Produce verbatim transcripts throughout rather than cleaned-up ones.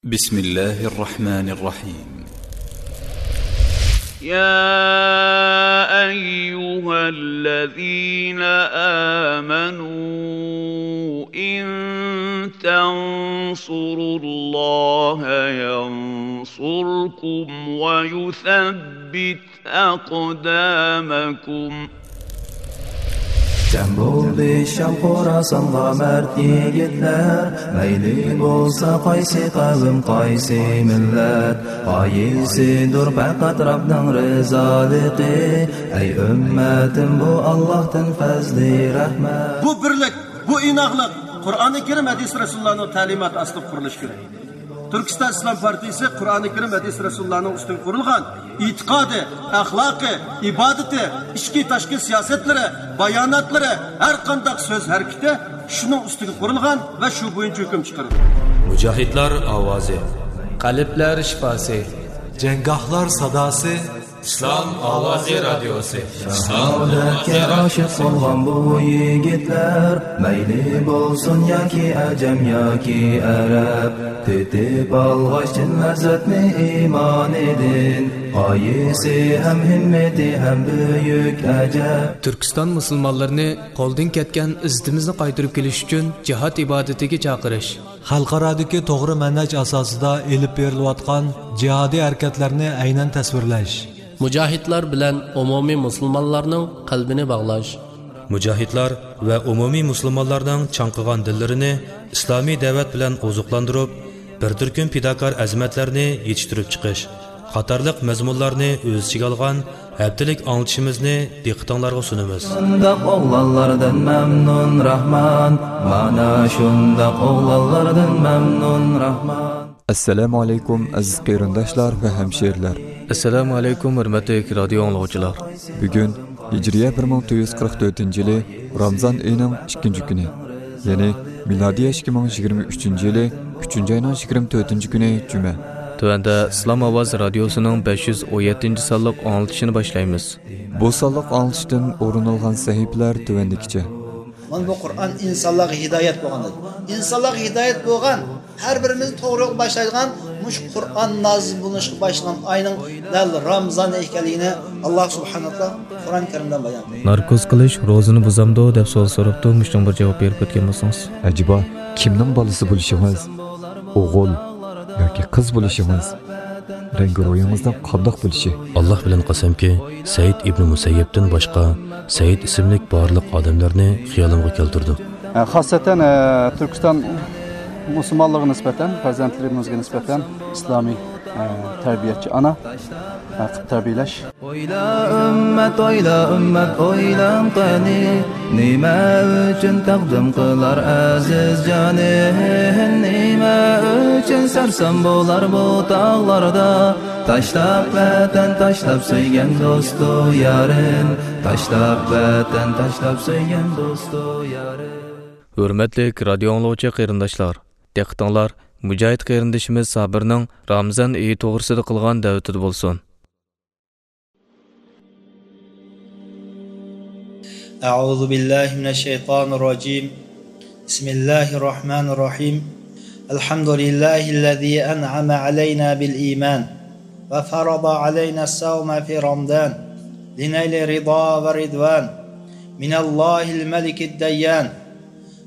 بسم الله الرحمن الرحيم. يا أيها الذين آمنوا إن تنصروا الله ينصركم ويثبت أقدامكم. جەم بولدى شام خوراسانغا مەرد يىگىتلەر، مەيلى بولسا قايسى قەۋم، قايسى مىللەت، غايىسىدۇر پەقەت رەبنىڭ رىزالىقى. ئەي ئۈممەتىم، بۇ ئاللاھتىن پەزلى رەھمەت. بۇ بىرلىك، بۇ ئىناقلىق قۇرئانى كەرىم، ھەدىس رەسۇلۇللانىڭ تەلىماتى ئاستىدا قۇرۇلۇشى كېرەك. تۈركىستان ئىسلام پارتىيىسى قۇرئانى كەرىم، ھەدىس رەسۇلۇللانىڭ ئۈستىگە قۇرۇلغان ئېتىقادى، ئەخلاقى، ئىبادىتى، ئىچكى تاشقى سىياسەتلىرى، باياناتلىرى، ھەر قانداق سۆز ھەرىكىتى شۇنىڭ ئۈستىگە قۇرۇلغان ۋە شۇ بويىچە ھۆكۈم چىقىرىدۇ. مۇجاھىدلار ئاۋازى. قەلبلەر شىپاسى. جەڭگاھلار ساداسى. ئىسلام ئاۋازى رادىيوسى. شاھادەتكە ئاشىق بولغان بۇ يىگىتلەر، مەيلى بولسۇن ياكى ئەجەم ياكى ئەرەب، تېتىپ ئالغاچ چىن لەززەتنى ئىمانىدىن، غايىسى ھەم ھىممىتى ھەم بۈيۈك ئەجەب. تۈركىستان مۇسۇلمانلىرىنى قولدىن كەتكەن ئىززىتىمىزنى قايتۇرۇپ كېلىش ئۈچۈن جىھاد ئىبادىتىگە چاقىرىش. خەلقئارادىكى توغرا مەنھەج ئاساسىدا ئېلىپ بېرىلىۋاتقان جىھادىي ھەرىكەتلەرنى ئەينەن تەسۋىرلەش. مۇجاھىدلار بىلەن ئومۇمىي مۇسۇلمانلارنىڭ قەلبىنى باغلاش. مۇجاھىدلار ۋە ئومۇمىي مۇسۇلمانلارنىڭ چاڭقىغان دىللىرىنى ئىسلامىي دەۋەت بىلەن ئوزۇقلاندۇرۇپ، بىر تۈركۈم پىداكار ئەزىمەتلەرنى يېتىشتۈرۈپ چىقىش قاتارلىق مەزمۇنلارنى ئۆز ئىچىگە ئالغان ھەپتىلىك ئاڭلىتىشىمىزنى دىققىتىڭلارغا سۇنىمىز. شۇنداق ئوغلانلاردىن مەمنۇن راھمان، مانا شۇنداق ئوغلانلاردىن مەمنۇن راھمان. ئەسسالامۇ ئەلەيكۇم، ئەزىز قېرىنداشلار ۋە ھەمشىرىلەر. ئەسسالامۇ ئەلەيكۇم، ھۆرمەتلىك رادىيو ئاڭلىغۇچىلار. بۈگۈن ھىجرىيە بىر مىڭ تۆت يۈز قىرىق تۆتىنچى يىلى رامزان ئېيىنىڭ ئىككىنچى كۈنى، يەنى مىلادىيە ئىككى مىڭ يىگىرمە ئۈچىنچى يىلى ئۈچىنچى ئاينىڭ يىگىرمە تۆتىنچى كۈنى جۈمە. تۆۋەندە ئىسلام ئاۋازى رادىيوسىنىڭ بەش يۈز ئون يەتتىنچى سانلىق ئاڭلىتىشىنى باشلايمىز. بۇ سانلىق ئاڭلىتىشتىن ئورۇن ئالغان سەھىپىلەر تۆۋەندىكىچە. مانا بۇ قۇرئان ئىنسانلارغا ھىدايەت بولغان. ئىنسانلارغا ھىدايەت بولغان، ھەر بىرىمىزنى توغرا يولغا باشلايدىغان مۇشۇ قۇرئان نازىل بولۇشقا باشلىغان ئاينىڭ دەل رامزان ئىكەنلىكىنى ئاللا سۇبھانەھۇ ۋە تائالا قۇرئان كەرىمدە بايان قىلدى. ناركوز قىلىش روزىنى بۇزامدۇ دەپ سوئال سوراپتۇ، مۇشۇنىڭغا بىر جاۋاب بېرىپ ئۆتكەن بولسىڭىز. ئەجەبا، كىمنىڭ بالىسى بولۇشىڭىز؟ ئوغۇل ياكى قىز بولۇشىڭىز؟ رەڭگى روھىڭىزنىڭ قانداق بولۇشى؟ ئاللا بىلەن قەسەمكى، سەئىد ئىبنى مۇسەييەبتىن باشقا سەئىد ئىسىملىك بارلىق ئادەملەرنى خىيالىمغا كەلتۈردۈم. خاسەتەن، ئە، تۈركىستان مۇسۇلمانلىرىغا نىسبەتەن، پەرزەنتلىرىمىزگە نىسبەتەن ئىسلامىي، ئە، تەربىيەچى ئانا، ئە، قىلىپ تەربىيەلەش. ئويلا ئۈممەت، ئويلا ئۈممەت، ئويلاڭ قېنى، نېمە ئۈچۈن تەقدىم قىلار ئەزىز جانى؟ نېمە ئۈچۈن سەرسان بولار بۇ تاغلاردا؟ تاشلاپ ۋەتەن، تاشلاپ سۆيگەن دوستۇ يارىن، تاشلاپ ۋەتەن، تاشلاپ سۆيگەن دوستۇ يارىن. ھۆرمەتلىك رادىيو ئاڭلىغۇچى قېرىنداشلار، دىققىتىڭلار مۇجاھىد قېرىندىشىمىز سابىرنىڭ رامىزان ئېيى توغرىسىدا قىلغان دەۋىتىدە بولسۇن. أعوذ بالله من الشيطان الرجيم. بسم الله الرحمن الرحيم. الحمد لله الذي أنعم علينا بالإيمان وفرض علينا الصوم في رمضان لنيل رضا ورضوان من الله الملك الديان.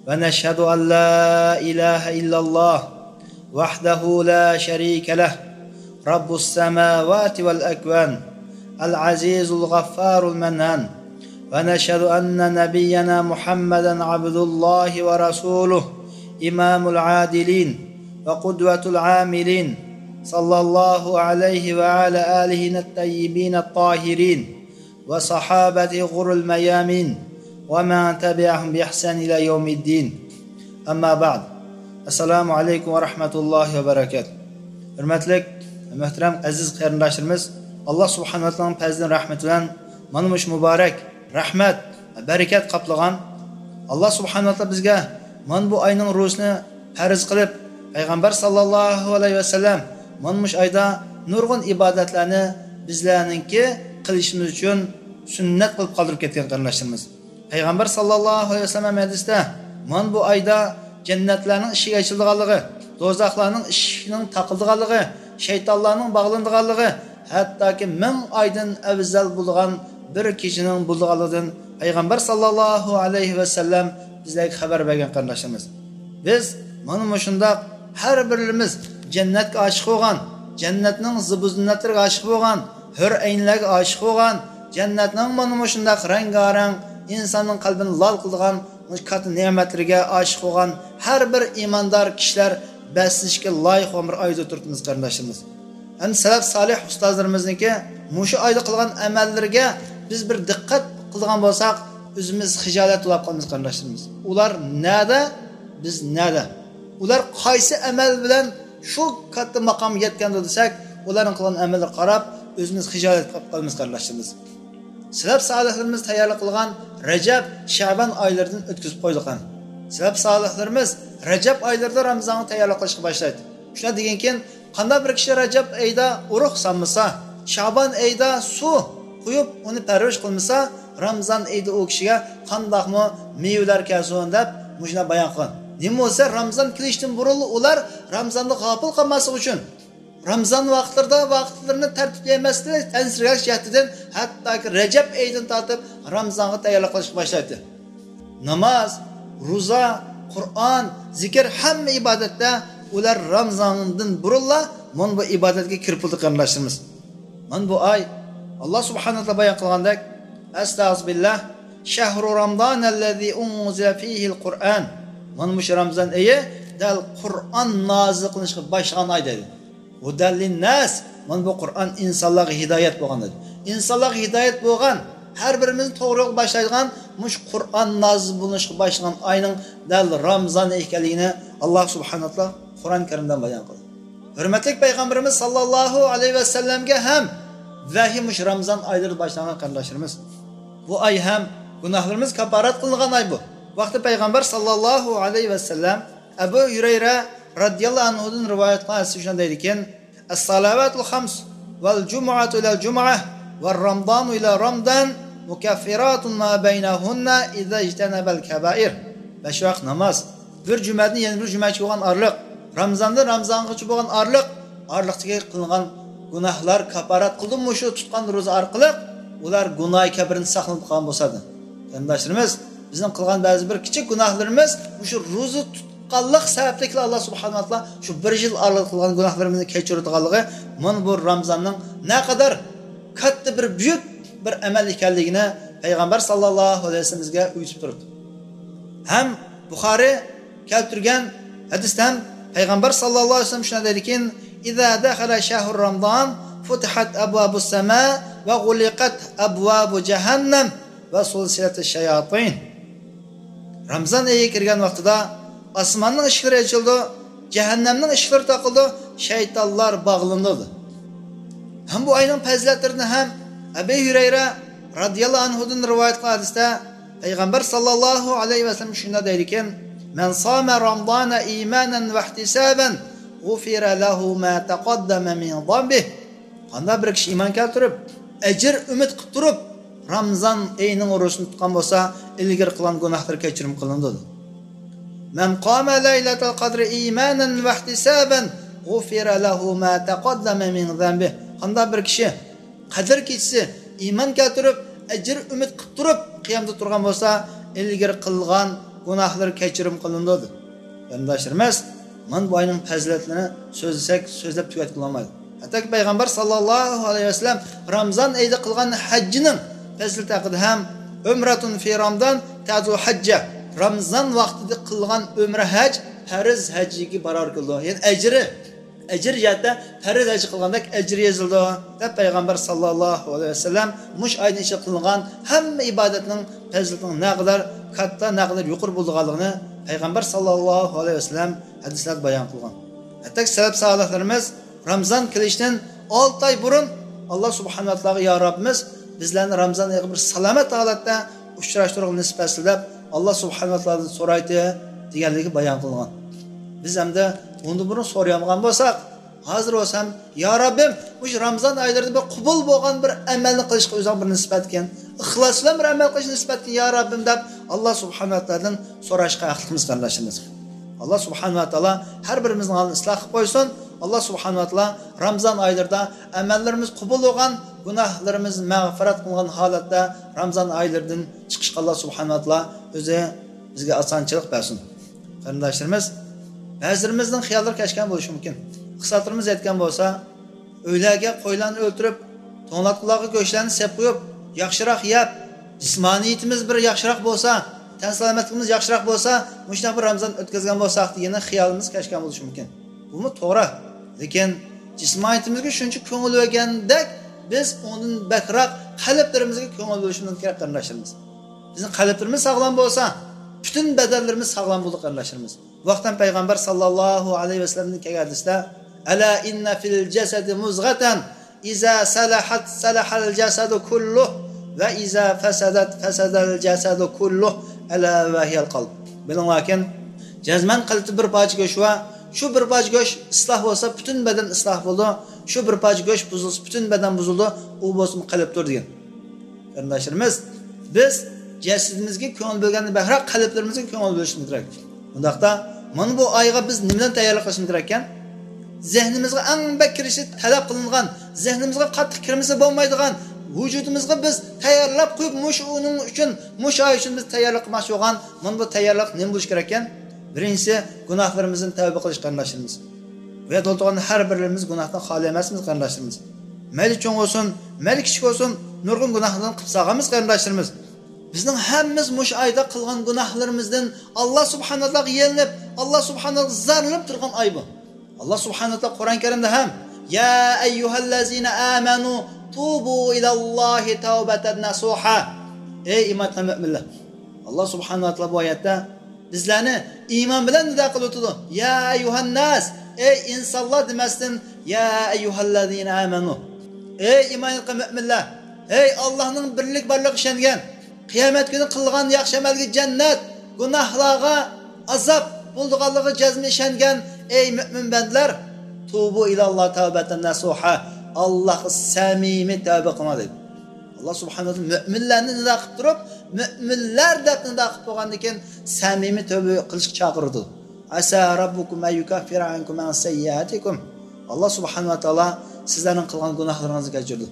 ونشهد أن لا إله إلا الله وحده لا شريك له، رب السماوات والأكوان، العزيز الغفار المنان. ونشهد أن نبينا محمدا عبد الله ورسوله، إمام العادلين وقدوة العاملين، صلى الله عليه وعلى آله الطيبين الطاهرين، وصحابته الغر الميامين، ومن تبعهم بإحسان إلى يوم الدين. أما بعد. السلام عليكم ورحمة الله وبركاته. ھۆرمەتلىك، مۆھتەرەم، ئەزىز قېرىنداشلىرىمىز، ئاللا سۇبھانەھۇ ۋە تائالانىڭ پەزلى ھەم رەھمىتى بىلەن مانا مۇشۇ مۇبارەك، رەھمەت، بەرىكەت قاپلىغان، ئاللا سۇبھانەھۇ ۋە تائالا بىزگە مانا بۇ ئاينىڭ روزىسىنى پەرز قىلىپ، پەيغەمبەر ساللاللاھۇ ئەلەيھى ۋەسەللەم مانا مۇشۇ ئايدا نۇرغۇن ئىبادەتلەرنى بىزلەرنىڭكى قىلىشىمىز ئۈچۈن سۈننەت قىلىپ قالدۇرۇپ كەتكەن قېرىنداشلىرىمىز. پەيغەمبەر ساللاللاھۇ ئەلەيھى ۋەسەللەم ھەدىستە مانا بۇ ئايدا جەننەتلەرنىڭ ئىشىكى ئېچىلىدىغانلىقى، دوزاخلارنىڭ ئىشىكىنىڭ تاقىلىدىغانلىقى، شەيتانلارنىڭ باغلىنىدىغانلىقى، ھەتتاكى مىڭ ئايدىن ئەۋزەل بولىدىغان بىر كېچىنىڭ بولىدىغانلىقىدىن پەيغەمبەر ساللاللاھۇ ئەلەيھى ۋەسەللەم بىزلەرگە خەۋەر بەرگەن، قېرىنداشلىرىمىز. بىز مانا مۇشۇنداق ھەر بىرىمىز جەننەتكە ئاشىق بولغان، جەننەتنىڭ زىبۇ زىننەتلىرىگە ئاشىق بولغان، ھۆر ئەينلەرگە ئاشىق بولغان، جەننەتنىڭ مانا مۇشۇنداق رەڭگارەڭ، ئىنساننىڭ قەلبىنى لال قىلىدىغان مۇشۇ كاتتا نېمەتلىرىگە ئاشىق بولغان ھەر بىر ئىماندار كىشىلەر بەسلىشىشكە لايىق بولغان بىر ئايدا تۇرۇپتىمىز، قېرىنداشلىرىمىز. ھەم سەلەف سالىھ ئۇستازلىرىمىزنىڭكى مۇشۇ ئايدا قىلغان ئەمەللىرىگە بىز بىر دىققەت قىلىدىغان بولساق، ئۆزىمىز خىجالەت بولۇپ قالىمىز، قېرىنداشلىرىمىز. ئۇلار نەدە، بىز نەدە؟ ئۇلار قايسى ئەمەل بىلەن شۇ كاتتا ماقامغا يەتكەندۇ دېسەك، ئۇلارنىڭ قىلغان ئەمەللىرىگە قاراپ ئۆزىمىز خىجالەت بولۇپ قالىمىز، قېرىنداشلىرىمىز. سەلەپ سالىھلىرىمىز تەييارلىق قىلغان رەجەب، شەبان ئايلىرىدىن ئۆتكۈزۈپ قويدۇق ھەم. سەلەپ سالىھلىرىمىز رەجەب ئايلىرىدا رامىزانغا تەييارلىق قىلىشقا باشلايدۇ. شۇنداق دېگەنكىن، قانداق بىر كىشى رەجەب ئېيىدا ئۇرۇق سالمىسا، شابان ئېيىدا سۇ قۇيۇپ، ئۇنى پەرۋىش قىلمىسا، رامىزان ئېيىدا ئۇ كىشىگە قانداقمۇ مېۋىلەر كەلسۇن دەپ مۇشۇنداق بايان قىلغان. نېمە بولسا، رامىزان كېلىشتىن بۇرۇنلا ئۇلار رامىزاندا غاپىل قالماسلىق ئۈچۈن، رامىزان ۋاقىتلىرىدا ۋاقىتلىرىنى تەرتىپكە يەمەسلىك، تەنسىرەش جەھىتىدىن ھەتتاكى رەجەب ئېيىدىن تارتىپ رامىزانغا تەييارلىق قىلىشقا باشلايتتى. ناماز، روزا، قۇرئان، زىكىر، ھەممە ئىبادەتتە ئۇلار رامىزاندىن بۇرۇنلا مانا بۇ ئىبادەتكە كىرىپ بولدى، قېرىنداشلىرىمىز. مانا بۇ ئاي، ئاللا سۇبھانەھۇ ۋە تائالا بايان قىلغاندەك، ئەستەغفىرۇللاھ، شەھرۇ رامضانەللەزى ئۇنزىلە فىھىل قۇرئان. مانا مۇشۇ رامىزان ئېيى دەل قۇرئان نازىل قىلىنىشقا باشلىغان ئاي دەيدۇ. ھۇدەللىنناس، مانا بۇ قۇرئان ئىنسانلارغا ھىدايەت بولغان دەيدۇ. ئىنسانلارغا ھىدايەت بولغان، ھەر بىرىمىزنى توغرا يولغا باشلايدىغان مۇشۇ قۇرئان نازىل بولۇشقا باشلىغان ئاينىڭ دەل رامىزان ئىكەنلىكىنى ئاللا سۇبھانەھۇ ۋە تائالا قۇرئان كەرىمدە بايان قىلدى. ھۆرمەتلىك پەيغەمبىرىمىز ساللاللاھۇ ئەلەيھى ۋەسەللەمگە ھەم ۋەھىي مۇشۇ رامىزان ئايلىرىدا باشلانغان، قېرىنداشلىرىمىز. بۇ ئاي ھەم گۇناھلىرىمىز كاپپارەت قىلىنغان ئاي بۇ. ۋاقتى پەيغەمبەر ساللاللاھۇ ئەلەيھى ۋەسەللەم ئەبۇ ھۈرەيرە رادىياللاھۇ ئەنھۇدىن رىۋايەت قىلغان ھەدىستە شۇنداق دەيدىكەن، الصلوات الخمس والجمعة إلى الجمعة ورمضان إلى رمضان مكفرات ما بينهن إذا اجتنب الكبائر. بەش ۋاق ناماز، بىر جۈمەدىن يەنە بىر جۈمەگىچە بولغان ئارىلىق، رامىزاندىن رامىزانغىچە بولغان ئارىلىق، ئارىلىقتىكى قىلىنغان گۇناھلار كاپپارەت قىلدىمۇ شۇ تۇتقان روزا ئارقىلىق ئۇلار گۇناھى كەبىرىدىن ساقلىنىپ قالغان بولسا. قېرىنداشلىرىمىز، بىزنىڭ قىلغان بەزى بىر كىچىك گۇناھلىرىمىز مۇشۇ روزا تۇتقانلىق سەۋەبلىكلا ئاللا سۇبھانەھۇ ۋە تائالا شۇ بىر يىل ئارىلىق قىلغان گۇناھلىرىمىزنى كەچۈرىدىغانلىقى، مانا بۇ رامىزاننىڭ نەقەدەر كاتتا بىر بۈيۈك بىر ئەمەل ئىكەنلىكىنى پەيغەمبەر ساللاللاھۇ ئەلەيھى ۋەسەللەم بىزگە ئۆگىتىپ تۇرۇپتۇ. ھەم بۇخارى كەلتۈرگەن ھەدىستە ھەم پەيغەمبەر ساللاللاھۇ ئەلەيھى ۋەسەللەم شۇنداق دەيدىكەن، إذا دخل شهر رمضان فتحت أبواب السماء وغلقت أبواب جهنم وسلسلت الشياطين. رامىزان ئېيى كىرگەن ۋاقتىدا ئاسماننىڭ ئىشىكلىرى ئېچىلىدۇ، جەھەننەمنىڭ ئىشىكلىرى تاقىلىدۇ، شەيتانلار باغلىنىدۇ. ھەم بۇ ئاينىڭ پەزىلەتلىرىدىن ھەم ئەبى ھۈرەيرە رادىياللاھۇ ئەنھۇدىن رىۋايەت قىلغان ھەدىستە پەيغەمبەر ساللاللاھۇ ئەلەيھى ۋەسەللەم شۇنداق دەيدىكەن، من صام رمضان إيمانا واحتسابا غفر له ما تقدم من ذنبه. قانداق بىر كىشى ئىمان كەلتۈرۈپ، ئەجىر ئۈمىد قىلىپ تۇرۇپ، رامىزان ئېيىنىڭ روزىسىنى تۇتقان بولسا، ئىلگىرى قىلغان گۇناھلىرى كەچۈرۈم قىلىنىدۇ. من قام ليلة القدر إيمانا واحتسابا غفر له ما تقدم من ذنبه. قانداق بىر كىشى قەدىر كېچىسى ئىمان كەلتۈرۈپ، ئەجىر ئۈمىد قىلىپ تۇرۇپ قىيامدا تۇرغان بولسا، ئىلگىرى قىلغان گۇناھلىرى كەچۈرۈم قىلىنىدۇ. قېرىنداشلىرىمىز، مانا بۇ ئاينىڭ پەزىلەتلىرىنى سۆزلىسەك، سۆزلەپ تۈگەتكىلى بولمايدۇ. ھەتتاكى پەيغەمبەر ساللاللاھۇ ئەلەيھى ۋەسەللەم رامىزان ئېيىدا قىلغان ھەججىنىڭ پەزىلىتى ھەققىدە ھەم، عمرة في رمضان تعدل حجة، رامىزان ۋاقتىدا قىلغان ئۆمرە ھەج پەرز ھەجگە باراۋەر كېلىدۇ. يەنى ئەجرى، ئەجىر جەھەتتە پەرز ھەج قىلغاندەك ئەجرى يېزىلىدۇ، دەپ پەيغەمبەر ساللاللاھۇ ئەلەيھى ۋەسەللەم مۇشۇ ئاينىڭ ئىچىدە قىلىنغان ھەممە ئىبادەتنىڭ پەزىلىتىنىڭ نەقەدەر كاتتا، نەقەدەر يۇقىرى بولىدىغانلىقىنى پەيغەمبەر ساللاللاھۇ ئەلەيھى ۋەسەللەم ھەدىسلەردە بايان قىلغان. ھەتتاكى سەلەپ سالىھلىرىمىز رامىزان كېلىشتىن ئالتە ئاي بۇرۇن ئاللا سۇبھانەھۇ ۋە تائالاغا، يا رەببىمىز، بىزلەرنى رامىزان ئېيىغا بىر سالامەت ھالەتتە ئۇچراشتۇرغىلى نېسىپ ئەتسە دەپ، ئاللا سۇبھانەھۇ ۋە تائالادىن سورايتتى، دېگەنلىكى بايان قىلغان. بىز ئەمدى ئۇندىن بۇرۇن سورىيالمىغان بولساق، ھازىر بولسا ھەم، يا رەببىم، مۇشۇ رامىزان ئايلىرىدا بىر قوبۇل بولغان بىر ئەمەلنى قىلىشقا ئۆزۈڭ بىر نېسىپ ئەتكىن، ئىخلاس بىلەن بىر ئەمەل قىلىشنى نېسىپ ئەتكىن، يا رەببىم، دەپ ئاللا سۇبھانەھۇ ۋە تائالادىن سوراشقا ھەقلىقمىز، قېرىنداشلىرىمىز. ئاللا سۇبھانەھۇ ۋە تائالا ھەر بىرىمىزنىڭ ھالىنى ئىسلاھ قىلىپ قويسۇن. ئاللا سۇبھانەھۇ ۋە تائالا رامزان ئايلىرىدا ئەمەللىرىمىز قوبۇل بولغان، گۇناھلىرىمىز مەغپىرەت قىلىنغان ھالەتتە رامزان ئايلىرىدىن چىقىشقا ئاللا سۇبھانەھۇ ۋە تائالا ئۆزى بىزگە ئاسانچىلىق بەرسۇن. قېرىنداشلىرىمىز، بەزىلىرىمىزنىڭ خىياللىرى كەچكەن بولۇشى مۇمكىن. ئىقتىسادلىرىمىز يەتكەن بولسا، ئۆيلەرگە قويلارنى ئۆلتۈرۈپ، توڭلاتقۇلارغا گۆشلەرنى سېپ قويۇپ، ياخشىراق يەپ، جىسمانىيىتىمىز بىر ياخشىراق بولسا، تەن سالامەتلىكىمىز ياخشىراق بولسا، مۇشۇنداق بىر رامزان ئۆتكۈزگەن بولساق دېگەن خىيالىمىز كەچكەن بولۇشى مۇمكىن. بۇمۇ توغرا. لېكىن جىسمانىيىتىمىزگە شۇنچە كۆڭۈل بۆلگەندەك، بىز ئۇنىڭدىن بەكرەك قەلبلىرىمىزگە كۆڭۈل بۆلۈشىمىز كېرەك، قېرىنداشلىرىمىز. بىزنىڭ قەلبلىرىمىز ساغلام بولسا، پۈتۈن بەدەنلىرىمىز ساغلام بولىدۇ، قېرىنداشلىرىمىز. بۇ ھەقتە پەيغەمبەر ساللاللاھۇ ئەلەيھى ۋەسەللەمدىن كەلگەن ھەدىستە، «ئەلا ئىننە فىل جەسەدى مۇزغەتەن، ئىزا سەلەھەت سەلەھەل جەسەدۇ كۇللۇھ، ۋە ئىزا فەسەدەت فەسەدەل جەسەدۇ كۇللۇھ، ئەلا ۋە ھىيەل قەلب.» بىلىڭلاركىن، جەزمەن قەلبتە بىر پارچە گۆش بار. شۇ بىر پارچە گۆش ئىسلاھ بولسا، پۈتۈن بەدەن ئىسلاھ بولىدۇ. شۇ بىر پارچە گۆش بۇزۇلسا، پۈتۈن بەدەن بۇزۇلىدۇ. ئۇ بولسىمۇ قەلبتۇر دېگەن. قېرىنداشلىرىمىز، بىز جەسىتىمىزگە كۆڭۈل بۆلگەندىن بەكرەك قەلبلىرىمىزگە كۆڭۈل بۆلۈشىمىز كېرەك. ئۇنداقتا، مانا بۇ ئايغا بىز نېمىلەرنى تەييارلىق قىلىشىمىز كېرەككەن؟ زېھنىمىزغا ئەڭ بەك كىرىشى تەلەپ قىلىنغان، زېھنىمىزغا قاتتىق كىرمىسە بولمايدىغان، ۋۇجۇدىمىزغا بىز تەييارلاپ قويۇپ، مۇشۇ ئۇنىڭ ئۈچۈن، مۇشۇ ئاي ئۈچۈن بىز تەييارلىق قىلماقچى بولغان، مانا بۇ تەييارلىق نېمە بولۇشى كېرەككەن؟ بىرىنچىسى، گۇناھلىرىمىزدىن تەۋبە قىلىش، قېرىنداشلىرىمىز. بۇ يەردە ئولتۇرغان ھەر بىرىمىز گۇناھتىن خالىي ئەمەسمىز، قېرىنداشلىرىمىز. مەيلى چوڭ بولسۇن، مەيلى كىچىك بولسۇن، نۇرغۇن گۇناھلاردىن قىلىپ سالغانمىز، قېرىنداشلىرىمىز. بىزنىڭ ھەممىمىز مۇشۇ ئايدا قىلغان گۇناھلىرىمىزدىن ئاللا سۇبھانەھۇ ۋە تائالاغا يېلىنىپ، ئاللا سۇبھانەھۇ ۋە تائالاغا زارلىنىپ تۇرغان ئاي بۇ. ئاللا سۇبھانەھۇ ۋە تائالا قۇرئان كەرىمدە ھەم، يا ئەييۇھەللەزىنە ئامەنۇ توبۇ ئىلەللاھى تەۋبەتەن نەسۇھا. ئەي ئىمان ئېيتقان مۆمىنلەر. ئاللا سۇبھانەھۇ ۋە تائالا بۇ ئايەتتە بىزلەرنى ئىمان بىلەن نىدا قىلىۋاتىدۇ. يا ئەييۇھەنناس، ئەي ئىنسانلار دېمەستىن، يا ئەييۇھەللەزىنە ئامەنۇ، ئەي ئىمان ئېيتقان مۆمىنلەر، ئەي ئاللانىڭ بىرلىك بارلىقىغا ئىشەنگەن، قىيامەت كۈنى قىلغان ياخشى ئەمەلگە جەننەت، گۇناھلارغا ئازاب بولىدىغانلىقىغا جەزمەن ئىشەنگەن، ئەي مۆمىن بەندىلەر، توبۇ ئىلەللاھ تەۋبەتەن نەسۇھا، ئاللاھقا سەمىمىي تەۋبە قىلىڭلار دەيدۇ. ئاللا سۇبھانەھۇ ۋە تائالا مۆمىنلەرنى نىدا قىلىپ تۇرۇپ، مۆمىنلەر دەپ نىدا قىلىپ بولغاندىن كېيىن، سەمىمىي تەۋبە قىلىشقا چاقىرىدۇ. ئەسا رەببۇكۇم ئەن يۇكەففىرە ئەنكۇم ئەن سەييىئاتىكۇم. ئاللا سۇبھانەھۇ ۋە تائالا سىزلەرنىڭ قىلغان گۇناھلىرىڭىزنى كەچۈرىدۇ.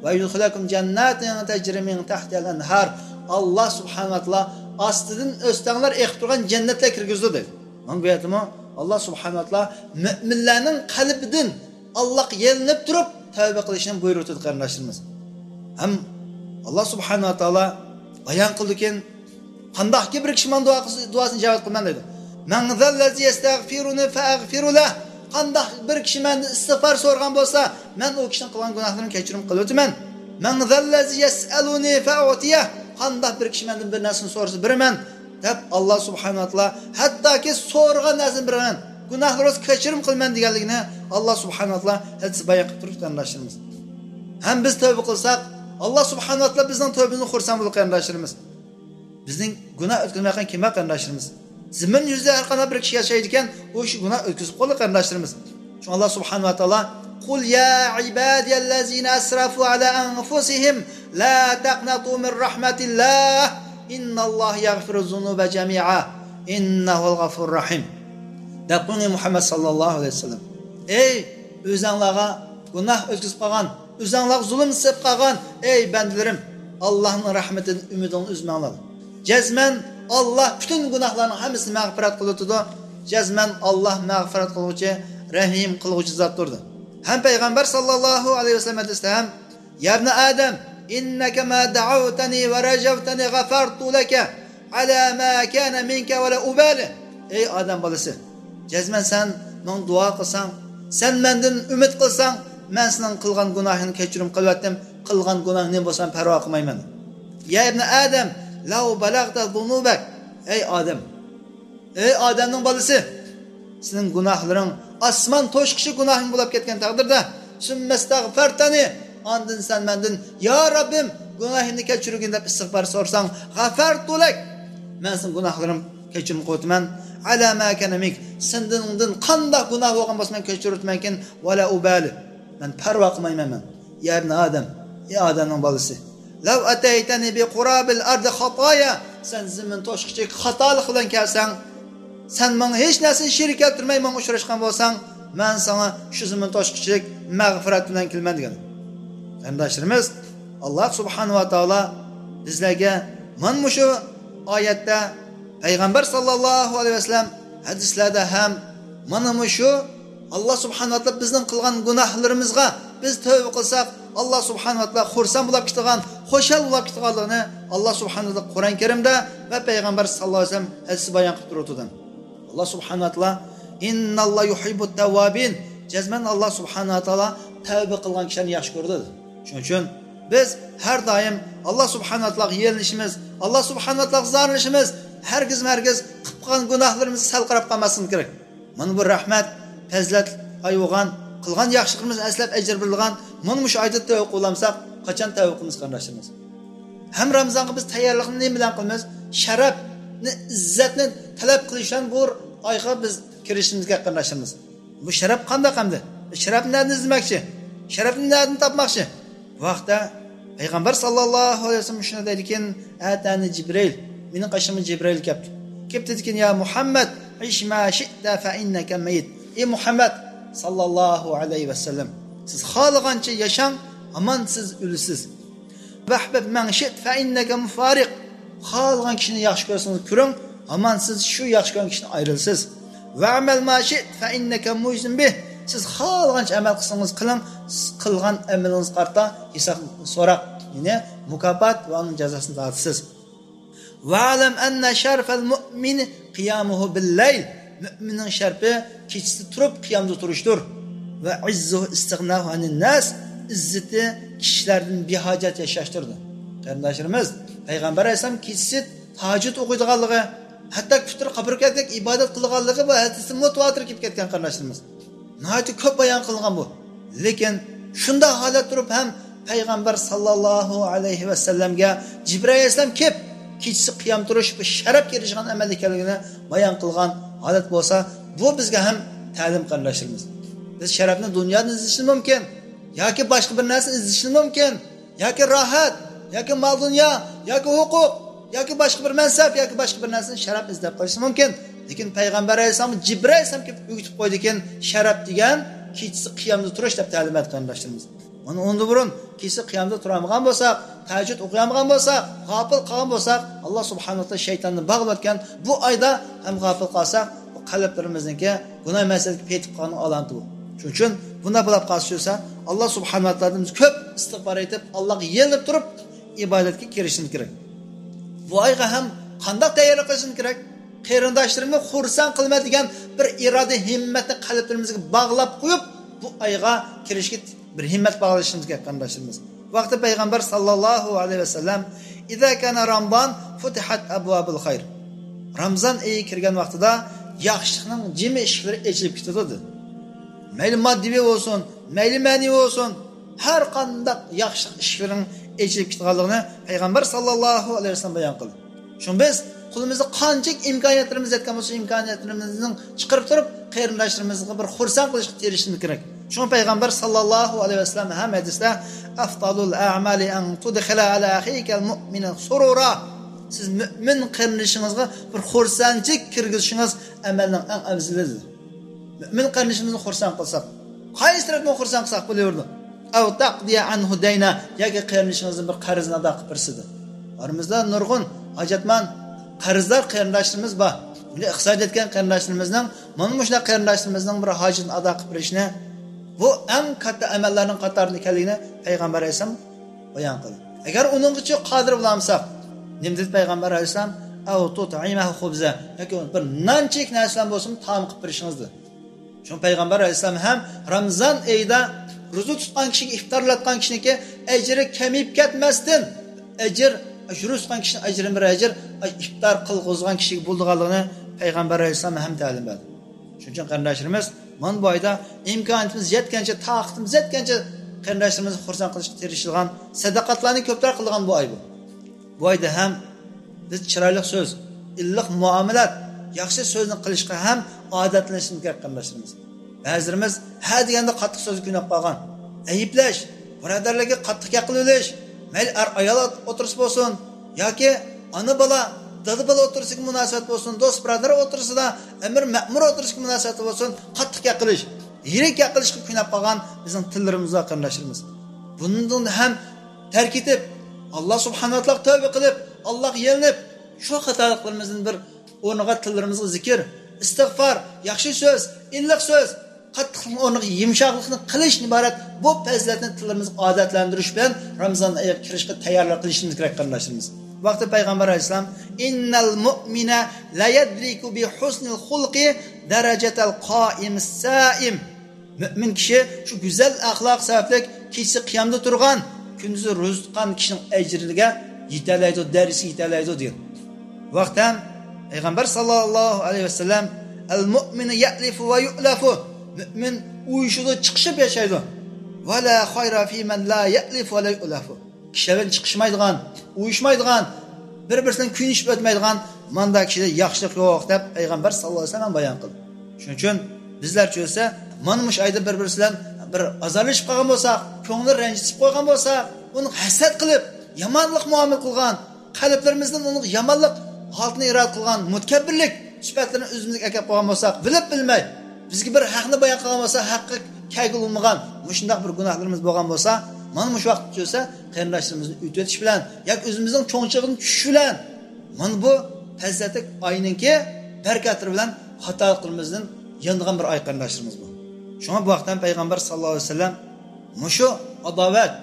ۋە يۇدخىلەكۇم جەنناتىن تەجرى مىن تەھتىھەل ئەنھار. ئاللا سۇبھانەھۇ ۋە تائالا ئاستىدىن ئۆستەڭلەر ئېقىپ تۇرغان جەننەتلەرگە كىرگۈزىدۇ دەيدۇ. مانا بۇ يەردىمۇ ئاللا سۇبھانەھۇ ۋە تائالا مۆمىنلەرنىڭ قەلبىدىن ئاللاغا يېلىنىپ تۇرۇپ تەۋبە قىلىشنى بۇيرۇۋېتىدۇ، قېرىنداشلىرىمىز. ھەم ئاللا سۇبھانەھۇ ۋە تائالا بايان قىلدىكەن، قانداقكى بىر كىشى ماڭا دۇئا قىلسا، دۇئاسىنى ئىجابەت قىلىمەن دەيدۇ. مەن زەللەزى يەستەغفىرۇنى فەئەغفىرۇ لەھ. قانداق بىر كىشى مەندىن ئىستىغفار سورىغان بولسا، مەن ئۇ كىشىنىڭ قىلغان گۇناھلىرىنى كەچۈرۈم قىلىۋېتىمەن. مەن زەللەزى يەسئەلۇنى فەئۇتىيەھ. قانداق بىر كىشى مەندىن بىر نەرسىنى سورىسا، بېرىمەن، دەپ ئاللا سۇبھانەھۇ ۋە تائالا ھەتتاكى سورىغان نەرسىنى بېرىمەن، گۇناھلىرىڭىزنى كەچۈرۈم قىلىمەن دېگەنلىكىنى ئاللا سۇبھانەھۇ ۋە تائالا ھەدىس بايان قىلىپ تۇرۇپتۇ، قېرىنداشلىرىمىز. ھەم بىز تەۋبە قىلساق، ئاللا سۇبھانەھۇ ۋە تائالا بىزنىڭ تەۋبىمىزدىن خۇرسەن بولىدۇ، قېرىنداشلىرىمىز. بىزنىڭ گۇناھ ئۆتكۈزمەيدىغان كىم بار، قېرىنداشلىرىمىز؟ زېمىن يۈزىدە ھەر قانداق بىر كىشى ياشايدىكەن، ئۇ كىشى گۇناھ ئۆتكۈزۈپ قويىدۇ، قېرىنداشلىرىمىز. شۇڭا ئاللا سۇبھانەھۇ ۋە تائالا، قۇل يا ئىبادىيەللەزىنە ئەسرەفۇ ئەلا ئەنفۇسىھىم لا تەقنەتۇ مىن رەھمەتىللاھ، ئىننەللاھە يەغفىرۇز زۇنۇبە جەمىئا، ئىننەھۇ ھۇۋەل غەفۇرۇر رەھىم. دەپ قويۇڭ، ئەي مۇھەممەد ساللاللاھۇ ئەلەيھى ۋەسەللەم. ئەي ئۆزەڭلارغا گۇناھ ئۆتكۈزۈپ قالغان، ئۆزەڭلارغا زۇلۇم سېلىپ قالغان، ئەي بەندىلىرىم، ئاللانىڭ رەھمىتىدىن ئۈمىدىڭلارنى ئۈزمەڭلار. جەزمەن ئاللا پۈتۈن گۇناھلارنىڭ ھەممىسىنى مەغپىرەت قىلىۋېتىدۇ. جەزمەن ئاللا مەغپىرەت قىلغۇچى، رەھىم قىلغۇچى زاتتۇر. ھەم پەيغەمبەر ساللاللاھۇ ئەلەيھى ۋەسەللەم ھەدىستە ھەم، يا ابن آدم، إنك ما دعوتني ورجوتني غفرت لك على ما كان منك ولا أبالي. ئەي ئادەم بالىسى، جەزمەن سەن ماڭا دۇئا قىلساڭ، سەن مەندىن ئۈمىد قىلساڭ، مەن سېنىڭ قىلغان گۇناھىڭنى كەچۈرۈم قىلىۋەتتىم، قىلغان گۇناھىڭ نېمە بولسا ھەم پەرۋا قىلمايمەن. يا ابن آدم، لو بلغت ذنوبك. ئەي ئادەم، ئەي ئادەمنىڭ بالىسى، سېنىڭ گۇناھلىرىڭ ئاسمان توشقۇچە گۇناھىڭ بولاپ كەتكەن تەقدىردە، ثم استغفرتني، ئاندىن سەن مەندىن، يا رەببىم، گۇناھىمنى كەچۈرگىن دەپ ئىستىغپار سورىساڭ، غفرت لك، مەن سېنىڭ گۇناھلىرىڭ كەچۈرۈم قىلىۋېتىمەن، على ما كان منك، سېنىڭدىن قانداق گۇناھ بولغان بولسا مەن كەچۈرۈۋېتىمەنكىن، ولا أبالي، مەن پەرۋا قىلمايمەن مەن. يا ابن آدم، ئەي ئادەمنىڭ بالىسى، لو أتيتني بقراب الأرض خطايا، سەن زېمىن توشقۇچە خاتالىق بىلەن كەلسەڭ، سەن ماڭا ھېچ نەرسىنى شېرىك كەلتۈرمەي ماڭا ئۇچراشقان بولساڭ، مەن ساڭا شۇ زېمىن توشقۇچىلىك مەغپىرەت بىلەن كېلىمەن دېگەن. قېرىنداشلىرىمىز، ئاللا سۇبھانەھۇ ۋە تائالا بىزلەرگە مانا مۇشۇ ئايەتتە، پەيغەمبەر ساللاللاھۇ ئەلەيھى ۋەسەللەم ھەدىسلەردە ھەم مانا مۇشۇ ئاللا سۇبھانەھۇ ۋە تائالا بىزنىڭ قىلغان گۇناھلىرىمىزغا بىز تەۋبە قىلساق، ئاللا سۇبھانەھۇ ۋە تائالا خۇرسەن بولاپ كېتىدىغان، خۇشال بولاپ كېتىدىغانلىقىنى ئاللا سۇبھانەھۇ ۋە تائالا قۇرئان كەرىمدە ۋە پەيغەمبەر ساللاللاھۇ ئەلەيھى ۋەسەللەم ھەدىسىدە بايان قىلىپ تۇرۇۋاتىدۇ. ئاللا سۇبھانەھۇ ۋە تائالا، «ئىنناللا يۇھىببۇت تەۋۋابىن»، جەزمەن ئاللا سۇبھانەھۇ ۋە تائالا تەۋبە قىلغان كىشىلەرنى ياخشى كۆرىدۇ. شۇنىڭ ئۈچۈن بىز ھەر دائىم ئاللا سۇبھانەھۇ ۋە تائالاغا يېلىنىشىمىز، ئاللا سۇبھانەھۇ ۋە تائالاغا زارلىنىشىمىز، ھەرگىزمۇ ھەرگىز قىلىپ قالغان گۇناھلىرىمىزغا سەل قاراپ قالماسلىقىمىز كېرەك. مانا بۇ رەھمەت، پەزىلەت ئاي بولغان، قىلغان ياخشىلىقىمىزنى ئەسلەپ ئەجىر بېرىدىغان مانا مۇشۇ ئايدا تەۋبە قىلالمىساق، قاچان تەۋبە قىلىمىز قېرىنداشلىرىمىز؟ ھەم رامىزانغا بىز تەييارلىقنى نېمە بىلەن قىلىمىز؟ شەرەپنى، ئىززەتنى تەلەپ قىلىش بىلەن بۇ ئايغا بىز كىرىشىمىز كېرەك قېرىنداشلىرىمىز. بۇ شەرەپ قانداق ئەمدى؟ شەرەپنى نەدىن ئىزدىمەكچى؟ شەرەپنى نەدىن تاپماقچى؟ بۇ ھەقتە پەيغەمبەر ساللاللاھۇ ئەلەيھى ۋەسەللەم شۇنى دەيدىكەن، «ئەتانى جىبرىل»، مېنىڭ قېشىمغا جىبرىل كەپتۇ. كېلىپ دېدىكەن، «يا مۇھەممەد، ئىش ما شىئتا فە ئىننەكە مەييىت.» ئى مۇھەممەد ساللاللاھۇ ئەلەيھى ۋەسەللەم، سىز خالىغانچە ياشاڭ، ھامان سىز ئۆلىسىز. «ۋەھبىب مەن شىئت فە ئىننەكە مۇفارىق.» خالىغان كىشىنى ياخشى كۆرسىڭىز كۆرۈڭ، ھامان سىز شۇ ياخشى كۆرگەن كىشىدىن ئايرىلىسىز. «ۋەئمەل ما شىئت فە ئىننەكە مۇجزىن بىھ.» سىز خالىغانچە ئەمەل قىلسىڭىز قىلىڭ، سىز قىلغان ئەمىلىڭىزگە قارىتا ھېساب سوراق، يەنى مۇكاپات ۋە ئۇنىڭ جازاسىنى تارتىسىز. «ۋەئلەم ئەننە شەرەفەل مۇئمىنى قىيامۇھۇ بىللەيل.» مۆمىننىڭ شەرىپى كېچىسى تۇرۇپ قىيامدا تۇرۇشتۇر. «ۋە ئىززۇھۇ ئىستىغناھۇ ئەنىن ناس.» ئىززىتى كىشىلەردىن بىھاجەت ياشاشتۇر. قېرىنداشلىرىمىز، پەيغەمبەر ئەلەيھىسسالام كېچىسى تاھەججۇد ئوقۇيدىغانلىقى، ھەتتا كۈتۈر قاپىرىپ كەتكەن ئىبادەت قىلىدىغانلىقى بۇ ھەدىستە مۇتەۋاتىر كېلىپ كەتكەن قېرىنداشلىرىمىز. ناھايىتى كۆپ بايان قىلغان بۇ. لېكىن شۇنداق ھالەت تۇرۇپ ھەم پەيغەمبەر ساللاللاھۇ ئەلەيھى ۋەسەللەمگە جىبرىئىل ئەلەيھىسسالام كېلىپ، كېچىسى قىيام تۇرۇش بۇ شەرەپكە ئېرىشىدىغان ئەمەل ئىكەنلىكىنى بايان قىلغان ھالەت بولسا، بۇ بىزگە ھەم تەلىم قېرىنداشلىرىمىز. بىز شەرەپنى دۇنيادىن ئىزدىشىمىز مۇمكىن، ياكى باشقا بىر نەرسىنى ئىزدىشىمىز مۇمكىن، ياكى راھەت، ياكى مال-دۇنيا، ياكى ھوقۇق، ياكى باشقا بىر مەنسەپ، ياكى باشقا بىر نەرسىنى شەرەپ ئىزدەپ قېلىشى مۇمكىن. لېكىن پەيغەمبەر ئەلەيھىسسالام جىبرىئىل ئەلەيھىسسالام كېلىپ ئۆگىتىپ قويدىكەن، شەرەپ دېگەن كېچىسى قىيامدا تۇرۇش دەپ تەلىم بەردى قېرىنداشلىرىمىز. مانا ئۇندىن بۇرۇن كېچىسى قىيامدا تۇرالمىغان بولساق، تەھەججۇد ئوقۇيالمىغان بولساق، غاپىل قالغان بولساق، ئاللا سۇبھانەھۇ ۋە تائالا شەيتاننى باغلاۋەتكەن بۇ ئايدا ھەم غاپىل قالساق، بۇ قەلبلىرىمىزنىڭكى گۇناھ مەسىلىسىگە پېتىپ قالغان ئالامىتى بۇ. شۇنىڭ ئۈچۈن بۇنداق بولاپ قالسا، ئاللا سۇبھانەھۇ ۋە تائالادىن بىز كۆپ ئىستىغپار ئېيتىپ، ئاللاغا يېلىنىپ تۇرۇپ ئىبادەتكە كىرىشىمىز كېرەك. بۇ ئايغا ھەم قانداق تەييارلىق قىلىشىمىز كېرەك؟ قېرىنداشلىرىمنى خۇرسەن قىلىمەن دېگەن بىر ئىرادە، ھىممەتنى قەلبلىرىمىزگە باغلاپ قويۇپ، بۇ ئايغا كىرىشكە بىر ھىممەت باغلىشىمىز كېرەك قېرىنداشلىرىمىز. بۇ ھەقتە پەيغەمبەر ساللاللاھۇ ئەلەيھى ۋەسەللەم، «ئىزا كانە رامضان فۇتىھەت ئەبۋابۇل خەير.» رامزان ئېيى كىرگەن ۋاقتىدا ياخشىلىقنىڭ جىمى ئىشىكلىرى ئېچىلىپ كېتىدۇ، دېدى. مەيلى ماددىي بولسۇن، مەيلى مەنىۋى بولسۇن، ھەر قانداق ياخشىلىق ئىشىكلىرىنىڭ ئېچىلىپ كېتىدىغانلىقىنى پەيغەمبەر ساللاللاھۇ ئەلەيھى ۋەسەللەم بايان قىلدى. شۇڭا بىز قولىمىزدا قانچىلىك ئىمكانىيەتلىرىمىز يەتكەن بولسا، ئىمكانىيەتلىرىمىزنى چىقىرىپ تۇرۇپ، قېرىنداشلىرىمىزغا بىر خۇرسەن قىلىشقا تىرىشىشىمىز كېرەك. شۇڭا پەيغەمبەر ساللاللاھۇ ئەلەيھى ۋەسەللەم ھەم ھەدىستە، «ئەفزەلۇل ئەئمالى ئەن تۇدخىلە ئەلا ئەخىكەل مۇئمىنى سۇرۇرا.» سىز مۆمىن قېرىندىشىڭىزغا بىر خۇرسەنچىلىك كىرگۈزۈشىڭىز ئەمەلنىڭ ئەڭ ئەۋزىلىدۇر. مۆمىن قېرىندىشىمىزنى خۇرسەن قىلساق، قايسى تەرەپتىن خۇرسەن قىلساق بولۇۋېرىدۇ؟ «ئەۋ تەقدىيە ئەنھۇ دەينە»، ياكى قېرىندىشىڭىزدىن بىر قەرزنى ئادا قىلىپ بېرىسىدۇ. ئارىمىزدا نۇرغۇن ھاجەتمەن، قەرزدار قېرىنداشلىرىمىز بار. بۇنى ئىقتىساد يەتكەن قېرىنداشلىرىمىزنىڭ، مانا مۇشۇنداق قېرىنداشلىرىمىزنىڭ بىر ھاجىتىنى ئادا قىلىپ بېرىشنى، بۇ ئەڭ كاتتا ئەمەللەرنىڭ قاتارىدا ئىكەنلىكىنى پەيغەمبەر ئەلەيھىسسالام بايان قىلدى. ئەگەر ئۇنىڭغىچە قادىر بولالمىساق، نېمە دېدى پەيغەمبەر ئەلەيھىسسالام؟ «ئەۋ تۇتئىمەھۇ خۇبزە»، ياكى بىر نانچىلىك نەرسە بىلەن بولسىمۇ تائام قىلىپ بېرىشىڭىز، دېدى. شۇڭا پەيغەمبەر ئەلەيھىسسالام ھەم رامزان ئېيىدا روزا تۇتقان كىشىگە، ئىپتارلاتقان كىشىنىڭكى ئەجرى كېمىيىپ كەتمەستىن، ئەجىر، روزا تۇتقان كىشىنىڭ ئەجرىدىن بىر ئەجىر، ئىپتار قىلغۇزغان كىشىگە بولىدىغانلىقىنى پەيغەمبەر ئەلەيھىسسالام ھەم تەلىم بەردى. شۇنىڭ ئۈچۈن قېرىنداشلىرىمىز، مانا بۇ ئايدا ئىمكانىيىتىمىز يەتكەنچە، تاقىتىمىز يەتكەنچە قېرىنداشلىرىمىزنى خۇرسەن قىلىشقا تىرىشىدىغان سەدەقەتلەرنى كۆپرەك قىلىدىغان بۇ ئاي بۇ. بۇ ئايدا ھەم بىز چىرايلىق سۆز، ئىللىق مۇئامىلات، ياخشى سۆزنى قىلىشقا ھەم ئادەتلىنىشىمىز كېرەك قېرىنداشلىرىمىز. بەزىلىرىمىز ھە دېگەندە قاتتىق سۆزگە كۆنۈپ قالغان. ئەيىبلەش، بۇرادەرلەرگە قاتتىق گەپ قىلىۋېلىش، مەيلى ئەر-ئايال ئوتتۇرىسى بولسۇن ياكى ئانا-بالا، دادا بالا ئوتتۇرىسىدىكى مۇناسىۋەت بولسۇن، دوست بۇرادەر ئوتتۇرىسىدا، ئەمىر مەمۇر ئوتتۇرىسىدىكى مۇناسىۋەت بولسۇن، قاتتىق گەپ قىلىش، يىرىك گەپ قىلىشقا كۆنۈپ قالغان بىزنىڭ تىللىرىمىز بار، قېرىنداشلىرىمىز. بۇنىڭدىن ھەم تەرك ئېتىپ، ئاللا سۇبھانەھۇ ۋە تائالاغا تەۋبە قىلىپ، ئاللاغا يېلىنىپ، شۇ خاتالىقلىرىمىزدىن بىر ئورنىغا تىللىرىمىزغا زىكىر، ئىستىغپار، ياخشى سۆز، ئىللىق سۆز، قاتتىقلىقنىڭ ئورنىغا يۇمشاقلىقنى قىلىشتىن ئىبارەت بۇ پەزىلەتنى تىللىرىمىزغا ئادەتلەندۈرۈش بىلەن رامىزان ئايىغا كىرىشكە تەييارلىق قىلىشىمىز كېرەك، قېرىنداشلىرىمىز. بۇ ھەقتە پەيغەمبەر ئەلەيھىسسالام، «إن المؤمن ليدرك بحسن الخلق درجة القائم الصائم.» مۆمىن كىشى شۇ گۈزەل ئەخلاق سەۋەبلىك كېچىسى قىيامدا تۇرغان، كۈندۈزى روزا تۇتقان كىشىنىڭ ئەجرىگە يېتەلەيدۇ، دەرىجىسىگە يېتەلەيدۇ دېگەن. بۇ ھەقتە پەيغەمبەر ساللاللاھۇ ئەلەيھى ۋەسەللەم، «المؤمن يألف ويؤلف.» مۆمىن ئۇيۇشىدۇ، چىقىشىپ ياشايدۇ. «ولا خير في من لا يألف ولا يؤلف.» كىشىلەر بىلەن چىقىشمايدىغان، ئۇيۇشمايدىغان، بىر-بىرسى بىلەن كۆيۈنۈشۈپ ئۆتمەيدىغان مانداق كىشىدە ياخشىلىق يوق دەپ پەيغەمبەر ساللاللاھۇ ئەلەيھى ۋەسەللەم بايان قىلدى. شۇنىڭ ئۈچۈن بىزلەرچە ئۆتسە، مانا مۇشۇ ئايدا بىر-بىرسى بىلەن بىر ئازارلىشىپ قالغان بولساق، كۆڭلى رەنجىتىپ قويغان بولسا، ئۇنى ھەسەت قىلىپ، يامانلىق مۇئامىلە قىلغان، قەلبلىرىمىزدىن ئۇنىڭ يامانلىق ھالىتىنى ئىرادە قىلغان مۇتەكەببىرلىك سۈپەتلىرىنى ئۆزىمىزگە ئەكەپ قويغان بولساق، بىلىپ بىلمەي، بىزگە بىر ھەقنى بايان قىلغان بولسا، ھەققە كەلگىلى بولمىغان مۇشۇنداق بىر گۇناھلىرىمىز بولغان بولسا، مانا مۇشۇ ۋاقىتتا چۆسە، قېرىنداشلىرىمىزنى ئۆتۈۋېتىش بىلەن ياكى ئۆزىمىزنىڭ چوڭچىلىقىنى چۈشىشى بىلەن، مانا بۇ پەزىلەتلىك ئاينىڭكى بەرىكەتلىرى بىلەن خاتالىقلىرىمىزدىن يانىدىغان بىر ئاي، قېرىنداشلىرىمىز بۇ. شۇڭا بۇ ھەقتە پەيغەمبەر ساللاللاھۇ ئەلەيھى ۋەسەللەم مۇشۇ ئاداۋەت،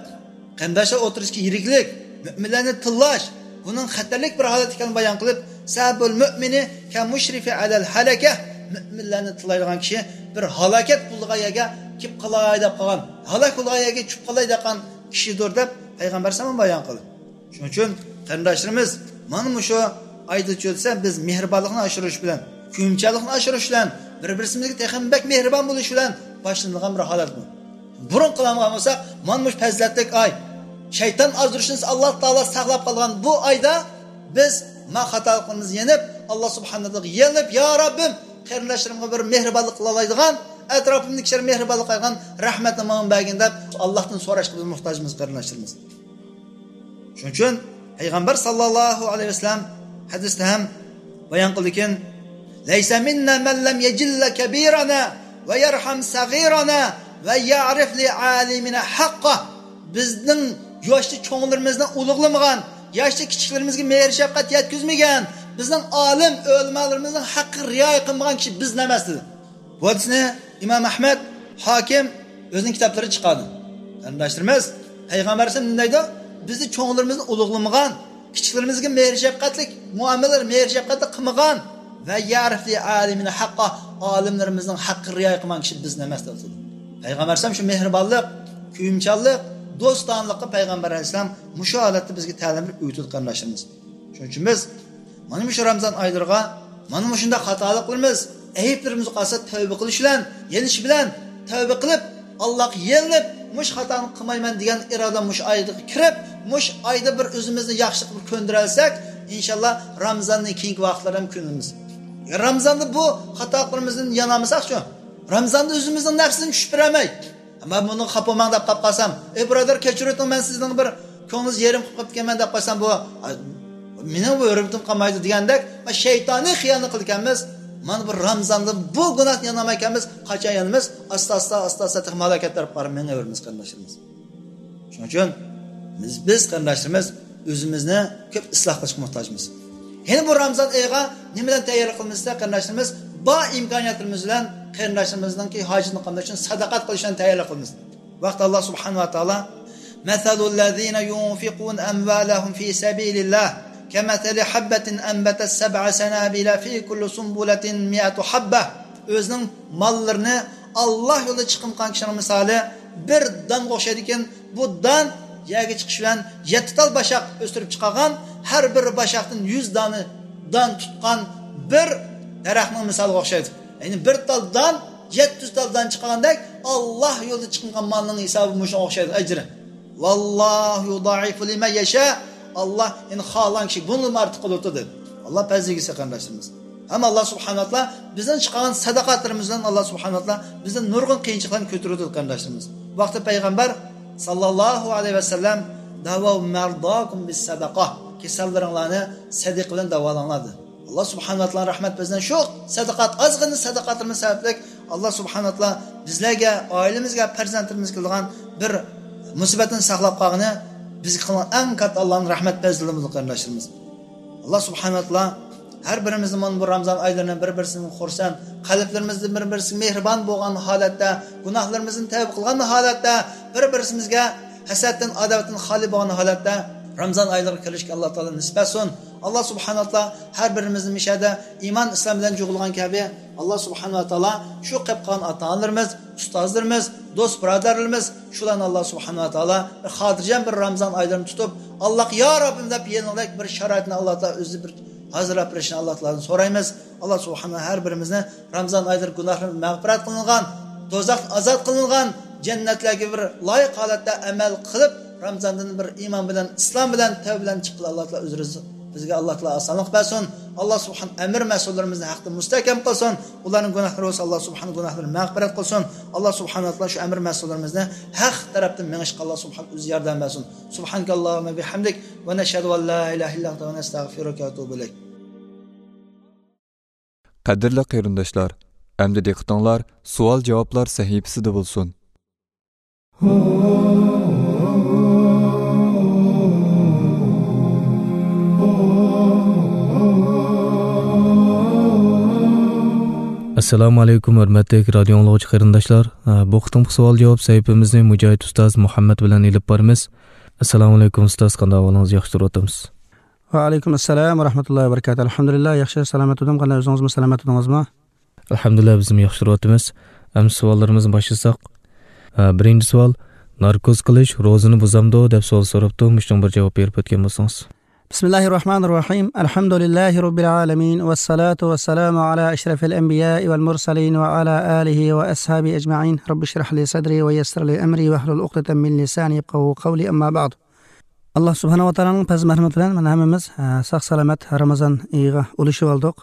قېرىنداشلار ئوتتۇرىسىدىكى يىرىكلىك، مۆمىنلەرنى تىللاش، بۇنىڭ خەتەرلىك بىر ھالەت ئىكەنلىكىنى بايان قىلىپ، «سبب المؤمن كالمشرف على الهلكة»، مۆمىنلەرنى تىللايدىغان كىشى بىر ھالاكەت بولىدىغان يەرگە كېلىپ قالاي دەپ قالغان، ھالاك بولىدىغان يەرگە چۈشۈپ قالاي دەپ قالغان كىشىدۇر دەپ پەيغەمبەر ئەلەيھىسسالام بايان قىلدى. شۇنىڭ ئۈچۈن قېرىنداشلىرىمىز، مانا مۇشۇ ئايدا چۆلسە، بىز مېھرىبانلىقنى ئاشۇرۇش بىلەن، كۆيۈمچانلىقنى ئاشۇرۇش بىلەن، بىر-بىرىمىزگە تېخىمۇ بەك مېھرىبان بولۇش بىلەن باشلىنىدىغان بىر ھالەت بۇ. بۇرۇن قىلالمىغان بولساق، مانا مۇشۇ پەزىلەتلىك ئاي، شەيتان ئازدۇرۇشىدىن ئاللا تائالا ساقلاپ قالغان بۇ ئايدا بىز ما خاتالىقلىرىمىزنى يېنىپ، ئاللا سۇبھانەھۇ ۋە تائالاغا يېلىنىپ، يا رەببىم، قېرىنداشلىرىمغا بىر مېھرىبانلىق قىلالايدىغان، ئەتراپىمدىكى كىشىلەرگە مېھرىبانلىق قىلالايدىغان رەھمەتنى ماڭا بەرگىن دەپ، ئاللاھتىن سوراشقا بىز موھتاجمىز، قېرىنداشلىرىمىز. شۇنىڭ ئۈچۈن پەيغەمبەر ساللاللاھۇ ئەلەيھى ۋەسەللەم ھەدىستە ھەم بايان قىلدىكەن، «ليس منا من لم يجل كبيرنا ويرحم صغيرنا ويعرف لعالمنا حقه.» بىزنىڭ ياشتا چوڭلىرىمىزنى ئۇلۇغلىمىغان، ياشتا كىچىكلىرىمىزگە مېھىر شەپقەت يەتكۈزمىگەن، بىزنىڭ ئالىم ئۆلىمالىرىمىزنىڭ ھەققىگە رىئايە قىلمىغان كىشى بىزدىن ئەمەس دېدى. بۇ ھەدىسنى ئىمام ئەھمەد، ھاكىم ئۆزىنىڭ كىتابلىرىدا چىقاردى. قېرىنداشلىرىمىز، پەيغەمبەر ئەلەيھىسسالام نېمە دەيدۇ؟ بىزنى چوڭلىرىمىزنى ئۇلۇغلىمىغان، كىچىكلىرىمىزگە مېھىر شەپقەتلىك مۇئامىلە، مېھىر شەپقەتلىك قىلمىغان ۋە يەرفلى ئالىمىنى ھەققا، ئالىملىرىمىزنىڭ ھەققىگە رىئايە قىلمىغان كىشى بىزدىن ئەمەس دەپ. پەيغەمبەر ئەلەيھىسسالام شۇ مېھرىبانلىق، كۆيۈمچانلىق، دوستانىلىققا پەيغەمبەر ئەلەيھىسسالام مۇشۇ ھالەتتە بىزگە تەلىم بېرىپ ئۆگىتىدۇ، قېرىنداشلىرىمىز. شۇنىڭ ئۈچۈن بىز مانا مۇشۇ رامىزان ئايلىرىغا مانا مۇشۇنداق خاتالىقلىرىمىز، ئەيىبلىرىمىز قالسا تەۋبە قىلىش بىلەن، يېنىش بىلەن، تەۋبە قىلىپ، ئاللاغا يېلىنىپ، مۇشۇ خاتانى قىلمايمەن دېگەن ئىرادە مۇشۇ ئايغا كىرىپ، مۇشۇ ئايدا بىر ئۆزىمىزنى ياخشىلىققا بىر كۆندۈرەلىسەك، ئىنشاللا رامىزاندىن كېيىنكى ۋاقىتلار ھەم كۆنىمىز. رامىزاندا بۇ خاتالىقلىرىمىزدىن يانالمىساقچۇ؟ رامىزاندا ئۆزىمىزنىڭ نەپسىنى چۈشۈپ بېرەلمەي، مەن بۇنىڭغا خاپا بولماڭ دەپ قاپ قالسام، ئەي بۇرادەر، كەچۈرۈۋېتىڭ، مەن سىزنىڭ بىر كۆڭلىڭىزنى يېرىم قىلىپ قاپتىكەنمەن دەپ قالسام، بۇ، ئا، مېنىڭ بۇ ھۆرمىتىم قالمايدۇ دېگەندەك، شەيتانىي خىيالنى قىلىدىكەنمىز. مانا بۇ رامىزاندا بۇ گۇناھتىن يانالمايكەنمىز. قاچان يانىمىز؟ ئاستا، ئاستا، ئاستا، ئاستا تېخى ھالاكەت تەرەپ بارىپ مېڭىۋېرىمىز، قېرىنداشلىرىمىز. شۇنىڭ ئۈچۈن بىز، بىز قېرىنداشلىرىمىز ئۆزىمىزنى كۆپ ئىسلاھ قىلىشقا موھتاجمىز. يەنە بۇ رامىزان ئېيىغا نېمە بىلەن تەييارلىق قىلىمىز دېسە، قېرىنداشلىرىمىز، بار ئىمكانىيەتلىرىمىز بىلەن قېرىنداشلىرىمىزنىڭكى ھاجىتىنى قامداش ئۈچۈن سەدىقە قىلىش بىلەن تەييارلىق قىلىمىز. بۇ ھەقتە ئاللا سۇبھانەھۇ ۋە تائالا، «مثل الذين ينفقون أموالهم في سبيل الله كمثل حبة أنبتت سبع سنابل في كل سنبلة مائة حبة.» ئۆزىنىڭ ماللىرىنى ئاللا يولىدا چىقىم قىلغان كىشىنىڭ مىسالى بىر دانغا ئوخشايدىكەن. بۇ دان يەرگە چىقىش بىلەن يەتتە تال باشاق ئۆستۈرۈپ چىقارغان، ھەر بىر باشاقتىن يۈز دانە دان تۇتقان بىر دەرەخنىڭ مىسالىغا ئوخشايدۇ. يەنى بىر تال دان يەتتە يۈز تال دان چىقارغاندەك، ئاللا يولىدا چىقىلغان مالنىڭ ھېسابى مۇشۇنىڭغا ئوخشايدۇ، ئەجرى. «والله يضاعف لمن يشاء.» ئاللا، يەنى خالىغان كىشىگە بۇندىنمۇ ئارتۇق قىلىۋېتىدۇ، دېدى. ئاللا پەزلىگۈسى، قېرىنداشلىرىمىز. ھەم ئاللا سۇبھانەھۇ ۋە تائالا بىزنىڭ چىقارغان سەدىقاتلىرىمىز بىلەن ئاللا سۇبھانەھۇ ۋە تائالا بىزدىن نۇرغۇن قىيىنچىلىقلارنى كۆتۈرۈۋېتىدۇ، قېرىنداشلىرىمىز. بۇ ھەقتە پەيغەمبەر ساللاللاھۇ ئەلەيھى ۋەسەللەم، «داۋوا مەرداكۇم بىسسەدەقە.» كېسەللىرىڭلارنى سەدىقە بىلەن داۋالاڭلار دېدى. ئاللا سۇبھانەھۇ ۋە تائالا رەھمەت بىزدىن شۇ سەدىقات، ئازغىنە سەدىقاتلىرىمىز سەۋەبلىك ئاللا سۇبھانەھۇ ۋە تائالا بىزلەرگە، ئائىلىمىزگە، پەرزەنتلىرىمىزگە كېلىدىغان بىر مۇسىبەتتىن ساقلاپ قالغىنى بىزگە قىلغان ئەڭ كاتتا ئاللانىڭ رەھمەت پەزلىمىزدۇر، قېرىنداشلىرىمىز. ئاللا سۇبھانەھۇ ۋە تائالا ھەر بىرىمىزنى مانا بۇ رامزان ئايلىرىنى بىر-بىرسىدىن خۇرسەن، قەلبلىرىمىزدە بىر-بىرسىگە مېھرىبان بولغان ھالەتتە، گۇناھلىرىمىزدىن تەۋبە قىلغان ھالەتتە، بىر-بىرسىمىزگە ھەسەتتىن، ئاداۋەتتىن خالىي بولغان ھالەتتە رامزان ئايلىرىغا كىرىشكە ئاللا تائالا نېسىپ بەرسۇن. ئاللا سۇبھانەھۇ ۋە تائالا ھەر بىرىمىزنى مۇشۇ يەردە ئىمان ئىسلام بىلەن جۇغلىغان كەبى، ئاللا سۇبھانەھۇ ۋە تائالا شۇ قېلىپ قالغان ئاتا-ئانىلىرىمىز، ئۇستازلىرىمىز، دوست بۇرادەرلىرىمىز، شۇلارنى ئاللا سۇبھانەھۇ ۋە تائالا بىر خاتىرجەم بىر رامزان ئايلىرىنى تۇتۇپ، ئاللاغا يا رەببىم دەپ يېلىنغۇدەك بىر شارائىتنى ئاللا تائالا ئۆزى بىر ھازىرلاپ بېرىشىنى ئاللا تائالادىن سورايمىز. ئاللا سۇبھانەھۇ ھەر بىرىمىزنى رامزان ئايلىرى گۇناھلىرىمىز مەغپىرەت قىلىنغان، دوزاختىن ئازاد قىلىنغان، جەننەتلەرگە بىر لايىق ھالەتتە ئەمەل قىلىپ، رامزاندىن بىر ئىمان بىلەن، ئىسلام بىلەن، تەۋبە بىلەن چىققىلى ئاللا تائالا ئۆزى رىزق بىزگە ئاللا تائالا ئاسانلىق بەرسۇن. ئاللا سۇبھان ئەمىر مەسۇللىرىمىزنى ھەقتە مۇستەھكەم قىلسۇن. ئۇلارنىڭ گۇناھلىرى بولسا ئاللا سۇبھان گۇناھلىرىنى مەغپىرەت قىلسۇن. ئاللا سۇبھانەھۇ ۋە تائالا شۇ ئەمىر مەسۇللىرىمىزنى ھەق تەرەپتىن مېڭىشقا ئاللا سۇبھان ئۆزى ياردەم بەرسۇن. سۇبھانەكاللاھۇممە بىھەمدىك ۋە نەشھەدۇ ئەن لا ئىلاھە ئىللا ئەنتە ۋە نەستەغفىرۇكە ۋە نەتۇبۇ ئىلەيك. قەدىرلىك قېرىنداشلار، ئەمدى دىققىتىڭلار سوئال-جاۋابلار سەھىپىسىدە بولسۇن. ئەسسالامۇ ئەلەيكۇم، ھۆرمەتلىك رادىيو ئاڭلىغۇچى قېرىنداشلار. بۇ قېتىمقى سوئال-جاۋاب سەھىپىمىزنى مۇجاھىد ئۇستاز مۇھەممەد بىلەن ئېلىپ بارىمىز. ئەسسالامۇ ئەلەيكۇم ئۇستاز، قانداق ئەھۋالىڭىز؟ ياخشى تۇرۇۋاتامسىز؟ ۋەئەلەيكۇم ئەسسالام ۋە رەھمەتۇللاھى ۋە بەرىكاتۇھ. ئەلھەمدۇلىللاھ، ياخشى، سالامەت تۇردۇم. قانداق، ئۆزىڭىزمۇ سالامەت تۇردىڭىزمۇ؟ ئەلھەمدۇلىللاھ، بىزمۇ ياخشى تۇرۇۋاتىمىز. ئەمدى سوئاللىرىمىزنى باشلىساق. ھە، بىرىنچى سوئال، ناركوز قىلىش روزىنى بۇزامدۇ دەپ سوئال سوراپتۇ. مۇشۇنىڭغا بىر جاۋاب بېرىپ ئۆتكەن بولسىڭىز. بسم الله الرحمن الرحيم. الحمد لله رب العالمين. والصلاة والسلام على أشرف الأنبياء والمرسلين وعلى آله وأصحابه أجمعين. رب اشرح لي صدري ويسر لي أمري واحلل عقدة من لساني يفقهوا قولي. أما بعد. ئاللا سۇبھانەھۇ ۋە تائالانىڭ پەزلى مەرھەمىتى بىلەن مانا ھەممىمىز، ھە، ساق-سالامەت رامىزان ئېيىغا ئۇلىشىۋالدۇق.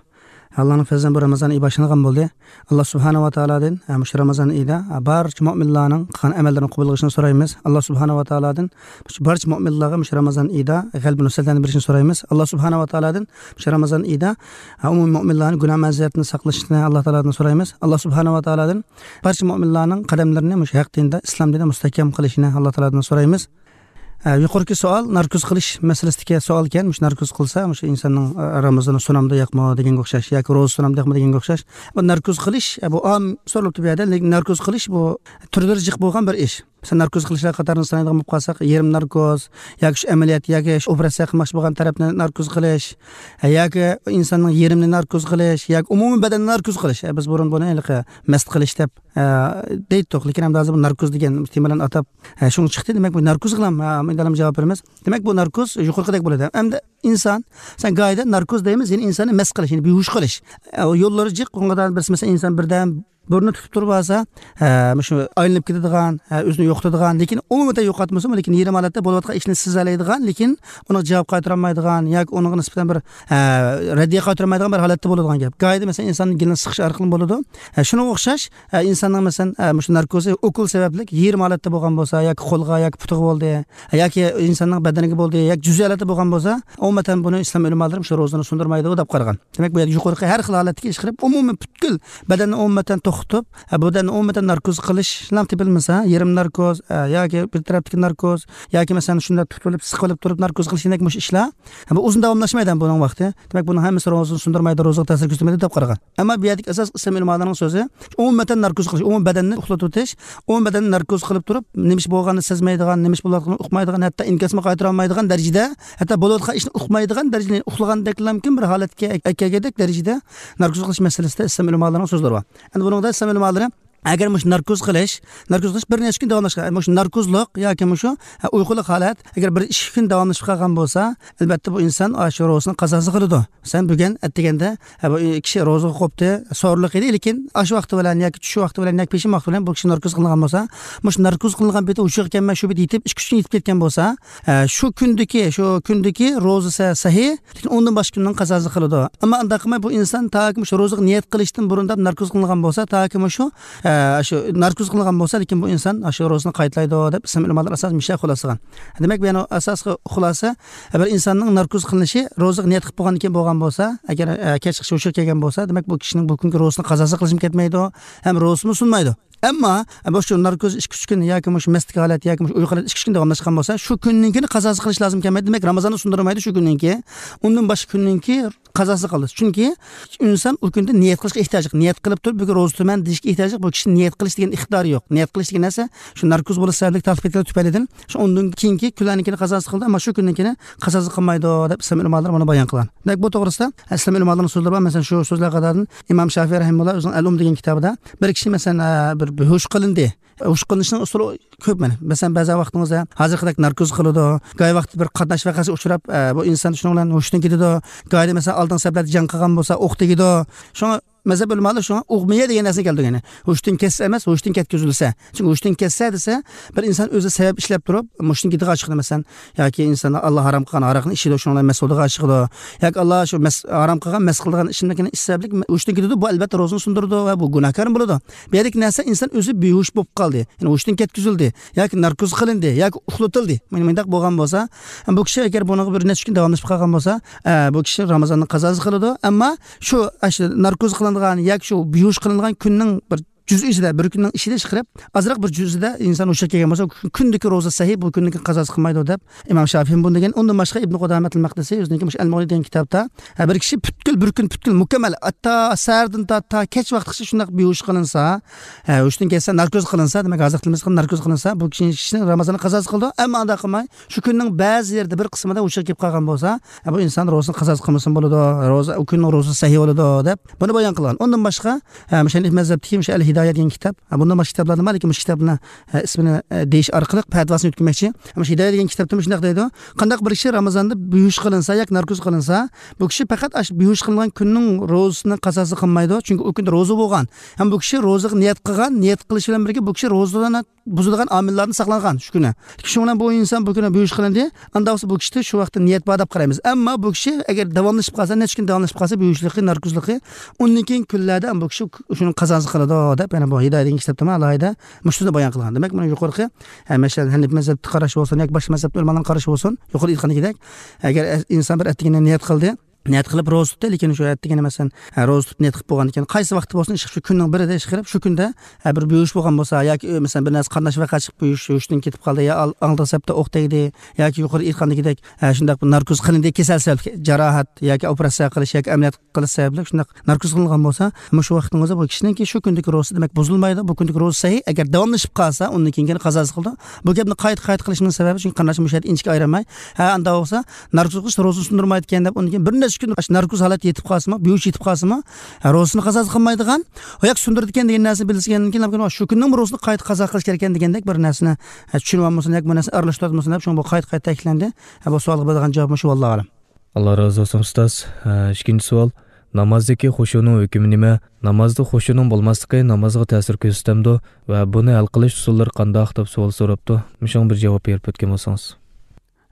ئاللانىڭ پەزلى بىلەن بۇ رامىزان ئېيى باشلانغان بولدى. ئاللا سۇبھانەھۇ ۋە تائالادىن، ھە، مۇشۇ رامىزان ئېيىدا، ھە، بارچە مۆمىنلارنىڭ قىلغان ئەمەللىرىنى قوبۇل قىلىشىنى سورايمىز. ئاللا سۇبھانەھۇ ۋە تائالادىن مۇشۇ بارچە مۆمىنلارغا مۇشۇ رامىزان ئېيىدا غەلىبە نۇسرەتلەرنى بېرىشىنى سورايمىز. ئاللا سۇبھانەھۇ ۋە تائالادىن مۇشۇ رامىزان ئېيىدا، ھە، ئومۇمىي مۆمىنلارنى گۇناھ مەزىيەتتىن ساقلىشىنى ئاللا تائالادىن سورايمىز. ئاللا سۇبھانەھۇ ۋە تائالادىن بارچە مۆمىنلارنىڭ قەدەملىرىنى مۇشۇ ھەق دىندا، ئىسلام دىندا مۇستەھكەم قىلىشىنى ئاللا تائالادىن سورايمىز. ئە، يۇقىرىقى سوئال ناركوز قىلىش مەسىلىسىدىكى سوئالكەن. مۇشۇ ناركوز قىلسا، مۇشۇ ئىنساننىڭ، ئە، رامىزانى سۇنامدۇ ياقمۇ دېگەنگە ئوخشاش، ياكى روزا سۇنامدۇ ياقمۇ دېگەنگە ئوخشاش. بۇ ناركوز قىلىش، ئە، بۇ ئام سورىلىپتۇ بۇ يەردە، لېكىن ناركوز قىلىش بۇ تۈرلىرى جىق بولغان بىر ئىش. مىسال، ناركوز قىلىشلار قاتارىدا سانايدىغان بولۇپ قالساق، يېرىم ناركوز، ياكى شۇ ئەمەلىيەت، ياكى شۇ ئوپېراتسىيە قىلماقچى بولغان تەرەپنى ناركوز قىلىش، ياكى ئىنساننىڭ يېرىمىنى ناركوز قىلىش، ياكى ئومۇمىي بەدەننى ناركوز قىلىش. بىز بۇرۇن بۇنى ھېلىقى مەست قىلىش دەپ ئە، دەيتتۇق، لېكىن ئەمدى ھازىر بۇ ناركوز دېگەن تېما بىلەن ئاتاپ، ئە، شۇڭا چىقتى. دېمەك، بۇ ناركوز قىلام، ئە، مەندە جاۋاب بېرىمىز. دېمەك، بۇ ناركوز يۇقىرىقىدەك بولىدۇ. ئەمدى ئىنسان، سەن گاھىدا ناركوز دەيمىز، يەنى ئىنساننى مەست قىلىش، يەنى بىھۇش قىلىش. ئە، يوللىرى جىق، ئۇنىڭغا بىرسى، مەسىلەن، ئىنسان بىردەم بۇرنىنى تۇتۇپ تۇرۇپ ئالسا، ئە، مۇشۇ ئايلىنىپ كېتىدىغان، ئە، ئۆزىنى يوقىتىدىغان، لېكىن ئومۇمەن يوقاتمىسىمۇ، لېكىن يېرىم ھالەتتە بولۇۋاتقان ئىشنى سېزەلەيدىغان، لېكىن ئۇنىڭغا جاۋاب قايتۇرالمايدىغان ياكى ئۇنىڭغا نىسبەتەن بىر، ئە، رەددىيە قايتۇرالمايدىغان بىر ھالەتتە بولىدىغان گەپ. گاھىدا، مەسىلەن، ئىنساننىڭ گېلىنى سىقىش ئارقىلىق بولىدۇ. ئە، شۇنىڭغا ئوخشاش، ئە، ئىنساننىڭ، مەسىلەن، ئە، مۇشۇ ناركوزى ئوكۇل سەۋەبلىك يېرىم ھالەتتە بولغان بولسا، ياكى قولغا، ياكى پۇتىغا بولدى، ياكى ئىنساننىڭ بەدىنىگە بولدى، ياكى جۈزئىي ھالەتتە بولغان بولسا، ئومۇمەن بۇنى ئىسلام ئۆلىمالىرى مۇشۇ روزىنى سۇندۇرمايدۇ دەپ قارىغان. دېمەك، بۇ يەردە يۇقىرىقى ھەر خىل ھالەتتىكى ئىش قىلىپ، ئومۇمەن پۈتكۈل بەدەننى ئومۇمەن توختىتىپ، ھە، بۇ بەدەننى ئومۇمەن ناركوز قىلىشلا تېپىلمىسا، يېرىم ناركوز، ھە، ياكى بىر تەرەپتىكى ناركوز، ياكى مەسىلەن شۇنداق تۇتۇۋېلىپ، سىقىۋېلىپ تۇرۇپ ناركوز قىلىش دېگەندەك مۇشۇ ئىشلار، ھە، بۇ ئۇزۇن داۋاملاشمايدۇ ھەم بۇنىڭ ۋاقتى. دېمەك، بۇنىڭ ھەممىسى روزىنى سۇندۇرمايدۇ، روزىغا تەسىر كۆرسەتمەيدۇ دەپ قارىغان. ئەمما بۇ يەردىكى ئاساس ئىسلام ئۆلىمالىرىنىڭ سۆزى، ئومۇمەن ناركوز قىلىش، ئومۇمەن بەدەننى ئۇخلىتىۋېتىش، ئومۇمەن بەدەننى ناركوز قىلىپ تۇرۇپ، نېمە ئىش بولغاننى سەزمەيدىغان، نېمە ئىش بولۇۋاتقىنىنى ئۇقمايدىغان، ھەتتا ئىنكاسمۇ قايتۇرالمايدىغان دەرىجىدە، ھەتتا بولۇۋاتقان ئىشنى ئۇقمايدىغان دەرىجىدە، ئۇخلىغاندەكلا مۇمكىن بىر ھالەتكە ئەكەلگەندەك دەرىجىدە ناركوز قىلىش مەسىلىسىدە ئىسلام ئۆلىمالىرىنىڭ سۆزلىرى بار. ئەمدى بۇنىڭدا ئىسلام ئۆلىمالىرى، ئەگەر مۇشۇ ناركوز قىلىش، ناركوز قىلىش بىر نەچچە كۈن داۋاملاشقان، مۇشۇ ناركوزلۇق ياكى مۇشۇ، ھە، ئۇيقۇلۇق ھالەت ئەگەر بىر ئىككى كۈن داۋاملىشىپ قالغان بولسا، ئەلۋەتتە بۇ ئىنسان ئاشۇ روزىسىنى قازاسى قىلىدۇ. مەسىلەن، بۈگۈن ئەتىگەندە، ھە، بۇ كىشى روزىغا قوپتى، سورۇنلۇق ئىدى، لېكىن ئاشۇ ۋاقتى بىلەن ياكى چۈش ۋاقتى بىلەن ياكى پېشىن ۋاقتى بىلەن بۇ كىشى ناركوز قىلىنغان بولسا، مۇشۇ ناركوز قىلىنغان پېتى ھوشىغا كەلمەي شۇ پېتى يېتىپ، ئىككى ئۈچ كۈن يېتىپ كەتكەن بولسا، ھە، شۇ كۈندىكى، شۇ كۈندىكى روزىسى سەھىھ، لېكىن ئۇندىن باشقا كۈننىڭ قازاسى قىلىدۇ. ئەمما ئۇنداق قىلماي، بۇ ئىنسان تاكى مۇشۇ روزىغا نىيەت قىلىشتىن بۇرۇن دەپ ناركوز قىلىنغان بولسا، تاكى مۇشۇ، ئە، ئە، شۇ ناركوز قىلغان بولسا، لېكىن بۇ ئىنسان شۇ روزىسىنى قايتىلايدۇ دەپ ئىسلام ئۆلىمالىرى ئاساسەن مۇشۇ خۇلاسىغان. دېمەك، بۇ يەنە ئاساسقى خۇلاسە، بىر ئىنساننىڭ ناركوز قىلىنىشى روزىغا نىيەت قىلىپ بولغاندىن كېيىن بولغان بولسا، ئەگەر، ئە، كەچ ھوشىغا كەلگەن بولسا، دېمەك، بۇ كىشىنىڭ بۇ كۈنكى روزىسىنى قازاسى قىلىشمۇ كەتمەيدۇ، ھەم روزىسىمۇ سۇنمايدۇ. ئەمما، ئە، بۇ شۇ ناركوز ئىككى ئۈچ كۈن ياكى مۇشۇ مەستلىك ھالەت ياكى مۇشۇ ئۇيقۇ ھالەت ئىككى ئۈچ كۈن داۋاملاشقان بولسا، شۇ كۈننىڭكىنى قازاسى قىلىش لازىم كەلمەيدۇ. دېمەك، رامازاننى سۇندۇرمايدۇ شۇ كۈننىڭكى. ئۇندىن باشقا كۈننىڭكى قازاسى قىلىدۇ. چۈنكى ئىنسان ئۇ كۈندە نىيەت قىلىشقا ئېھتىياجلىق. نىيەت قىلىپ تۇرۇپ، بۈگۈن روزا تۇتىمەن دېيىشكە ئېھتىياجلىق. بۇ كىشى نىيەت قىلىش دېگەن ئىقتىدارى يوق. نىيەت قىلىش دېگەن نەرسە شۇ ناركوز بولۇش سەۋەبلىك تارتىپ كېتىدۇ تۈپەيلىدىن. شۇ ئۇندىن كېيىنكى كۈنلەرنىڭكىنى قازاسى قىلىدۇ، ئەمما شۇ كۈننىڭكىنى قازاسى قىلمايدۇ دەپ ئىسلام ئۆلىمالىرى بۇنى بايان قىلغان. دېمەك، بۇ توغرىسىدا ئىسلام ئۆلىمالىرىنىڭ سۆزلىرى بار. مەسىلەن، شۇ سۆزلەر قاتارىدىن ئىمام شافىئى رەھىمۇللا ئۆزىنىڭ ئەل ئۇم دېگەن كىتابىدا بىر كىشى، مەسىلەن، ئە، بىر بىھۇش قىلىندى. ھوش قىلىنىشنىڭ ئۇسۇلى كۆپ مانا. مەسىلەن، بەزى ۋاقتىڭىزدا ھازىرقىدەك ناركوز قىلىدۇ. گاھى ۋاقتى بىر قاتناش ۋەقەسىگە ئۇچراپ، ئە، بۇ ئىنسان شۇنىڭ بىلەن ھوشىدىن كېتىدۇ. گاھىدا، مەسىلەن، ئالدىنقى سەپلەردە جەڭ قىلغان بولسا، ئوق تېگىدۇ. شۇڭا مەزھەپ ئۆلىمالىرى شۇڭا ئۇغمىيە دېگەن نەرسىنى كەلتۈرگەن. ھوشتىن كەتسە ئەمەس، ھوشتىن كەتكۈزۈلسە. چۈنكى ھوشتىن كەتسە دېسە، بىر ئىنسان ئۆزى سەۋەب ئىشلەپ تۇرۇپ، مۇشتىن كېتىدىغان چىقىدۇ، مەسىلەن. ياكى ئىنسان ئاللا ھارام قىلغان ھاراقنى ئىچىدۇ، شۇنىڭ بىلەن مەست بولىدىغان چىقىدۇ. ياكى ئاللا شۇ مەس-، ھارام قىلغان، مەست قىلىدىغان ئىچىملىكنى ئىچسە، ھوشتىن كېتىدۇ. بۇ، ئەلۋەتتە، روزىنى سۇندۇرىدۇ ۋە بۇ گۇناھكارمۇ بولىدۇ. بۇ يەردىكى نەرسە ئىنسان ئۆزى بىھوش بولۇپ قالدى. يەنى ھوشتىن كەتكۈزۈلدى. ياكى ناركوز قىلىندى. ياكى ئۇخلىتىلدى. مانا مۇنداق بولغان بولسا، بۇ كىشى ئەگەر بۇنىڭغا بىر نەچچە كۈن داۋاملىشىپ قالغان بولسا، ئە، بۇ كىشى رامازاننىڭ قازاسى قىلىدۇ. ئەمما شۇ، ئە، شۇ ناركوز قىلىنغان ياكى شۇ بىھوش قىلىنغان كۈننىڭ بىر جۈزئى ئىچىدە، بىر كۈننىڭ ئىچىدە چىقىرىپ، ئازراق بىر جۈزئىدە ئىنسان ھوشىغا كەلگەن بولسا، كۈندىكى روزا سەھىھ، بۇ كۈننىڭكى قازاسى قىلمايدۇ دەپ ئىمام شافىئى بۇنى دېگەن. ئۇندىن باشقا ئىبن قۇدامەتۇل مەقدىسى ئۆزىنىڭكى مۇشۇ ئەل مۇغنى دېگەن كىتابتا، ھە، بىر كىشى پۈتكۈل بىر كۈن پۈتكۈل مۇكەممەل، ھەتتا سەھەردىن تارتىپ تا كەچ ۋاقتىغىچە شۇنداق بىھوش قىلىنسا، ھە، ھوشتىن كەتسە، ناركوز قىلىنسا، دېمەك، ھازىر تىلىمىز قىلغان ناركوز قىلىنسا، بۇ كىشى، كىشىنىڭ رامازانى قازاسى قىلىدۇ. ئەمما ئۇنداق قىلماي، شۇ كۈننىڭ بەزى يېرىدە بىر قىسمىدا ھوشىغا كېلىپ قالغان بولسا، ھە، بۇ ئىنسان روزىسىنى قازاسى قىلمىسىمۇ بولىدۇ، روزا، ئۇ كۈننىڭ روزىسى سەھىھ بولىدۇ، دەپ بۇنى بايان قىلغان. ئۇندىن باشقا، ھە، مۇشۇ ھەنىفىي مەزھەپتىكى مۇشۇ ئەل ھىدايە دېگەن كىتاب، ھە، بۇندىن باشقا كىتابلار بار، لېكىن مۇشۇ كىتابنى، ھە، ئىسمىنى، ھە، دېيىش ئارقىلىق پەتىۋاسىنى ئۆتكۈزمەكچى. مۇشۇ ھىدايە دېگەن كىتابتا مۇشۇنداق دەيدۇ، قانداق بىر كىشى رامازاندا بىھوش قىلىنسا ياكى ناركوز قىلىنسا، بۇ كىشى پەقەت ئاشۇ بىھوش قىلىنغان كۈننىڭ روزىسىنى قازاسى قىلمايدۇ، چۈنكى ئۇ كۈندە روزا بولغان. ھەم بۇ كىشى روزىغا نىيەت قىلغان، نىيەت قىلىش بىلەن بىرگە بۇ كىشى روزىدىن بۇزىدىغان ئامىللاردىن ساقلانغان شۇ كۈنى. شۇنىڭ بىلەن بۇ ئىنسان بۇ كۈنى بىھوش قىلىندى. ئاندا بولسا بۇ كىشىدە شۇ ۋاقىتتا نىيەت بار دەپ قارايمىز. ئەمما بۇ كىشى ئەگەر داۋاملىشىپ قالسا، نەچچە كۈن داۋاملىشىپ قالسا، بىھوشلۇقى، ناركوزلۇقى، ئۇندىن كېيىن كۈنلەردە بۇ كىشى شۇنىڭ قازاسى قىلىدۇ دەپ، يەنە بۇ ھىدايە دېگەن كىتابتىمۇ ئالاھىدە مۇشۇنى بايان قىلغان. دېمەك، بۇنى يۇقىرىقى، ھە، مەسىلەن، ھەنىپىي مەزھەپتىكى قاراش بولسۇن ياكى باشقا مەزھەپتىكى ئۆلىمالارنىڭ قارىشى بولسۇن، يۇقىرى ئېيتقاندىكىدەك، ئەگەر ئىنسان بىر ئەتىگىنى نىيەت قىلدى، نىيەت قىلىپ روزا تۇتتى، لېكىن شۇ ئەتىگىنى، مەسىلەن، ھە، روزا تۇتۇپ نىيەت قىلىپ بولغاندىن كېيىن، قايسى ۋاقىتتا بولسۇن، ئىشقىلىپ شۇ كۈننىڭ بىرىدە ئىشقىلىپ شۇ كۈندە، ھە، بىر بىھوش بولغان بولسا ياكى، ئۆ، مەسىلەن، بىر نەرسە قاتناش ۋەقە چىقىپ بىھوش، ھوشتىن كېتىپ قالدى يا ئال-، ئالدىنقى سەپتە ئوق تەگدى ياكى يۇقىرى ئېيتقاندىكىدەك، ھە، شۇنداق بىر ناركوز قىلىندى، كېسەل سەۋەبلىك جاراھەت ياكى ئوپېراتسىيە قىلىش ياكى ئەمەلىيات قىلىش سەۋەبلىك شۇنداق ناركوز قىلىنغان بولسا، مۇشۇ ۋاقىتنىڭ ئۆزى بۇ كىشىنىڭكى شۇ كۈندىكى روزىسى، دېمەك، بۇزۇلمايدۇ. بۇ كۈندىكى روزا سەھىھ. ئەگەر داۋاملىشىپ قالسا، ئۇندىن كېيىن يەنە قازاسى قىلىدۇ. بۇ گەپنى قايتا-قايتا قىلىشنىڭ سەۋەبى، چۈنكى قېرىنداشلار مۇشۇ يەردە ئىنچىكە ئايرىماي، ھە، ئاندا بولسا ناركوز قىلىش روزىنى سۇندۇرمايدىكەن دەپ، ئۇندىن كېيىن بىر نەچچە كۈن ناركوز ھالەتتە يېتىپ قالسىمۇ، بىھوش يېتىپ قالسىمۇ، ھە، روزىسىنى قازاسى قىلمايدىغان. ئۇ ياق سۇندۇرىدىكەن دېگەن نەرسىنى بىلسىگەندىن كېيىن، شۇ كۈننىڭ روزىسىنى قايتا قازا قىلىش كېرەككەن دېگەندەك بىر نەرسىنى، ھە، چۈشىنىۋالمىسۇن ياكى بۇ نەرسىنى ئارىلاشتۇرۇۋاتمىسۇن دەپ، شۇڭا بۇ قايتا-قايتا تەكىتلەندى. ھە، بۇ سوئالغا بېرىدىغان جاۋاب مۇشۇ، ۋاللاھۇ ئەلەم. ئاللا رازى بولسۇن، ئۇستاز. ئە، ئىككىنچى سوئال. نامازدىكى خۇشۇنىڭ ھۆكمى نېمە؟ نامازدا خۇشۇنىڭ بولماسلىقى نامازغا تەسىر كۆرسىتەمدۇ؟ ۋە بۇنى ھەل قىلىش ئۇسۇللىرى قانداق؟ دەپ سوئال سوراپتۇ. مۇشۇڭا بىر جاۋاب بېرىپ ئۆتكەن بولسىڭىز.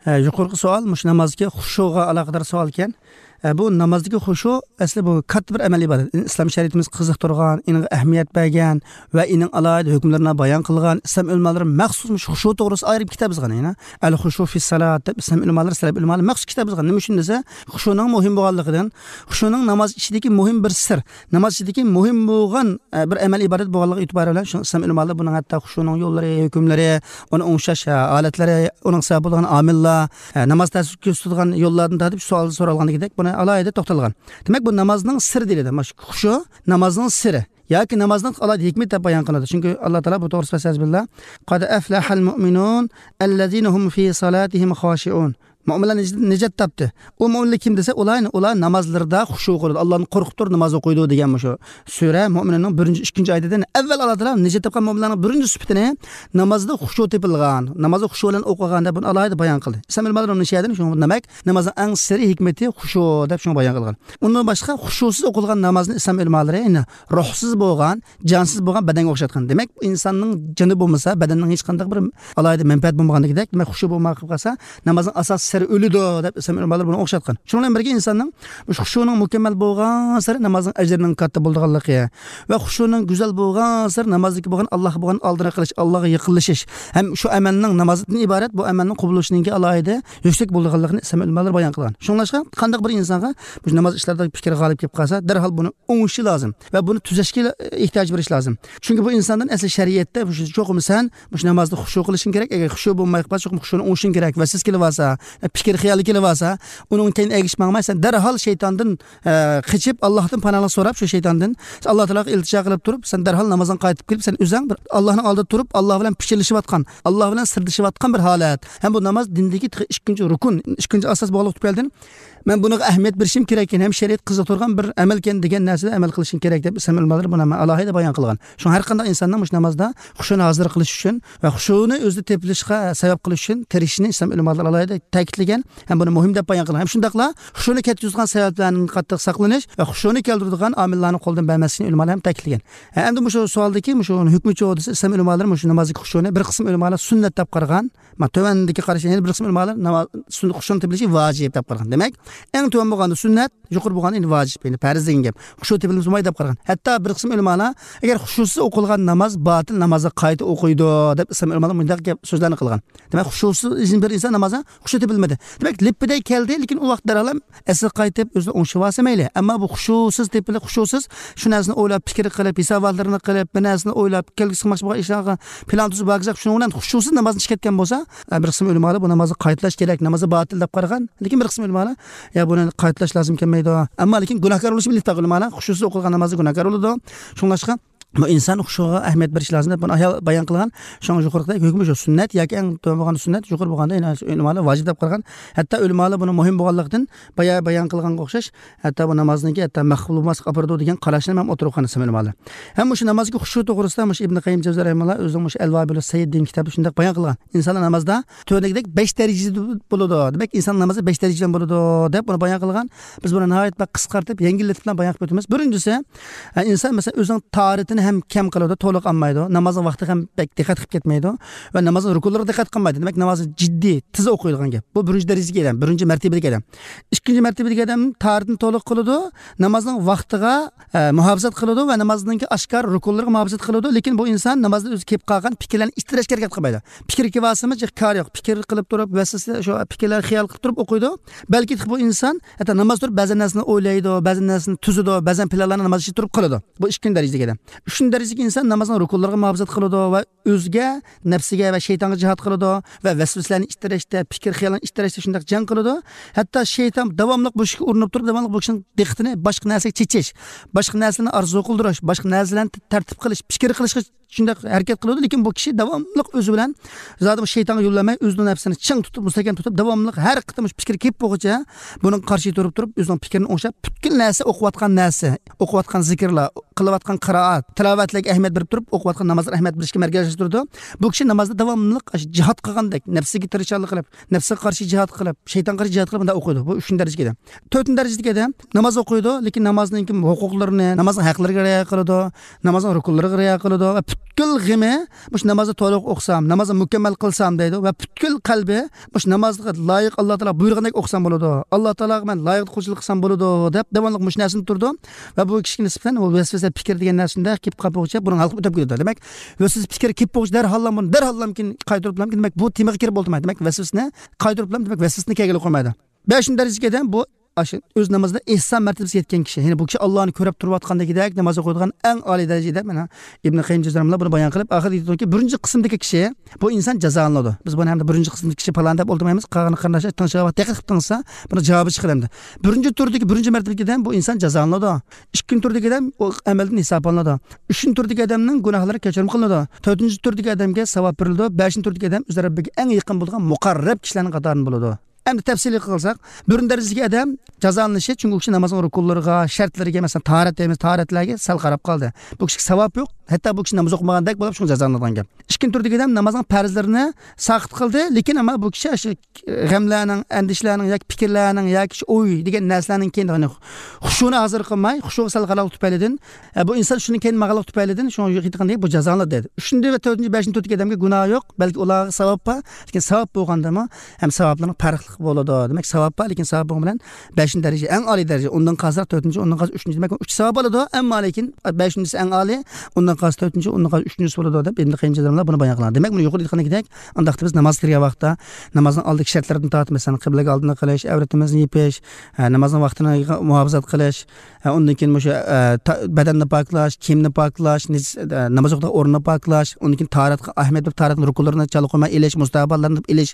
ھە، يۇقىرىقى سوئال مۇشۇ نامازدىكى خۇشۇغا ئالاقىدار سوئال ئىكەن. ھە، بۇ نامازدىكى خۇشۇ ئەسلى بۇ كاتتا بىر ئەمەل ئىبادەت. ئىسلام شەرىئىتىمىز قىزىقتۇرغان، ئېنىڭغا ئەھمىيەت بەرگەن ۋە ئېنىڭ ئالاھىدە ھۆكۈملىرىنى بايان قىلغان ئىسلام ئۆلىمالىرى مەخسۇس مۇشۇ خۇشۇ توغرىسىدا ئايرىم كىتاب يازغان. يەنە ئەل خۇشۇ فىس سالات دەپ ئىسلام ئۆلىمالىرى، سەلەپ ئۆلىمالىرى مەخسۇس كىتاب يازغان. نېمە ئۈچۈن دېسە، خۇشۇنىڭ مۇھىم بولغانلىقىدىن، خۇشۇنىڭ ناماز ئىچىدىكى مۇھىم بىر سىر، ناماز ئىچىدىكى مۇھىم بولغان، ئە، بىر ئەمەل ئىبادەت بولغانلىقى ئېتىبارى بىلەن شۇ ئىسلام ئۆلىمالىرى بۇنىڭ ھەتتا خۇشۇنىڭ يوللىرى، ھۆكۈملىرى، ئۇنى ئوڭشاش، ئە، ھالەتلىرى، ئۇنىڭ سەۋەب بولىدىغان ئامىللار، ئە، ناماز تەسىر كۆرسىتىدىغان يوللاردىن تارتىپ سوئال سورالغاندىكىدەك بۇنى ئالاھىدە توختالغان. دېمەك، بۇ نامازنىڭ سىرى دېيىلىدۇ. مانا شۇ خۇشۇ نامازنىڭ سىرى. ياكى نامازنىڭ ئالاھىدە ھېكمىتى دەپ بايان قىلىنىدۇ. چۈنكى ئاللا تائالا بۇ توغرىسىدا، فەستەئىز بىللا، قەد ئەفلەھەل مۇئمىنۇن ئەللەزىنە ھۇم فى سالاتىھىم خاشىئۇن. مۆمىنلەر نىج-، نىجات تاپتى. ئۇ مۆمىنلەر كىم دېسە، ئۇلار، ئۇلار نامازلىرىدا خۇشۇ قىلىدۇ، ئاللانى قورقۇپ تۇرۇپ ناماز ئوقۇيدۇ دېگەن مۇشۇ سۈرە مۆمىنۇننىڭ بىرىنچى، ئىككىنچى ئايىتىدىن ئەۋۋەل ئاللا تائالا نىجات تاپقان مۆمىنلەرنىڭ بىرىنچى سۈپىتىنى نامازدا خۇشۇ تېپىلغان، نامازدا خۇشۇ بىلەن ئوقۇغان دەپ بۇنى ئالاھىدە بايان قىلدى. ئىسلام ئۆلىمالىرى ئۇنى شۇ يەردىن، شۇ دېمەك، نامازنىڭ ئەڭ سىرى ھېكمىتى خۇشۇ دەپ شۇنى بايان قىلغان. ئۇندىن باشقا خۇشۇسىز ئوقۇلغان نامازنى ئىسلام ئۆلىمالىرى، يەنى روھسىز بولغان، جانسىز بولغان بەدەنگە ئوخشاتقان. دېمەك، ئىنساننىڭ جېنى بولمىسا، بەدەننىڭ ھېچقانداق بىر ئالاھىدە مەنپەئەت بولمىغاندىكىدەك، دېمەك، خۇشۇ بولماي قېلىپ قالسا، نامازنىڭ ئاساسىي ئۆلىدۇ دەپ ئىسلام ئۆلىمالىرى بۇنى ئوخشاتقان. شۇنىڭ بىلەن بىرگە ئىنساننىڭ مۇشۇ خۇشۇنىڭ مۇكەممەل بولغانسېرى نامازنىڭ ئەجرىنىڭ كاتتا بولىدىغانلىقى ۋە خۇشۇنىڭ گۈزەل بولغانسېرى نامازدىكى بولغان ئاللاھقا بولغان ئالدىراق قىلىش، ئاللاھقا يېقىنلىشىش ھەم شۇ ئەمەلنىڭ نامازدىن ئىبارەت بۇ ئەمەلنىڭ قوبۇل بولۇشىنىڭكى ئالاھىدە يۈكسەك بولىدىغانلىقىنى ئىسلام ئۆلىمالىرى بايان قىلغان. شۇڭلاشقا قانداق بىر ئىنسانغا مۇشۇ ناماز ئىشلاردا پىكىر غالىب كېلىپ قالسا، دەرھال بۇنى ئوڭۇشى لازىم ۋە بۇنى تۈزەشكە ئېھتىياج بېرىش لازىم. چۈنكى بۇ ئىنساندىن ئەسلى شەرىئەتتە مۇشۇ چوقۇم سەن مۇشۇ نامازدا خۇشۇ قىلىشىڭ كېرەك. ئەگەر خۇشۇ بولماي قالسا، چوقۇم خۇشۇنى ئوڭۇشۇڭ كېرەك. ۋەسۋەسە كېلىۋالسا، پىكىر خىيالى كېلىۋالسا، ئۇنىڭ كەينىدىن ئەگىشىپ ماڭماي، سەن دەرھال شەيتاندىن ئە، قېچىپ، ئاللاھتىن پاناھلىق سوراپ، شۇ شەيتاندىن، ئاللا تائالاغا ئىلتىجا قىلىپ تۇرۇپ، سەن دەرھال نامازىڭنى قايتىپ كېلىپ، سەن ئۆزۈڭ بىر ئاللاھنىڭ ئالدىدا تۇرۇپ، ئاللا بىلەن پىچىرلىشىۋاتقان، ئاللا بىلەن سىردىشىۋاتقان بىر ھالەت. ھەم بۇ ناماز دىندىكى تېخى ئىككىنچى رۇكۇن، ئىككىنچى ئاساس بولغانلىقى تۈپەيلىدىن، مەن بۇنىڭغا ئەھمىيەت بېرىشىم كېرەككەن ھەم شەرىئەت قىزىقتۇرغان بىر ئەمەلكەن دېگەن نەرسىدە ئەمەل قىلىشىم كېرەك دەپ ئىسلام ئۆلىمالىرى بۇنى ئالاھىدە بايان قىلغان. شۇڭا ھەر قانداق ئىنساننىڭ مۇشۇ نامازدا خۇشۇنى ھازىر قىلىش ئۈچۈن ۋە خۇشۇنى ئۆزىدە تېپىلىشقا سەۋەب قىلىش ئۈچۈن تىرىشىشنى ئىسلام ئۆلىمالىرى ئالاھىدە تەكىتلىگەن. ھەم بۇنى مۇھىم دەپ بايان قىلغان. ھەم شۇنداقلا خۇشۇنى كەتكۈزىدىغان سەۋەبلەرنى قاتتىق ساقلىنىش ۋە خۇشۇنى كەلتۈرىدىغان ئامىللارنى قولدىن بەرمەسلىكنى ئۆلىمالار ھەم تەكىتلىگەن. ھە، ئەمدى مۇشۇ سوئالدىكى مۇشۇ ھۆكمى چۇ دېسە، ئىسلام ئۆلىمالىرى مۇشۇ نامازدىكى خۇشۇنى بىر قىسىم ئۆلىمالار سۈننەت دەپ قارىغان. ما، تۆۋەندىكى قارىشى، يەنە بىر قىسىم ئۆلىمالار ناماز، سۈننەت، خۇشۇنى تېپىلىشى ۋاجىپ دەپ قارىغان. دېمەك، ئەڭ تۆۋەن بولغاندا سۈننەت، يۇقىرى بولغاندا ئەمدى ۋاجىپ، يەنى پەرز دېگەن گەپ. خۇشۇ تېپىلمىسا بولمايدۇ دەپ قارىغان. ھەتتا بىر قىسىم ئۆلىمالار، ئەگەر خۇشۇسىز ئوقۇلغان ناماز باتىل، نامازغا قايتا ئوقۇيدۇ دەپ ئىسلام ئۆلىمالار مۇنداق گەپ سۆزلەرنى قىلغان. دېمەك، خۇشۇسىز بىر ئىنسان نامازدا خۇشۇ تېپىلمىدى. دېمەك، لىپپىدەي كەلدى، لېكىن ئۇ ۋاقىت دەرھال ئەسلىگە قايتىپ، ئۆزىنى ئوڭشىۋالسا مەيلى. ئەمما بۇ خۇشۇسىز تېپىلىپ، خۇشۇسىز شۇ نەرسىنى ئويلاپ، پىكىر قىلىپ، ھېساباتلىرىنى قىلىپ، بىر نەرسىنى ئويلاپ، كەلگۈسى قىلماقچى بولغان ئىشلارغا پىلان تۈزۈپ ھاكىزاق، شۇنىڭ بىلەن خۇشۇسىز نامازدىن چىقىپ كەتكەن بولسا، ئە، بىر قىسىم ئۆلىمالار بۇ نامازنى قايتىلاش كېرەك، نامازى باتىل دەپ قارىغان. لېكىن بىر قىسىم ئۆلىمالار، يا، بۇنى قايتىلاش لازىم كەلمەيدۇ. ئەمما لېكىن گۇناھكار بولۇشى بىللە ئۆلىمالار، خۇشۇسىز ئوقۇلغان نامازدا گۇناھكار بولىدۇ. شۇڭلاشقا، بۇ ئىنسان خۇشۇغا ئەھمىيەت بېرىش لازىم دەپ بۇنى ئايال بايان قىلغان. شۇڭا يۇقىرىقىدەك ھۆكمى شۇ سۈننەت ياكى ئەڭ تۆۋەن بولغاندا سۈننەت، يۇقىرى بولغاندا يەنە ئۆلىمالار ۋاجىپ دەپ قارىغان. ھەتتا ئۆلىمالار بۇنى مۇھىم بولغانلىقتىن بايا بايان قىلغانغا ئوخشاش، ھەتتا بۇ نامازنىڭكى ھەتتا مەقبۇل بولماسلىققا ئاپىرىدۇ دېگەن قاراشنى ھەم ئوتتۇرىغا قويغان ئىسلام ئۆلىمالىرى. ھەم مۇشۇ نامازدىكى خۇشۇ توغرىسىدا مۇشۇ ئىبن قەييىم جەۋزىي رەھىمەھۇللا ئۆزىنىڭ مۇشۇ ئەلۋابىلۇس سەييىد دېگەن كىتابىدا شۇنداق بايان قىلغان. ئىنسانلار نامازدا تۆۋەندىكىدەك بەش دەرىجىدە بولىدۇ. دېمەك، ئىنسان نامازى بەش دەرىجىدىن بولىدۇ دەپ بۇنى بايان قىلغان. بىز بۇنى ناھايىتى بەك قىسقارتىپ، يەڭگىللىتىپ بىلەن بايان قىلىپ ئۆتىمىز. بىرىنچىسى، ئە، ئىنسان، مەسىلەن، ئۆزىنىڭ تاھارىتىنى ھەم كەم قىلىدۇ، تولۇق ئالمايدۇ. نامازنىڭ ۋاقتىغا ھەم بەك دىققەت قىلىپ كەتمەيدۇ ۋە نامازنىڭ رۇكۇنلىرىغا دىققەت قىلمايدۇ. دېمەك، نامازنى جىددىي، تېز ئوقۇيدىغان گەپ. بۇ بىرىنچى دەرىجىدىكى ئادەم، بىرىنچى مەرتىبىدىكى ئادەم. ئىككىنچى مەرتىبىدىكى ئادەم تاھارىتىنى تولۇق قىلىدۇ، نامازنىڭ ۋاقتىغا، ئە، مۇھاپىزەت قىلىدۇ ۋە نامازنىڭكى ئاشكارا رۇكۇنلىرىغا مۇھاپىزەت قىلىدۇ. لېكىن بۇ ئىنسان نامازدا ئۆزى كېلىپ قالغان پىكىرلەرنى ئىتتىرىشكە ھەرىكەت قىلمايدۇ. پىكىر كېلىۋالسىمۇ، جىق كارى يوق. پىكىر قىلىپ تۇرۇپ، ۋەسۋەسە، شۇ پىكىرلەر خىيال قىلىپ تۇرۇپ ئوقۇيدۇ. بەلكى بۇ ئىنسان ھەتتا ناماز تۇرۇپ بەزى نەرسىنى ئويلايدۇ، بەزى نەرسىنى تۈزىدۇ، بەزى پىلانلارنى ناماز ئىچىدە تۇرۇپ قىلىدۇ. بۇ ئىككىنچى دەرىجىدىكى ئادەم. ئۈچىنچى دەرىجىدىكى ئىنسان نامازنىڭ رۇكۇنلىرىغا مۇھاپىزەت قىلىدۇ ۋە ئۆزىگە، نەپسىگە ۋە شەيتانغا جىھاد قىلىدۇ ۋە ۋەسۋەسىلەرنى ئىتتىرىشتە، پىكىر خىيالنى ئىتتىرىشتە شۇنداق جەڭ قىلىدۇ. ھەتتا شەيتان داۋاملىق بۇ ئىشقا ئۇرۇنۇپ تۇرۇپ، داۋاملىق بۇ كىشىنىڭ دىققىتىنى باشقا نەرسىگە چېچىش، باشقا نەرسىلەرنى ئارزۇ قىلدۇرۇش، باشقا نەرسىلەرنى تەرتىپ قىلىش، پىكىر قىلىشقا شۇنداق ھەرىكەت قىلىدۇ. لېكىن بۇ كىشى داۋاملىق ئۆزى بىلەن زادى بۇ شەيتانغا يول بەرمەي، ئۆزىنىڭ نەپسىنى چىڭ تۇتۇپ، مۇستەھكەم تۇتۇپ، داۋاملىق ھەر قېتىم مۇشۇ پىكىر كېلىپ بولغۇچە بۇنىڭغا قارشى تۇرۇپ، تۇرۇپ، ئۆزىنىڭ پىكرىنى ئوڭشاپ، پۈتكۈل نەرسە، ئوقۇۋاتقان نەرسە، ئوقۇۋاتقان زىكىرلار، قىلىۋاتقان قىرائەت، تىلاۋەتلەرگە ئەھمىيەت بېرىپ تۇرۇپ، ئوقۇۋاتقان نامازلارغا ئەھمىيەت بېرىشكە مەركەزلەشتۈرىدۇ. بۇ كىشى نامازدا داۋاملىق ئاشۇ جىھاد قىلغاندەك، نەپسىگە تىرىشچانلىق قىلىپ، نەپسىگە قارشى جىھاد قىلىپ، شەيتانغا قارشى جىھاد قىلىپ، مۇنداق ئوقۇيدۇ. بۇ ئۈچىنچى دەرىجىدىكى ئادەم. تۆتىنچى دەرىجىدىكى ئادەم ناماز ئوقۇيدۇ، لېكىن نامازنىڭكى ھوقۇقلىرىنى، نامازنىڭ ھەقلىرىگە رىئايە قىلىدۇ، نامازنىڭ رۇكۇنلىرىغا رىئايە قىلىدۇ ۋە پۈتكۈل غېمى مۇشۇ نامازنى تولۇق ئوقۇسام، نامازنى مۇكەممەل قىلسام دەيدۇ ۋە پۈتكۈل قەلبى مۇشۇ نامازغا لايىق، ئاللا تائالا بۇيرۇغاندەك ئوقۇسام بولىدۇ، ئاللا تائالاغا مەن لايىق قۇلچىلىق قىلسام بولىدۇ دەپ داۋاملىق مۇشۇ نەرسىدە تۇرىدۇ. ۋە بۇ كىشىگە نىسبەتەن ئۇ ۋەسۋەسە پىكىر دېگەن نەرسىدە كېلىپ قالغۇچە بۇنىڭ ھالقىپ ئۆتۈپ كېتىدۇ. دېمەك، ۋەسۋەسە پىكىر كېلىپ بولغۇچە دەرھاللا بۇنى، دەرھاللا دېمەك، بۇ تېمىغا كىرىپ بولدۇم. دېمەك، ۋەسۋەسىنى قايتۇرۇپلا، دېمەك، ۋەسۋەسىنى كەلگىلى قويمايدۇ. بەشىنچى دەرىجىدىكى ئادەم بۇ ئاشۇ ئۆز نامىزىدا ئېھسان مەرتىبىسىگە يەتكەن كىشى. يەنى بۇ كىشى ئاللانى كۆرۈپ تۇرۇۋاتقاندىكىدەك ناماز ئوقۇيدىغان ئەڭ ئالىي دەرىجىدە، مانا، ئىبن قەييىم جەۋزىي رەھىمەھۇللا بۇنى بايان قىلىپ، ئاخىرىدا ئېيتىدۇكى، بىرىنچى قىسىمدىكى كىشى، بۇ ئىنسان جازالىنىدۇ. بىز بۇنى ھەمدە بىرىنچى قىسىمدىكى كىشى پالان دەپ ئولتۇرمايمىز. قالغان قېرىنداشلار تىڭشاپ دىققەت قىلىپ تىڭشىسا، بۇنى جاۋابى چىقىدۇ ئەمدى. بىرىنچى تۈردىكى، بىرىنچى مەرتىۋىدىكى ئادەم بۇ ئىنسان جازالىنىدۇ. ئىككىنچى تۈردىكى ئادەم ئۇ ئەمەلدىن ھېسابلىنىدۇ. ئۈچىنچى تۈردىكى ئادەمنىڭ گۇناھلىرى كەچۈرۈم قىلىنىدۇ. تۆتىنچى تۈردىكى ئادەمگە ساۋاب بېرىلىدۇ. بەشىنچى تۈردىكى ئادەم ئۆز رەببىگە ئەڭ يېقىن بولغان مۇقەررەب كىشىلەرنىڭ قاتارىدىن بولىدۇ. ئەمدى تەپسىلىي قىلساق، بىرىنچى دەرىجىدىكى ئادەم جازالىنىشى، چۈنكى ئۇ كىشى نامازنىڭ رۇكۇنلىرىغا، شەرتلىرىگە، مەسىلەن، تاھارەت دەيمىز، تاھارەتلەرگە سەل قاراپ قالدى. بۇ كىشىگە ساۋاب يوق، ھەتتا بۇ كىشى ناماز ئوقۇمىغاندەك بولۇپ، شۇڭا جازالىنىدىغان گەپ. ئىككىنچى تۈردىكى ئادەم نامازنىڭ پەرزلىرىنى ساقىت قىلدى، لېكىن ئەمما بۇ كىشى شۇ غەملەرنىڭ، ئەندىشىلەرنىڭ ياكى پىكىرلەرنىڭ ياكى شۇ ئوي دېگەن نەرسىلەرنىڭ كېيىن، يەنى خۇشۇنى ھازىر قىلماي، خۇشۇغا سەل قارىغانلىقى تۈپەيلىدىن، ئە، بۇ ئىنسان شۇنىڭ كېيىن ماڭغانلىقى تۈپەيلىدىن، شۇڭا ئېيتقاندەك بۇ جازالىنىدۇ دەيدۇ. ئۈچىنچى ۋە تۆتىنچى، بەشىنچى تۈردىكى ئادەمگە گۇناھ يوق، بەلكى ئۇلارغا ساۋاب بار، لېكىن ساۋاب بولغاندىمۇ ھەم ساۋابلارنىڭ پەرقلىق بولىدۇ. دېمەك، ساۋاب بار، لېكىن ساۋاب بولغان بىلەن بەشىنچى دەرىجە، ئەڭ ئالىي دەرىجە، ئۇندىن قالسا تۆتىنچى، ئۇندىن قالسا ئۈچىنچى، دېمەك، ئۈچ ساۋاب بولىدۇ. ئەمما لېكىن بەشىنچىسى ئەڭ ئالىي، ئۇندىن قالسا تۆتىنچى، ئۇندىن قالسا ئۈچىنچىسى بولىدۇ دەپ ئىبن قەييىم جەززىيەللاھۇ بۇنى بايان قىلغان. دەمەك، بۇنى يۇقىرىدا ئېيتقاندەك، ئانداقتا بىز ناماز كىرگەن ۋاقىتتا نامازنىڭ ئالدىدىكى شەرتلىرىدىن تارتىپ، مەسىلەن، قىبلىگە ئالدىنى قىلىش، ئەۋرىتىمىزنى يېپىش، ھە، نامازنىڭ ۋاقتىنى مۇھاپىزەت قىلىش، ھە، ئۇندىن كېيىن مۇشۇ، ھە، تا-، بەدەننى پاكلاش، كىيىمنى پاكلاش، نىج-، ھە، ناماز ئوقۇيدىغان ئورنىنى پاكلاش، ئۇندىن كېيىن تاھارەتكە ئەھمىيەت بېرىپ، تاھارەتنىڭ رۇكۇنلىرىنى چالا قويماي ئېلىش، مۇستەھەبباتلارنى ئېلىش،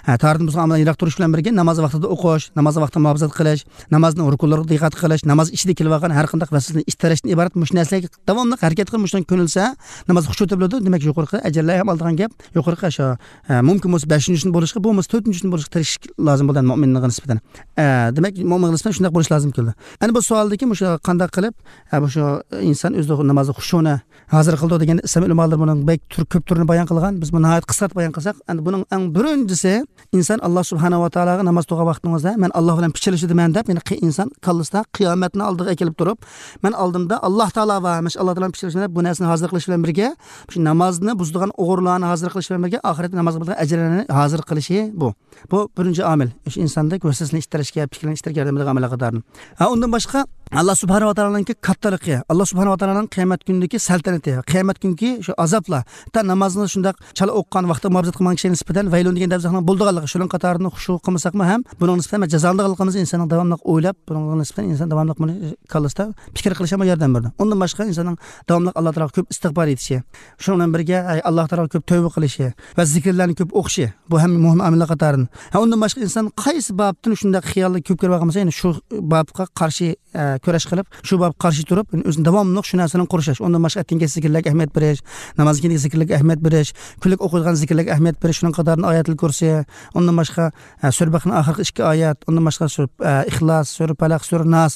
ھە، تاھارەتتىن بۇزغان ئامالدىن يىراق تۇرۇش بىلەن بىرگە، ناماز ۋاقتىدا ئوقۇش، ناماز ۋاقتىدا مۇھاپىزەت قىلىش، نامازنىڭ رۇكۇنلىرىغا دىققەت قىلىش، ناماز ئىچىدە كېلىۋالغان ھەر قانداق ۋەسۋەسىدىن ئىتتەرەشتىن ئىبارەت مۇشۇ نەرسىلەرگە داۋاملىق ھەرىكەت قىلىپ، مۇشۇنىڭ كۆنۈلسە، ناماز خۇشۇ تېپىلىدۇ. دېمەك، يۇقىرىقى ئەجىرلەر ھەم ئالىدىغان گەپ، يۇقىرىقى شۇ، ھە، مۇمكىن بولسا بەشىنچى كۈن بولۇشقا، بولمىسا تۆتىنچى كۈن بولۇشقا تىرىشىش لازىم بولىدۇ مۆمىننىڭ نىسبەتەن. ھە، دېمەك، مۆمىنگە نىسبەتەن شۇنداق بولۇش لازىم كېلىدۇ. ئەنە بۇ سوئالدىكى مۇشۇ قانداق قىلىپ، ھە، بۇ شۇ ئىنسان ئۆزىدە نامازدا خۇشۇنى ھازىر قىلىدۇ دېگەن ئىسلام ئۆلىمالىرى بۇنىڭ بەك تۈر-، كۆپ تۈرىنى بايان قىلغان. بىز بۇنى ناھايىتى قىسقارتىپ بايان قىلساق، ئەنە بۇنىڭ ئەڭ بىرىنچىسى، ئىنسان ئاللا سۇبھانەھۇ ۋە تائالاغا ناماز تۇرغان ۋاقتىڭىزدا، مەن ئاللا بىلەن پىچىرلىشىدىمەن دەپ، يەنى قى-، ئىنسان كاللىسىدا قىيامەتنى ئالدىغا ئەكېلىپ تۇرۇپ، مەن ئالدىمدا ئاللا تائالا بار، مەن شۇ ئاللا تائالا بىلەن پىچىرلىشىمەن دەپ، بۇ نەرسىنى ھازىر قىلىش بىلەن بىرگە، شۇ نامازنى بۇزىدىغان ئوغرىلارنى ھازىر قىلىش بىلەن بىرگە، ئاخىرەتتە نامازغا بولىدىغان ئەجىرلەرنى ھازىر قىلىشى بۇ. بۇ بىرىنچى ئامىل. شۇ ئىنساندەك ۋەسۋەسىنى ئىتتىرىشكە، پىكىرلەرنى ئىتتىرىشكە ياردەم بېرىدىغان ئامىللار قاتارىدىن. ھە، ئۇندىن باشقا، ئاللا سۇبھانەھۇ ۋە تائالانىڭكى كاتتىلىقى، ئاللا سۇبھانەھۇ ۋە تائالانىڭ قىيامەت كۈنىدىكى سەلتەنىتى، قىيامەت كۈنكى شۇ ئازابلار، ھەتتا نامازنى شۇنداق چالا ئوقۇغان ۋاقتىدا مۇھاپىزەت قىلمىغان كىشىگە نىسبەتەن ۋەيلۇن دېگەن دەرزاخنىڭ بولىدىغانلىقى، شۇنىڭ قاتارىدىن خۇشۇ قىلمىساقمۇ ھەم بۇنىڭغا نىسبەتەن جازالىنىدىغانلىقىمىز ئىنساننىڭ داۋاملىق ئويلاپ، بۇنىڭغا نىسبەتەن ئىنسان داۋاملىق بۇنى كاللىسىدا پىكىر قىلىشىغا ياردەم بېرىدۇ. ئۇندىن باشقا ئىنساننىڭ داۋاملىق ئاللا تائالاغا كۆپ ئىستىغپار ئېيتىشى، شۇنىڭ بىلەن بىرگە، ئەي، ئاللا تائالاغا كۆپ تەۋبە قىلىشى ۋە زىكىرلەرنى كۆپ ئوقۇشى، بۇ ھەم مۇھىم ئامىللار قاتارىدىن. ھە، ئۇندىن باشقا ئىنسان قايسى بابتىن شۇنداق خىياللار كۆپ كىرىۋالغان بولسا، يەنى شۇ بابقا قارشى، ئە، كۈرەش قىلىپ، شۇ بابقا قارشى تۇرۇپ، يەنى ئۆزىنى داۋاملىق شۇ نەرسە بىلەن قورشاش. ئۇندىن باشقا ئەتىگەنكى زىكىرلەرگە ئەھمىيەت بېرىش، نامازدىن كېيىنكى زىكىرلەرگە ئەھمىيەت بېرىش، كۈنلۈك ئوقۇيدىغان زىكىرلەرگە ئەھمىيەت بېرىش، شۇنىڭ قاتارىدىن ئايەتۇل كۇرسى، ئۇندىن باشقا، ئە، سۈرە بەقەرىنىڭ ئاخىرقى ئىككى ئايەت، ئۇندىن باشقا سۈرە، ئە، ئىخلاس، سۈرە پەلەق، سۈرە ناس،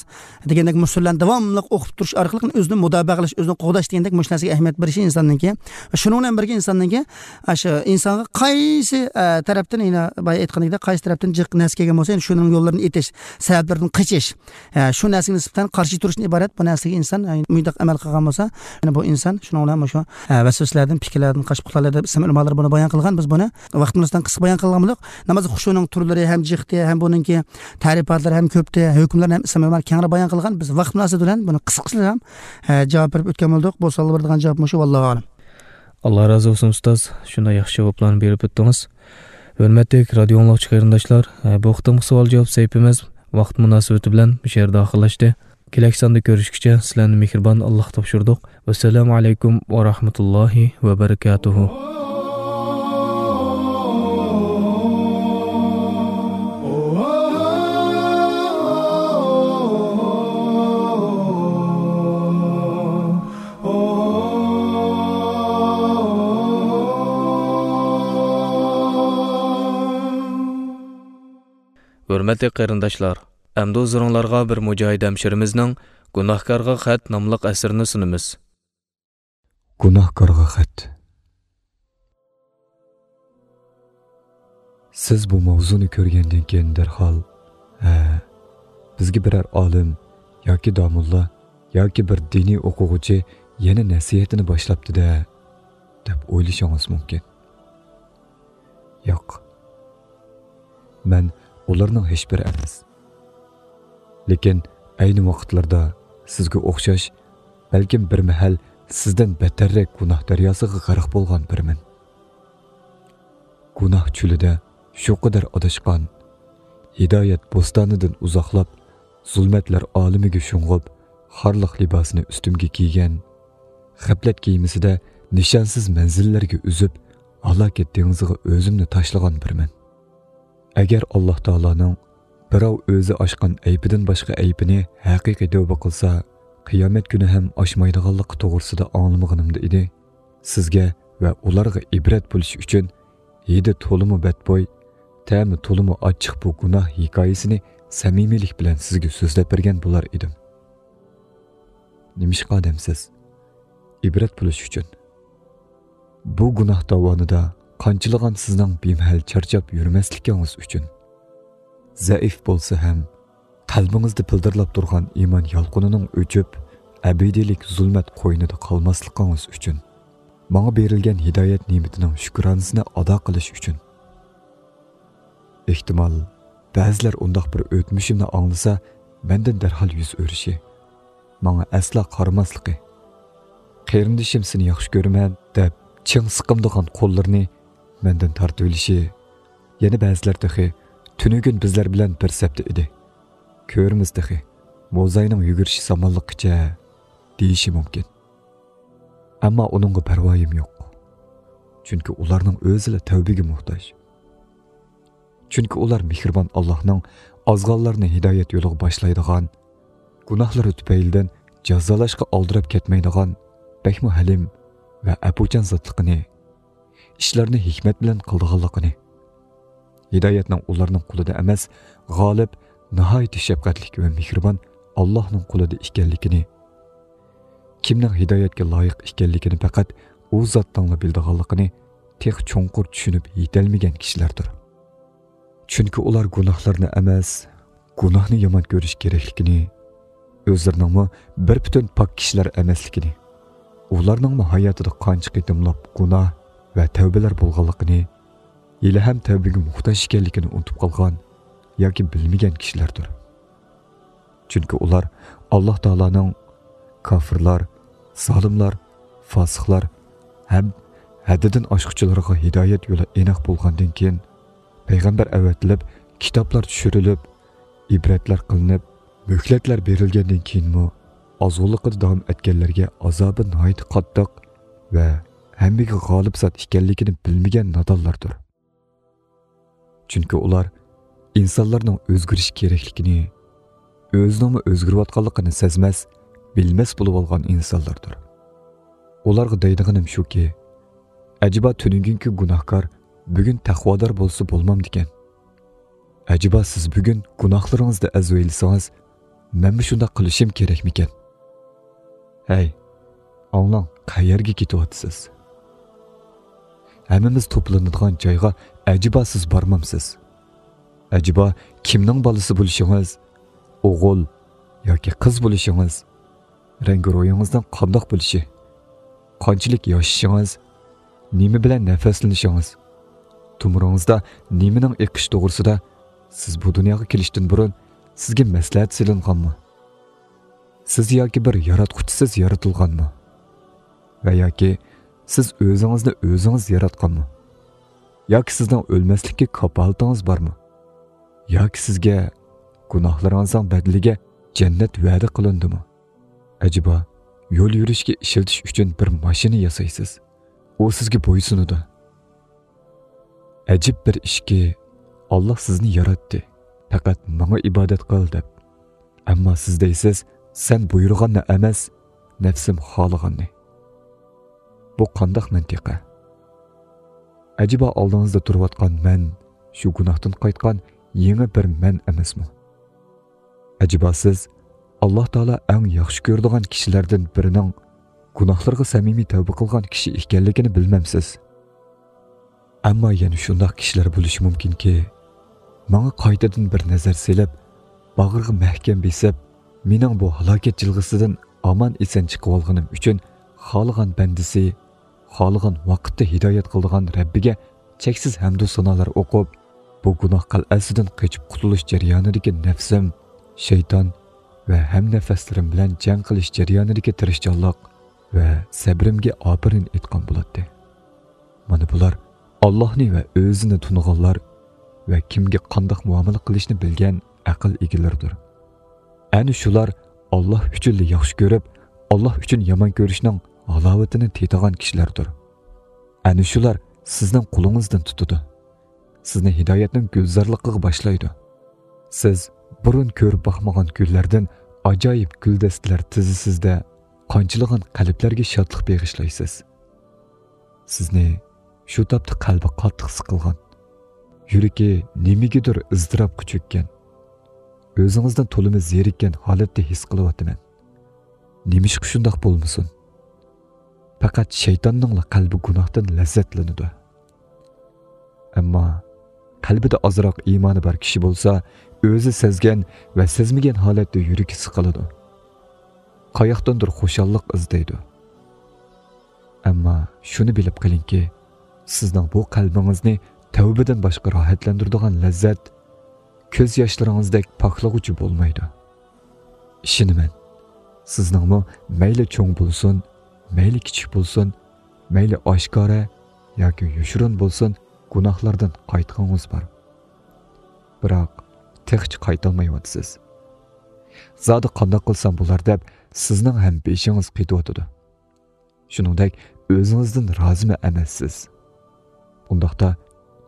دېگەندەك مۇشۇلارنى داۋاملىق ئوقۇپ تۇرۇش ئارقىلىق ئۆزىنى مۇداپىئە قىلىش، ئۆزىنى قوغداش دېگەندەك مۇشۇ نەرسىگە ئەھمىيەت بېرىشى ئىنساننىڭكى. ۋە شۇنىڭ بىلەن بىرگە ئىنساننىڭكى، ئاشۇ ئىنسانغا قايسى، ئە، تەرەپتىن، يەنە بايا ئېيتقاندەك، قايسى تەرەپتىن جىق نەرسە كەلگەن بولسا، يەنە شۇنىڭ يوللىرىنى ئېتىش، سەۋەبلىرىدىن قېچىش، ئە، شۇ نەرسىگە نىسبەتەن قارشى تۇرۇشتىن ئىبارەت بۇ نەرسىگە ئىنسان، ئە، مۇنداق ئەمەل قىلغان بولسا، يەنە بۇ ئىنسان شۇنىڭ بىلەن مۇشۇ، ئە، ۋەسۋەسىلەردىن، پىكىرلەردىن قاچىپ قۇتۇلالىدۇ دەپ ئىسلام ئۆلىمالىرى بۇنى بايان قىلغان. بىز بۇنى ۋاقتىمىزدىن قىسقا بايان قىلغان بولدۇق. ناماز خۇشۇنىڭ تۈرلىرى ھەم جىقتى، ھەم بۇنىڭكى تەرىپاتلىرى ھەم كۆپتى، ھۆكۈملىرىنى ھەم ئىسلام ئۆلىمالىرى كەڭرى بايان قىلغان. بىز ۋاقىت مۇناسىۋىتى بىلەن بۇنى قىسقىچە ھەم، ئە، جاۋاب بېرىپ ئۆتكەن بولدۇق. بۇ سوئالغا بېرىدىغان جاۋاب مۇشۇ، ۋاللاھۇ ئەلەم. ئاللا رازى بولسۇن ئۇستاز، شۇنداق ياخشى جاۋابلارنى بېرىپ ئۆتتىڭىز. ھۆرمەتلىك رادىيو ئاڭلىغۇچى قېرىنداشلار، ئە، بۇ قېتىمقى سوئال جاۋاب سەھىپىمىز ۋاقىت مۇناسىۋىتى بىلەن مۇشۇ يەردە ئاخىرلاشتى. كېلەكى ساندا كۆرۈشكىچە سىلەرنى مېھرىبان ئاللاغا تاپشۇردۇق. ۋەسسالامۇ ئەلەيكۇم ۋە رەھمەتۇللاھى ۋە بەرىكاتۇھۇ. ھۆرمەتلىك قېرىنداشلار، ئەمدى ھۇزۇرۇڭلارغا بىر مۇجاھىد ھەمشىرىمىزنىڭ گۇناھكارغا خەت ناملىق ئەسىرىنى سۇنىمىز. گۇناھكارغا خەت. سىز بۇ ماۋزۇنى كۆرگەندىن كېيىن دەرھال، ھە، بىزگە بىرەر ئالىم ياكى داموللا ياكى بىر دىنىي ئوقۇغۇچى يەنە نەسىھەتنى باشلاپتۇ-دە، دەپ ئويلىشىڭىز مۇمكىن. ياق. مەن ئۇلارنىڭ ھېچبىرى ئەمەس. لېكىن ئەينى ۋاقىتلاردا سىزگە ئوخشاش، بەلكىم بىر مەھەل سىزدىن بەتەررەك گۇناھ دەرياسىغا غەرق بولغان بىرىمەن. گۇناھ چۆلىدە شۇ قەدەر ئاداشقان، ھىدايەت بوستانىدىن ئۇزاقلاپ، زۇلمەتلەر ئالىمىگە شۇڭغۇپ، خارلىق لىباسىنى ئۈستۈمگە كىيگەن، غەپلەت كېمىسىدە نىشانسىز مەنزىللەرگە ئۈزۈپ، ھالاكەت دېڭىزىغا ئۆزۈمنى تاشلىغان بىرمەن. ئەگەر ئاللا تائالانىڭ بىراۋ ئۆزى ئاچقان ئەيىبىدىن باشقا ئەيىبىنى ھەقىقىي تەۋبە قىلسا، قىيامەت كۈنى ھەم ئاچمايدىغانلىقى توغرىسىدا ئاڭلىمىغىنىمدا ئىدى، سىزگە ۋە ئۇلارغا ئىبرەت بولۇش ئۈچۈن ھىدى تولىمۇ بەتبوي، تەمى تولىمۇ ئاچچىق بۇ گۇناھ ھېكايىسىنى سەمىمىيلىك بىلەن سىزگە سۆزلەپ بەرگەن بولار ئىدىم. نېمىشقا دەمسىز؟ ئىبرەت بولۇش ئۈچۈن. بۇ گۇناھ داۋانىدا قانچىلىغان سىزنىڭ بىمەھەل چارچاپ يۈرمەسلىكىڭىز ئۈچۈن. زەئىپ بولسا ھەم، قەلبىڭىزدە پىلدىرلاپ تۇرغان ئىمان يالقۇنىنىڭ ئۆچۈپ، ئەبەدىيلىك زۇلمەت قوينىدا قالماسلىقىڭىز ئۈچۈن. ماڭا بېرىلگەن ھىدايەت نېمىتىنىڭ شۈكرانىسىنى ئادا قىلىش ئۈچۈن. ئېھتىمال، بەزىلەر ئۇنداق بىر ئۆتمۈشۈمنى ئاڭلىسا، مەندىن دەرھال يۈز ئۆرۈشى، ماڭا ئەسلا قارىماسلىقى، «قېرىندىشىم، سېنى ياخشى كۆرىمەن» دەپ چىڭ سىقىمدىغان قوللىرىنى مەندىن تارتىۋېلىشى، يەنە بەزىلەر تېخى «تۈنۈگۈن بىزلەر بىلەن بىر سەپتە ئىدى، كۆرىمىز تېخى، موزاينىڭ يۈگۈرۈشى سامانلىققىچە» دېيىشى مۇمكىن. ئەمما ئۇنىڭغا پەرۋايىم يوق. چۈنكى ئۇلارنىڭ ئۆزىلا تەۋبىگە موھتاج. چۈنكى ئۇلار مېھرىبان ئاللاھنىڭ ئازغانلارنى ھىدايەت يولىغا باشلايدىغان، گۇناھلىرى تۈپەيلىدىن جازالاشقا ئالدىراپ كەتمەيدىغان، بەكمۇ ھەلىم ۋە ئەپۇچان زاتلىقىنى، ئىشلارنى ھېكمەت بىلەن قىلىدىغانلىقىنى، ھىدايەتنىڭ ئۇلارنىڭ قولىدا ئەمەس، غالىب، ناھايىتى شەپقەتلىك ۋە مېھرىبان ئاللاھنىڭ قولىدا ئىكەنلىكىنى، كىمنىڭ ھىدايەتكە لايىق ئىكەنلىكىنى پەقەت ئۇ زاتنىڭلا بىلىدىغانلىقىنى تېخى چوڭقۇر چۈشىنىپ يېتەلمىگەن كىشىلەردۇر. چۈنكى ئۇلار گۇناھلارنى ئەمەس، گۇناھنى يامان كۆرۈش كېرەكلىكىنى، ئۆزلىرىنىڭمۇ بىر پۈتۈن پاك كىشىلەر ئەمەسلىكىنى، ئۇلارنىڭمۇ ھاياتىدا قانچە قېتىملاپ گۇناھ ۋە تەۋبىلەر بولغانلىقىنى، ھېلىھەم تەۋبىگە موھتاج ئىكەنلىكىنى ئۇنتۇپ قالغان ياكى بىلمىگەن كىشىلەردۇر. چۈنكى ئۇلار ئاللاھ تائالانىڭ كاپىرلار، زالىملار، فاسىقلار ھەم ھەددىدىن ئاشقۇچىلارغا ھىدايەت يولى ئېنىق بولغاندىن كېيىن، پەيغەمبەر ئەۋەتىلىپ، كىتابلار چۈشۈرۈلۈپ، ئىبرەتلەر قىلىنىپ، مۆھلەتلەر بېرىلگەندىن كېيىنمۇ ئازغۇنلۇقىدا داۋام ئەتكەنلەرگە ئازابى ناھايىتى قاتتىق ۋە ھەممىگە غالىب زات ئىكەنلىكىنى بىلمىگەن نادانلاردۇر. چۈنكى ئۇلار ئىنسانلارنىڭ ئۆزگىرىشى كېرەكلىكىنى، ئۆزىنىڭمۇ ئۆزگىرىۋاتقانلىقىنى سەزمەس، بىلمەس بولۇۋالغان ئىنسانلاردۇر. ئۇلارغا دەيدىغىنىم شۇكى، ئەجەبا تۈنۈگۈنكى گۇناھكار بۈگۈن تەقۋادار بولسا بولمامدىكەن؟ ئەجەبا سىز بۈگۈن گۇناھلىرىڭىزدا ئەزۋەيلىسىڭىز، مەنمۇ شۇنداق قىلىشىم كېرەكمىكەن؟ ھەي، ئاڭلاڭ، قەيەرگە كېتىۋاتىسىز؟ ھەممىمىز توپلىنىدىغان جايغا ئەجەبا سىز بارمامسىز؟ ئەجەبا كىمنىڭ بالىسى بولۇشىڭىز، ئوغۇل ياكى قىز بولۇشىڭىز، رەڭگى روھىڭىزنىڭ قانداق بولۇشى، قانچىلىك ياشىشىڭىز، نېمە بىلەن نەپەسلىنىشىڭىز، تومۇرىڭىزدا نېمىنىڭ ئېقىشى توغرىسىدا سىز بۇ دۇنياغا كېلىشتىن بۇرۇن سىزگە مەسلىھەت سېلىنغانمۇ؟ سىز ياكى بىر ياراتقۇچىسىز يارىتىلغانمۇ؟ ۋە ياكى سىز ئۆزىڭىزنى ئۆزىڭىز ياراتقانمۇ؟ ياكى سىزنىڭ ئۆلمەسلىككە كاپالىتىڭىز بارمۇ؟ ياكى سىزگە گۇناھلىرىڭىزنىڭ بەدىلىگە جەننەت ۋەدە قىلىندىمۇ؟ ئەجەبا، يول يۈرۈشكە ئىشلىتىش ئۈچۈن بىر ماشىنا ياسايسىز، ئۇ سىزگە بويسۇنىدۇ. ئەجىب بىر ئىشكى، ئاللاھ سىزنى ياراتتى، پەقەت ماڭا ئىبادەت قىل دەپ. ئەمما سىز دەيسىز، سەن بۇيرۇغاننى ئەمەس، نەپسىم خالىغاننى. بۇ قانداق مەنتىقە؟ ئەجەبا ئالدىڭىزدا تۇرۇۋاتقان مەن شۇ گۇناھتىن قايتقان يېڭى بىر مەن ئەمەسمۇ؟ ئەجەبا سىز ئاللاھ تائالا ئەڭ ياخشى كۆرىدىغان كىشىلەردىن بىرىنىڭ گۇناھلىرىغا سەمىمىي تەۋبە قىلغان كىشى ئىكەنلىكىنى بىلمەمسىز؟ ئەمما يەنە شۇنداق كىشىلەر بولۇشى مۇمكىنكى، ماڭا قايتىدىن بىر نەزەر سېلىپ، باغرىغا مەھكەم بېسىپ، مېنىڭ بۇ ھالاكەت جىلغىسىدىن ئامان-ئېسەن چىقىۋالغىنىم ئۈچۈن خالىغان بەندىسى، خالىغان ۋاقىتتا ھىدايەت قىلىدىغان رەببىگە چەكسىز ھەمدۇ سانالار ئوقۇپ، بۇ گۇناھ قەلئەسىدىن قېچىپ قۇتۇلۇش جەريانىدىكى نەپسىم، شەيتان ۋە ھەمنەپەسلىرىم بىلەن جەڭ قىلىش جەريانىدىكى تىرىشچانلىق ۋە سەبرىمگە ئاپىرىن ئېيتقان بولاتتى. مانا بۇلار ئاللاھنى ۋە ئۆزىنى تونۇغانلار ۋە كىمگە قانداق مۇئامىلە قىلىشنى بىلگەن ئەقىل ئىگىلىرىدۇر. ئەنە شۇلار ئاللاھ ئۈچۈنلا ياخشى كۆرۈپ، ئاللاھ ئۈچۈن يامان كۆرۈشنىڭ ھالاۋىتىنى تېتىغان كىشىلەردۇر. ئەنە شۇلار سىزنىڭ قولىڭىزدىن تۇتىدۇ. سىزنى ھىدايەتنىڭ گۈلزارلىقىغا باشلايدۇ. سىز بۇرۇن كۆرۈپ باقمىغان گۈللەردىن ئاجايىپ گۈلدەستىلەر تىزىسىزدە، قانچىلىغان قەلبلەرگە شادلىق بېغىشلايسىز. سىزنى شۇ تاپتا قەلبى قاتتىق سىقىلغان، يۈرىكى نېمىگىدۇر ئىزتىراپقا چۆككەن، ئۆزىڭىزدىن تولىمۇ زېرىككەن ھالەتتە ھېس قىلىۋاتىمەن. نېمىشقا شۇنداق بولمىسۇن؟ پەقەت شەيتاننىڭلا قەلبى گۇناھتىن لەززەتلىنىدۇ. ئەمما قەلبىدە ئازراق ئىمانى بار كىشى بولسا، ئۆزى سەزگەن ۋە سەزمىگەن ھالەتتە يۈرىكى سىقىلىدۇ. قاياقتىندۇر خۇشاللىق ئىزدەيدۇ. ئەمما شۇنى بىلىپ قېلىڭكى، سىزنىڭ بۇ قەلبىڭىزنى تەۋبىدىن باشقا راھەتلەندۈرىدىغان لەززەت، كۆز ياشلىرىڭىزدەك پاكلىغۇچى بولمايدۇ. ئىشىنىمەن، سىزنىڭمۇ مەيلى چوڭ بولسۇن، مەيلى كىچىك بولسۇن، مەيلى ئاشكارا ياكى يوشۇرۇن بولسۇن، گۇناھلاردىن قايتقىڭىز بار. بىراق، تېخىچە قايتالمايۋاتىسىز. زادى قانداق قىلسام بولار دەپ، سىزنىڭ ھەم بېشىڭىز قېتىۋاتىدۇ. شۇنىڭدەك ئۆزىڭىزدىن رازىمۇ ئەمەسسىز. ئۇنداقتا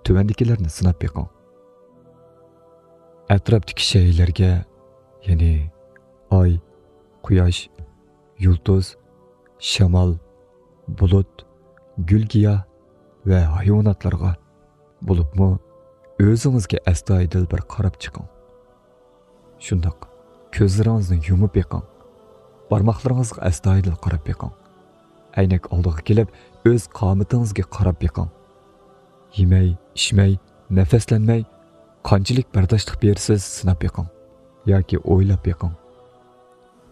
تۆۋەندىكىلەرنى سىناپ بېقىڭ. ئەتراپتىكى شەيئىلەرگە، يەنى ئاي، قۇياش، يۇلتۇز، شامال، بۇلۇت، گۈل-گىياھ ۋە ھايۋاناتلارغا، بولۇپمۇ ئۆزىڭىزگە ئەستايىدىل بىر قاراپ چىقىڭ. شۇنداق، كۆزلىرىڭىزنى يۇمۇپ بېقىڭ. بارماقلىرىڭىزغا ئەستايىدىل قاراپ بېقىڭ. ئەينەك ئالدىغا كېلىپ، ئۆز قامىتىڭىزگە قاراپ بېقىڭ. يېمەي، ئىچمەي، نەپەسلەنمەي، قانچىلىك بەرداشلىق بېرىسىز، سىناپ بېقىڭ ياكى ئويلاپ بېقىڭ.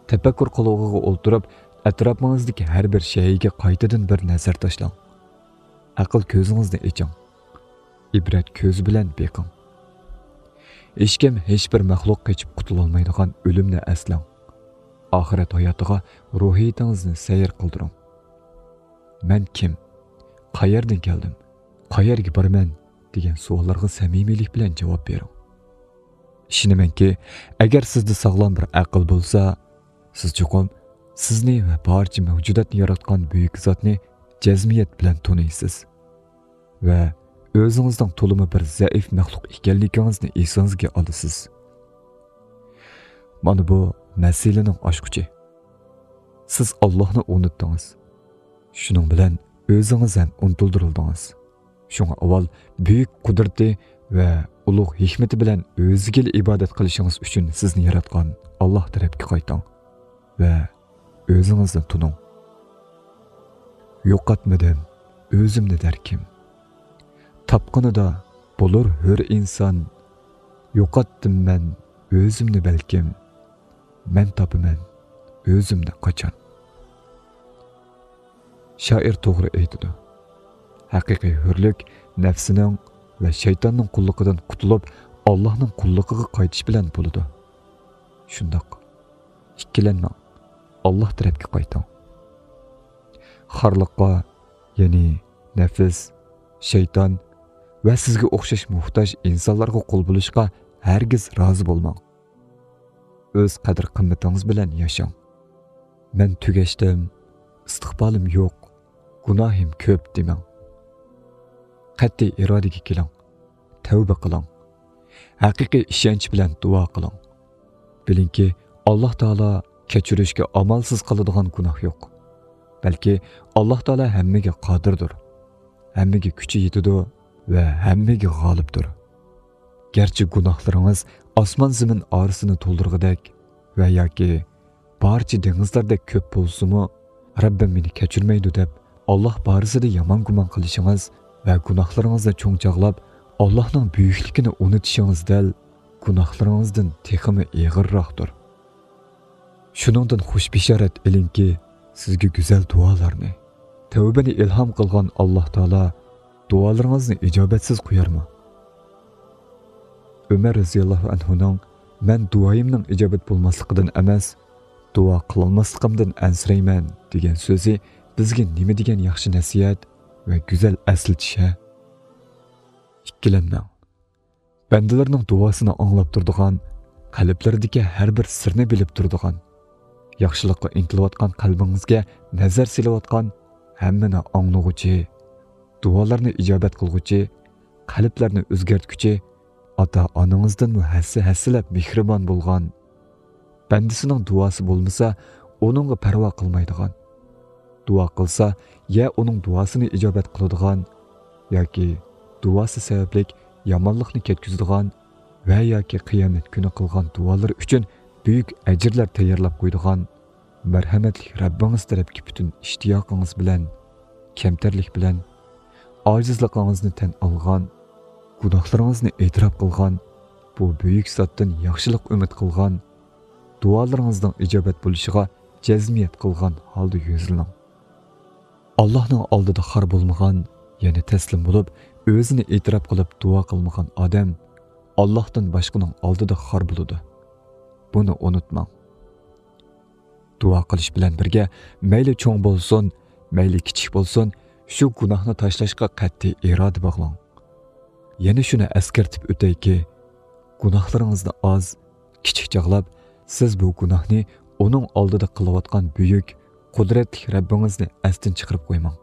تەپەككۇر قىلغۇغا ئولتۇرۇپ، ئەتراپىڭىزدىكى ھەر بىر شەيئىگە قايتىدىن بىر نەزەر تاشلاڭ. ئەقىل كۆزىڭىزنى ئېچىڭ. ئىبرەت كۆزى بىلەن بېقىڭ. ھېچكىم، ھېچبىر مەخلۇق قېچىپ قۇتۇلالمايدىغان ئۆلۈمنى ئەسلەڭ. ئاخىرەت ھاياتىغا روھىيىتىڭىزنى سەير قىلدۇرۇڭ. مەن كىم؟ قەيەردىن كەلدىم؟ قەيەرگە بارىمەن؟ دېگەن سوئاللارغا سەمىمىيلىك بىلەن جاۋاب بېرىڭ. ئىشىنىمەنكى، ئەگەر سىزدە ساغلام بىر ئەقىل بولسا، سىز چوقۇم سىزنى ۋە بارچە مەۋجۇداتنى ياراتقان بۈيۈك زاتنى جەزمىيەت بىلەن تونۇيسىز ۋە ئۆزىڭىزنىڭ تولىمۇ بىر زەئىپ مەخلۇق ئىكەنلىكىڭىزنى ئېسىڭىزگە ئالىسىز. مانا بۇ مەسىلىنىڭ ئاچقۇچى. سىز ئاللاھنى ئۇنتتىڭىز. شۇنىڭ بىلەن ئۆزىڭىز ھەم ئۇنتۇلدۇرۇلدىڭىز. شۇڭا ئاۋۋال بۈيۈك قۇدرىتى ۋە ئۇلۇغ ھېكمىتى بىلەن ئۆزىگىلا ئىبادەت قىلىشىڭىز ئۈچۈن سىزنى ياراتقان ئاللاھ تەرەپكە قايتىڭ ۋە ئۆزىڭىزنى تونۇڭ. يوقاتمىدىم ئۆزۈمنى دەركىم. تاپقىنىدا بولۇر ھۆر ئىنسان. يوقاتتىم مەن ئۆزۈمنى بەلكىم. مەن تاپىمەن ئۆزۈمنى قاچان. شائىر توغرا ئېيتىدۇ. ھەقىقىي ھۆرلۈك نەپسىنىڭ ۋە شەيتاننىڭ قۇللۇقىدىن قۇتۇلۇپ، ئاللاھنىڭ قۇللۇقىغا قايتىش بىلەن بولىدۇ. شۇنداق، ئىككىلەنمەڭ، ئاللاھ تەرەپكە قايتىڭ. خارلىققا، يەنى نەپس، شەيتان ۋە سىزگە ئوخشاش موھتاج ئىنسانلارغا قۇل بولۇشقا ھەرگىز رازى بولماڭ. ئۆز قەدىر-قىممىتىڭىز بىلەن ياشاڭ. مەن تۈگەشتىم، ئىستىقبالىم يوق، گۇناھىم كۆپ دېمەڭ. قەتئىي ئىرادىگە كېلىڭ، تەۋبە قىلىڭ. ھەقىقىي ئىشەنچ بىلەن دۇئا قىلىڭ. بىلىڭكى، ئاللاھ تائالا كەچۈرۈشكە ئامالسىز قالىدىغان گۇناھ يوق. بەلكى ئاللاھ تائالا ھەممىگە قادىردۇر، ھەممىگە كۈچى يېتىدۇ ۋە ھەممىگە غالىبتۇر. گەرچە گۇناھلىرىڭىز ئاسمان-زېمىن ئارىسىنى تولدۇرغۇدەك ۋە ياكى بارچە دېڭىزلاردەك كۆپ بولسىمۇ، رەببىم مېنى كەچۈرمەيدۇ دەپ، ئاللاھ بارىسىدا يامان گۇمان قىلىشىڭىز ۋە گۇناھلىرىڭىزنى چوڭ چاغلاپ، ئاللاھنىڭ بۈيۈكلۈكىنى ئۇنتۇشىڭىز دەل گۇناھلىرىڭىزدىن تېخىمۇ ئېغىرراقتۇر. شۇنىڭدىن خۇش بېشارەت ئېلىڭكى، سىزگە گۈزەل دۇئالارنى، تەۋبىنى ئىلھام قىلغان ئاللاھ تائالا دۇئالىرىڭىزنى ئىجابەتسىز قويارمۇ؟ ئۆمەر رەزىياللاھۇ ئەنھۇنىڭ «مەن دۇئايىمنىڭ ئىجابەت بولماسلىقىدىن ئەمەس، دۇئا قىلالماسلىقىمدىن ئەنسىرەيمەن» دېگەن سۆزى بىزگە نېمە دېگەن ياخشى نەسىھەت ۋە گۈزەل ئەسلىتىش ھە! ئىككىلەنمەڭ. بەندىلىرىنىڭ دۇئاسىنى ئاڭلاپ تۇرىدىغان، قەلبلىرىدىكى ھەر بىر سىرنى بىلىپ تۇرىدىغان، ياخشىلىققا ئىنتىلىۋاتقان قەلبىڭىزگە نەزەر سېلىۋاتقان، ھەممىنى ئاڭلىغۇچى، دۇئالارنى ئىجابەت قىلغۇچى، قەلبلەرنى ئۆزگەرتكۈچى، ئاتا-ئانىڭىزدىنمۇ ھەسسە-ھەسسىلەپ مېھرىبان بولغان، بەندىسىنىڭ دۇئاسى بولمىسا، ئۇنىڭغا پەرۋا قىلمايدىغان، دۇئا قىلسا، يا ئۇنىڭ دۇئاسىنى ئىجابەت قىلىدىغان، ياكى دۇئاسى سەۋەبلىك يامانلىقنى كەتكۈزىدىغان ۋە ياكى قىيامەت كۈنى قىلغان دۇئالىرى ئۈچۈن بۈيۈك ئەجىرلەر تەييارلاپ قويىدىغان مەرھەمەتلىك رەببىڭىز تەرەپكە پۈتۈن ئىشتىياقىڭىز بىلەن، كەمتەرلىك بىلەن، ئاجىزلىقىڭىزنى تەن ئالغان، گۇناھلىرىڭىزنى ئېتىراپ قىلغان، بۇ بۈيۈك زاتتىن ياخشىلىق ئۈمىد قىلغان، دۇئالىرىڭىزنىڭ ئىجابەت بولۇشىغا جەزمىيەت قىلغان ھالدا يۈزلىنىڭ. ئاللاھنىڭ ئالدىدا خار بولمىغان، يەنى تەسلىم بولۇپ، ئۆزىنى ئېتىراپ قىلىپ دۇئا قىلمىغان ئادەم ئاللاھتىن باشقىنىڭ ئالدىدا خار بولىدۇ. بۇنى ئۇنتۇماڭ. دۇئا قىلىش بىلەن بىرگە، مەيلى چوڭ بولسۇن، مەيلى كىچىك بولسۇن، شۇ گۇناھنى تاشلاشقا قەتئىي ئىرادە باغلاڭ. يەنە شۇنى ئەسكەرتىپ ئۆتەيكى، گۇناھلىرىڭىزنى ئاز، كىچىك چاغلاپ، سىز بۇ گۇناھنى ئۇنىڭ ئالدىدا قىلىۋاتقان بۈيۈك، قۇدرەتلىك رەببىڭىزنى ئەستىن چىقىرىپ قويماڭ.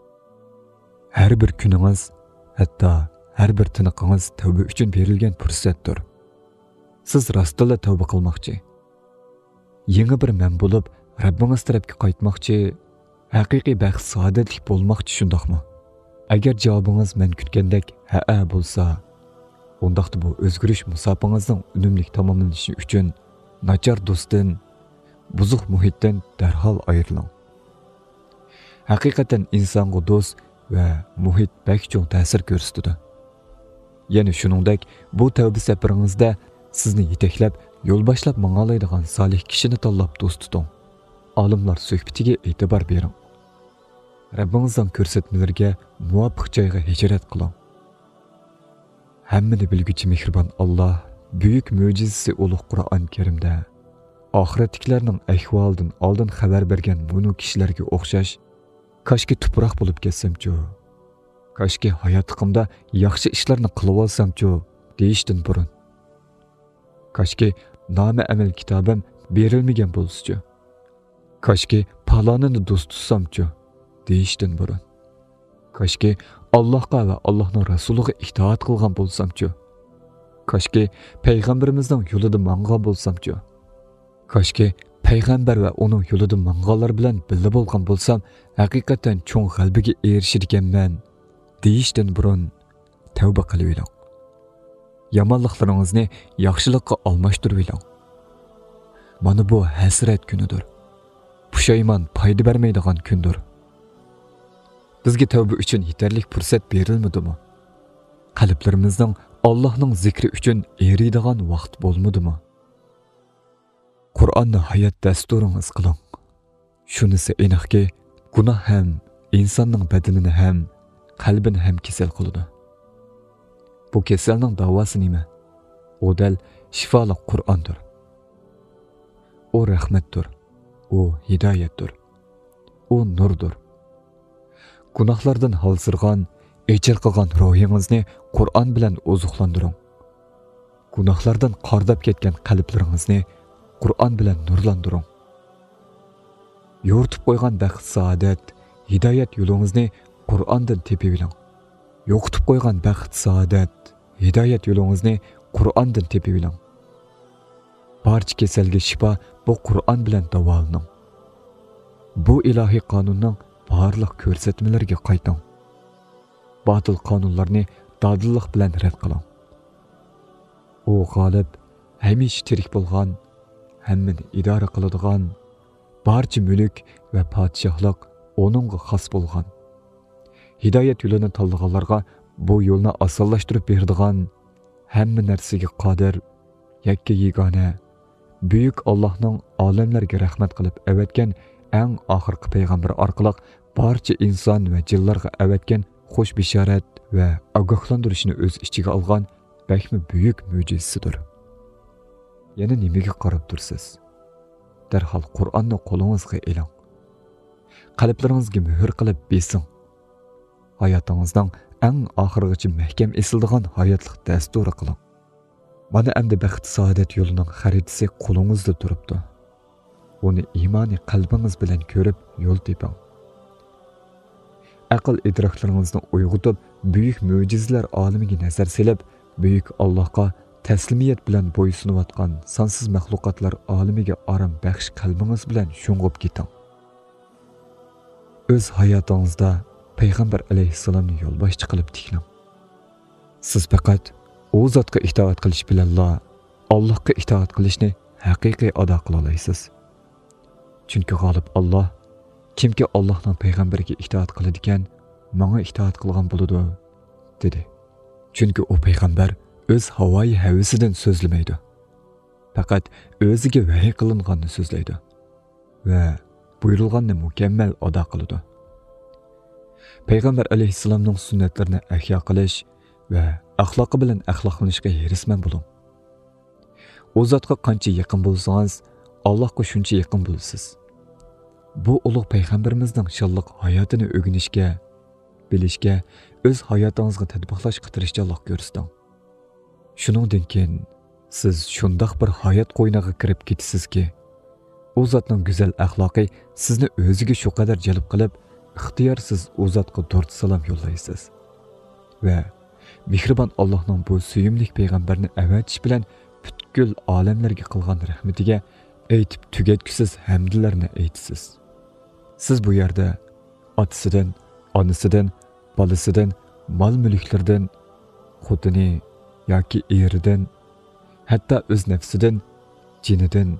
ھەر بىر كۈنىڭىز، ھەتتا ھەر بىر تىنىقىڭىز تەۋبە ئۈچۈن بېرىلگەن پۇرسەتتۇر. سىز راستتىنلا تەۋبە قىلماقچى، يېڭى بىر مەن بولۇپ، رەببىڭىز تەرەپكە قايتماقچى، ھەقىقىي بەخت-سائادەتلىك بولماقچى، شۇنداقمۇ؟ ئەگەر جاۋابىڭىز مەن كۈتكەندەك ھەئە بولسا، ئۇنداقتا بۇ ئۆزگىرىش مۇساپىڭىزنىڭ ئۈنۈملۈك تاماملىنىشى ئۈچۈن ناچار دوستتىن، بۇزۇق مۇھىتتىن دەرھال ئايرىلىڭ. ھەقىقەتەن ئىنسانغا دوست ۋە مۇھىت بەك چوڭ تەسىر كۆرسىتىدۇ. يەنە شۇنىڭدەك، بۇ تەۋبە سەپىرىڭىزدە سىزنى يېتەكلەپ، يول باشلاپ ماڭالايدىغان سالىھ كىشىنى تاللاپ دوست تۇتۇڭ. ئالىملار سۆھبىتىگە ئېتىبار بېرىڭ. رەببىڭىزنىڭ كۆرسەتمىلىرىگە مۇۋاپىق جايغا ھىجرەت قىلىڭ. ھەممىنى بىلگۈچى مېھرىبان ئاللاھ بۈيۈك مۆجىزىسى ئۇلۇغ قۇرئان كەرىمدە، ئاخىرەتتىكىلەرنىڭ ئەھۋالىدىن ئالدىن خەۋەر بەرگەن مۇنۇ كىشىلەرگە ئوخشاش، «كاشكى تۇپراق بولۇپ كەتسەمچۇ؟ كاشكى ھاياتلىقىمدا ياخشى ئىشلارنى قىلىۋالسامچۇ؟» دېيىشتىن بۇرۇن، «كاشكى نامە ئەمەل كىتابىم بېرىلمىگەن بولسىچۇ؟ كاشكى پالانىنى دوست تۇتسامچۇ؟» دېيىشتىن بۇرۇن، «كاشكى ئاللاھقا ۋە ئاللاھنىڭ رەسۇلىغا ئىتائەت قىلغان بولسامچۇ؟ كاشكى پەيغەمبىرىمىزنىڭ يولىدا ماڭغان بولسامچۇ؟ كاشكى پەيغەمبەر ۋە ئۇنىڭ يولىدا ماڭغانلار بىلەن بىللە بولغان بولسام، ھەقىقەتەن چوڭ غەلىبىگە ئېرىشىدىكەنمەن» دېيىشتىن بۇرۇن، تەۋبە قىلىۋېلىڭ. يامانلىقلىرىڭىزنى ياخشىلىققا ئالماشتۇرۇۋېلىڭ. مانا بۇ ھەسرەت كۈنىدۇر. پۇشايمان پايدا بەرمەيدىغان كۈندۇر. بىزگە تەۋبە ئۈچۈن يېتەرلىك پۇرسەت بېرىلمىدىمۇ؟ قەلبلىرىمىزنىڭ ئاللاھنىڭ زىكرى ئۈچۈن ئېرىيدىغان ۋاقىت بولمىدىمۇ؟ قۇرئاننى ھايات دەستۇرىڭىز قىلىڭ. شۇنىسى ئېنىقكى، گۇناھ ھەم ئىنساننىڭ بەدىنىنى ھەم قەلبىنى ھەم كېسەل قىلىدۇ. بۇ كېسەلنىڭ داۋاسى نېمە؟ ئۇ دەل شىپالىق قۇرئاندۇر. ئۇ رەھمەتتۇر. ئۇ ھىدايەتتۇر. ئۇ نۇردۇر. گۇناھلاردىن ھالسىرىغان، ئېچىرقىغان روھىڭىزنى قۇرئان بىلەن ئوزۇقلاندۇرۇڭ. گۇناھلاردىن قارداپ كەتكەن قەلبلىرىڭىزنى قۇرئان بىلەن نۇرلاندۇرۇڭ. يورۇتۇپ قويغان بەخت-سائادەت، ھىدايەت يولىڭىزنى قۇرئاندىن تېپىۋېلىڭ. يوقىتىپ قويغان بەخت-سائادەت، ھىدايەت يولىڭىزنى قۇرئاندىن تېپىۋېلىڭ. بارچە كېسەلگە شىپا بۇ قۇرئان بىلەن داۋالىنىڭ. بۇ ئىلاھىي قانۇننىڭ بارلىق كۆرسەتمىلىرىگە قايتىڭ. باتىل قانۇنلارنى دادىللىق بىلەن رەت قىلىڭ. ئۇ غالىب، ھەمىشە تىرىك بولغان، ھەممىنى ئىدارە قىلىدىغان، بارچە مۈلۈك ۋە پادىشاھلىق ئۇنىڭغا خاس بولغان، ھىدايەت يولىنى تاللىغانلارغا بۇ يولنى ئاسانلاشتۇرۇپ بېرىدىغان، ھەممە نەرسىگە قادىر، يەككە يېگانە، بۈيۈك ئاللاھنىڭ ئالەملەرگە رەھمەت قىلىپ ئەۋەتكەن ئەڭ ئاخىرقى پەيغەمبىرى ئارقىلىق بارچە ئىنسان ۋە جىنلارغا ئەۋەتكەن خۇش بېشارەت ۋە ئاگاھلاندۇرۇشنى ئۆز ئىچىگە ئالغان بەكمۇ بۈيۈك مۆجىزىسىدۇر. يەنە نېمىگە قاراپ تۇرىسىز؟ دەرھال قۇرئاننى قولىڭىزغا ئېلىڭ. قەلبلىرىڭىزگە مۆھۈر قىلىپ بېسىڭ. ھاياتىڭىزنىڭ ئەڭ ئاخىرىغىچە مەھكەم ئېسىلىدىغان ھاياتلىق دەستۇرى قىلىڭ. مانا ئەمدى بەخت-سائادەت يولىنىڭ خەرىتىسى قولىڭىزدا تۇرۇپتۇ. ئۇنى ئىمانىي قەلبىڭىز بىلەن كۆرۈپ يول تېپىڭ. ئەقىل ئىدراكلىرىڭىزنى ئويغىتىپ، بۈيۈك مۆجىزىلەر ئالىمىگە نەزەر سېلىپ، بۈيۈك ئاللاھقا تەسلىمىيەت بىلەن بويسۇنۇۋاتقان سانسىز مەخلۇقاتلار ئالىمىگە ئارام بەخش قەلبىڭىز بىلەن شۇڭغۇپ كېتىڭ. ئۆز ھاياتىڭىزدا پەيغەمبەر ئەلەيھىسسالامنى يولباشچى قىلىپ تىكلەڭ. سىز پەقەت ئۇ زاتقا ئىتائەت قىلىش بىلەنلا ئاللاھقا ئىتائەت قىلىشنى ھەقىقىي ئادا قىلالايسىز. چۈنكى غالىب ئاللاھ، «كىمكى ئاللاھنىڭ پەيغەمبىرىگە ئىتائەت قىلىدىكەن، ماڭا ئىتائەت قىلغان بولىدۇ» دېدى. چۈنكى ئۇ پەيغەمبەر ئۆز ھاۋايى ھەۋىسىدىن سۆزلىمەيدۇ. پەقەت ئۆزىگە ۋەھىي قىلىنغاننى سۆزلەيدۇ ۋە بۇيرۇلغاننى مۇكەممەل ئادا قىلىدۇ. پەيغەمبەر ئەلەيھىسسالامنىڭ سۈننەتلىرىنى ئەھيا قىلىش ۋە ئەخلاقى بىلەن ئەخلاقلىنىشقا ھېرىسمەن بولۇڭ. ئۇ زاتقا قانچە يېقىن بولسىڭىز، ئاللاھقا شۇنچە يېقىن بولىسىز. بۇ ئۇلۇغ پەيغەمبىرىمىزنىڭ شانلىق ھاياتىنى ئۆگىنىشكە، بىلىشكە ئۆز ھاياتىڭىزغا تەتبىقلاشقا تىرىشچانلىق كۆرسىتىڭ. شۇنىڭدىن كېيىن سىز شۇنداق بىر ھايات قوينىغا كىرىپ كېتىسىزكى، ئۇ زاتنىڭ گۈزەل ئەخلاقى سىزنى ئۆزىگە شۇ قەدەر جەلپ قىلىپ، ئىختىيارسىز ئۇ زاتقا دۇرۇت سالام يوللايسىز. ۋە مېھرىبان ئاللاھنىڭ بۇ سۆيۈملۈك پەيغەمبەرنى ئەۋەتىش بىلەن پۈتكۈل ئالەملەرگە قىلغان رەھمىتىگە ئېيتىپ تۈگەتكۈسىز ھەمدلەرنى ئېيتىسىز. سىز بۇ يەردە ئاتىسىدىن، ئانىسىدىن، بالىسىدىن، مال-مۈلۈكلىرىدىن، خوتۇنى ياكى ئېرىدىن، ھەتتا ئۆز نەپسىدىن، جېنىدىن،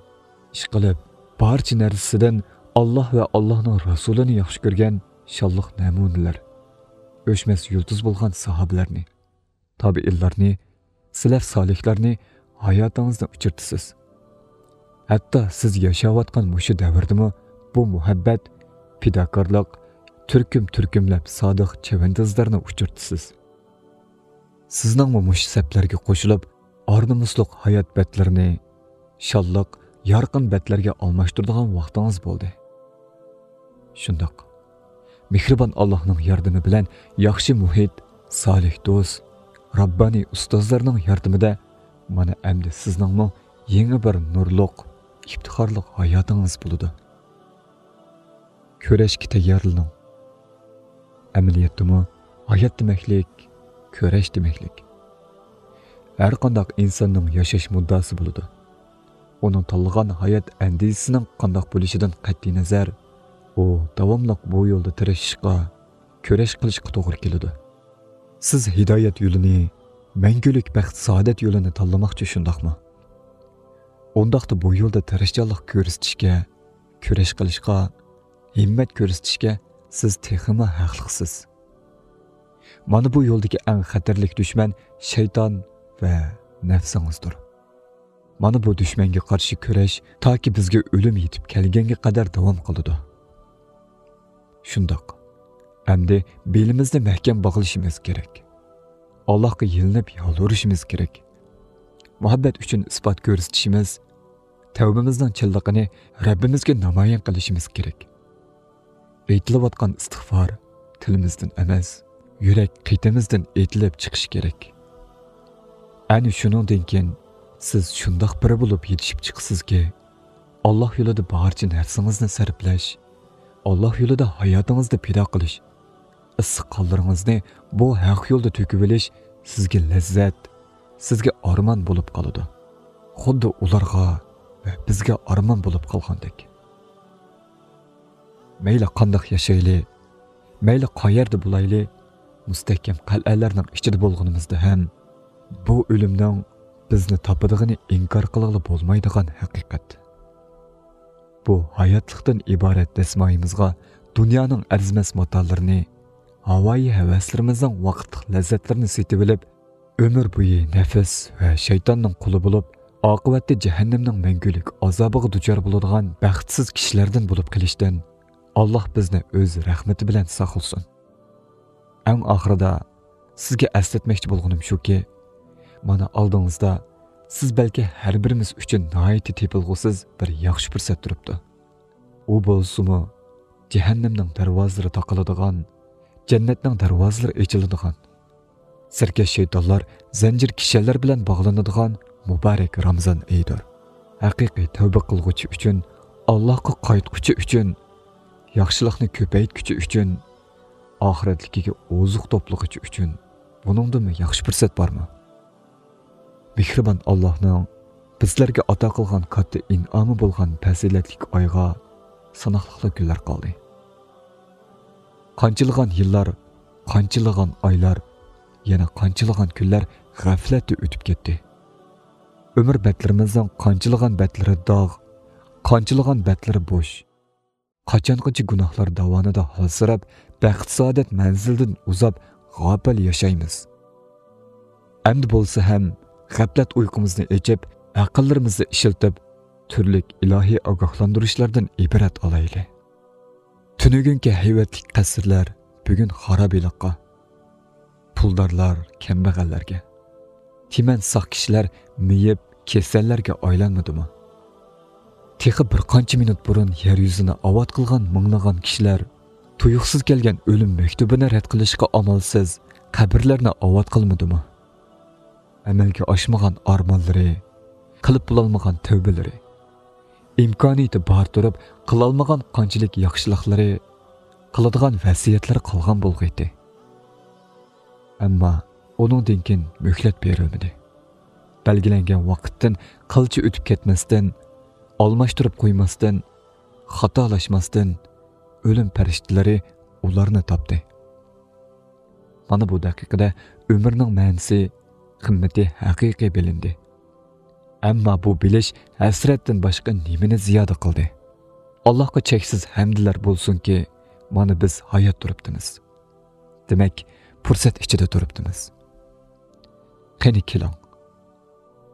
ئىشقىلىپ، بارچە نەرسىسىدىن ئاللاھ ۋە ئاللاھنىڭ رەسۇلىنى ياخشى كۆرگەن شانلىق نەمۇنىلەر، ئۆچمەس يۇلتۇز بولغان ساھابىلەرنى، تابىئىنلارنى، سەلەف سالىھلارنى ھاياتىڭىزدىن ئۆچۈرتىسىز. ھەتتا سىز ياشاۋاتقان مۇشۇ دەۋردىمۇ بۇ مۇھەببەت، پىداكارلىق، تۈركۈم-تۈركۈملەپ سادىق چەۋەندازلارنى ئۇچرىتىسىز. سىزنىڭمۇ مۇشۇ سەپلەرگە قوشۇلۇپ، ئار-نومۇسلۇق ھايات بەتلىرىنى شانلىق، يارقىن بەتلەرگە ئالماشتۇرىدىغان ۋاقتىڭىز بولدى. شۇنداق. مېھرىبان ئاللاھنىڭ ياردىمى بىلەن ياخشى مۇھىت، سالىھ دوست، راببانىي ئۇستازلارنىڭ ياردىمىدە مانا ئەمدى سىزنىڭمۇ يېڭى بىر نۇرلۇق، ئىپتىخارلىق ھاياتىڭىز بولىدۇ. كۈرەشكە تەييارلىنىڭ. ئەمەلىيەتتىمۇ ھايات دېمەكلىك، كۈرەش دېمەكلىك. ھەر قانداق ئىنساننىڭ ياشاش مۇددىئاسى بولىدۇ. ئۇنىڭ تاللىغان ھايات ئەندىزىسىنىڭ قانداق بولۇشىدىن قەتئىينەزەر، ئۇ داۋاملىق بۇ يولدا تىرىشىشقا، كۈرەش قىلىشقا توغرا كېلىدۇ. سىز ھىدايەت يولىنى، مەڭگۈلۈك بەخت-سائادەت يولىنى تاللىماقچى، شۇنداقمۇ؟ ئۇنداقتا بۇ يولدا تىرىشچانلىق كۆرسىتىشكە، كۈرەش قىلىشقا، ھىممەت كۆرسىتىشكە سىز تېخىمۇ ھەقلىقسىز. مانا بۇ يولدىكى ئەڭ خەتەرلىك دۈشمەن شەيتان ۋە نەپسىڭىزدۇر. مانا بۇ دۈشمەنگە قارشى كۈرەش تاكى بىزگە ئۆلۈم يېتىپ كەلگەنگە قەدەر داۋام قىلىدۇ. شۇنداق. ئەمدى بېلىمىزنى مەھكەم باغلىشىمىز كېرەك. ئاللاھقا يېلىنىپ يالۋۇرۇشىمىز كېرەك. مۇھەببەت ئۈچۈن ئىسپات كۆرسىتىشىمىز، تەۋبىمىزنىڭ چىنلىقىنى رەببىمىزگە نامايان قىلىشىمىز كېرەك. ئېيتىلىۋاتقان ئىستىغفار تىلىمىزدىن ئەمەس، يۈرەك قېتىمىزدىن ئېيتىلىپ چىقىشى كېرەك. ئەنە شۇنىڭدىن كېيىن سىز شۇنداق بىرى بولۇپ يېتىشىپ چىقىسىزكى، ئاللاھ يولىدا بارچە نەپسىڭىزنى سەرپلەش، ئاللاھ يولىدا ھاياتىڭىزنى پىدا قىلىش، ئىسسىق قانلىرىڭىزنى بۇ ھەق يولدا تۆكۈۋېلىش سىزگە لەززەت، سىزگە ئارمان بولۇپ قالىدۇ. خۇددى ئۇلارغا ۋە بىزگە ئارمان بولۇپ قالغاندەك. مەيلى قانداق ياشايلى، مەيلى قايەردە بولايلى، مۇستەھكەم قەلئەلەرنىڭ ئىچىدە بولغىنىمىزدا ھەم، بۇ ئۆلۈمنىڭ بىزنى تاپىدىغىنى ئىنكار قىلغىلى بولمايدىغان ھەقىقەت. بۇ ھاياتلىقتىن ئىبارەت دەسمايىمىزغا دۇنيانىڭ ئەرزىمەس ماتالىرىنى، ھاۋايى ھەۋەسلىرىمىزنىڭ ۋاقىتلىق لەززەتلىرىنى سېتىۋېلىپ، ئۆمۈر بويى نەپس ۋە شەيتاننىڭ قۇلى بولۇپ، ئاقىۋەتتە جەھەننەمنىڭ مەڭگۈلۈك ئازابىغا دۇچار بولىدىغان بەختسىز كىشىلەردىن بولۇپ قېلىشتىن ئاللاھ بىزنى ئۆز رەھمىتى بىلەن ساقلىسۇن. ئەڭ ئاخىرىدا سىزگە ئەسلەتمەكچى بولغىنىم شۇكى، مانا ئالدىڭىزدا سىز بەلكى ھەر بىرىمىز ئۈچۈن ناھايىتى تېپىلغۇسىز بىر ياخشى پۇرسەت تۇرۇپتۇ. ئۇ بولسىمۇ جەھەننەمنىڭ دەرۋازىلىرى تاقىلىدىغان، جەننەتنىڭ دەرۋازىلىرى ئېچىلىدىغان، سەركەش شەيتانلار زەنجىر كىشەنلەر بىلەن باغلىنىدىغان مۇبارەك رامىزان ئېيىدۇر. ھەقىقىي تەۋبە قىلغۇچى ئۈچۈن، ئاللاھقا قايتقۇچى ئۈچۈن، ياخشىلىقنى كۆپەيتكۈچى ئۈچۈن، ئاخىرەتلىكىگە ئوزۇق توپلىغۇچى ئۈچۈن بۇنىڭدىنمۇ ياخشى پۇرسەت بارمۇ؟ مېھرىبان ئاللاھنىڭ بىزلەرگە ئاتا قىلغان كاتتا ئىنئامى بولغان پەزىلەتلىك ئايغا ساناقلىقلا كۈنلەر قالدى. قانچىلىغان يىللار، قانچىلىغان ئايلار، يەنە قانچىلىغان كۈنلەر غەپلەتتە ئۆتۈپ كەتتى. ئۆمۈر بەتلىرىمىزنىڭ قانچىلىغان بەتلىرى داغ، قانچىلىغان بەتلىرى بوش. قاچانغىچە گۇناھلار داۋانىدا ھالسىراپ، بەخت-سائادەت مەنزىلىدىن ئۇزاپ، غاپىل ياشايمىز؟ ئەمدى بولسا ھەم غەپلەت ئۇيقۇمىزنى ئېچىپ، ئەقىللىرىمىزنى ئىشلىتىپ، تۈرلۈك ئىلاھىي ئاگاھلاندۇرۇشلاردىن ئىبرەت ئالايلى. تۈنۈگۈنكى ھەيۋەتلىك قەسىرلەر بۈگۈن خارابىلىققا، پۇلدارلار كەمبەغەللەرگە، تىمەن ساق كىشىلەر مېيىپ، كېسەللەرگە ئايلانمىدىمۇ؟ تېخى بىر قانچە مىنۇت بۇرۇن يەر يۈزىنى ئاۋات قىلغان مىڭلىغان كىشىلەر تۇيۇقسىز كەلگەن ئۆلۈم مەكتۇبىنى رەت قىلىشقا ئامالسىز قەبرىلەرنى ئاۋات قىلمىدىمۇ؟ ئەمەلگە ئاشمىغان ئارمانلىرى، قىلىپ بولالمىغان تەۋبىلىرى، ئىمكانىيىتى بار تۇرۇپ قىلالمىغان قانچىلىك ياخشىلىقلىرى، قىلىدىغان ۋەسىيەتلىرى قالغان بولغىيتى. ئەمما ئۇنىڭدىن كېيىن مۆھلەت بېرىلمىدى. بەلگىلەنگەن ۋاقىتتىن قىلچە ئۆتۈپ كەتمەستىن، ئالماشتۇرۇپ قويماستىن، خاتالاشماستىن، ئۆلۈم پەرىشتىلىرى ئۇلارنى تاپتى. مانا بۇ دەقىقىدە ئۆمۈرنىڭ مەنىسى، قىممىتى ھەقىقىي بىلىندى. ئەمما بۇ بىلىش ھەسرەتتىن باشقا نېمىنى زىيادە قىلدى؟ ئاللاھقا چەكسىز ھەمدلەر بولسۇنكى، مانا بىز ھايات تۇرۇپتىمىز. دېمەك، پۇرسەت ئىچىدە تۇرۇپتىمىز. قېنى كېلىڭ،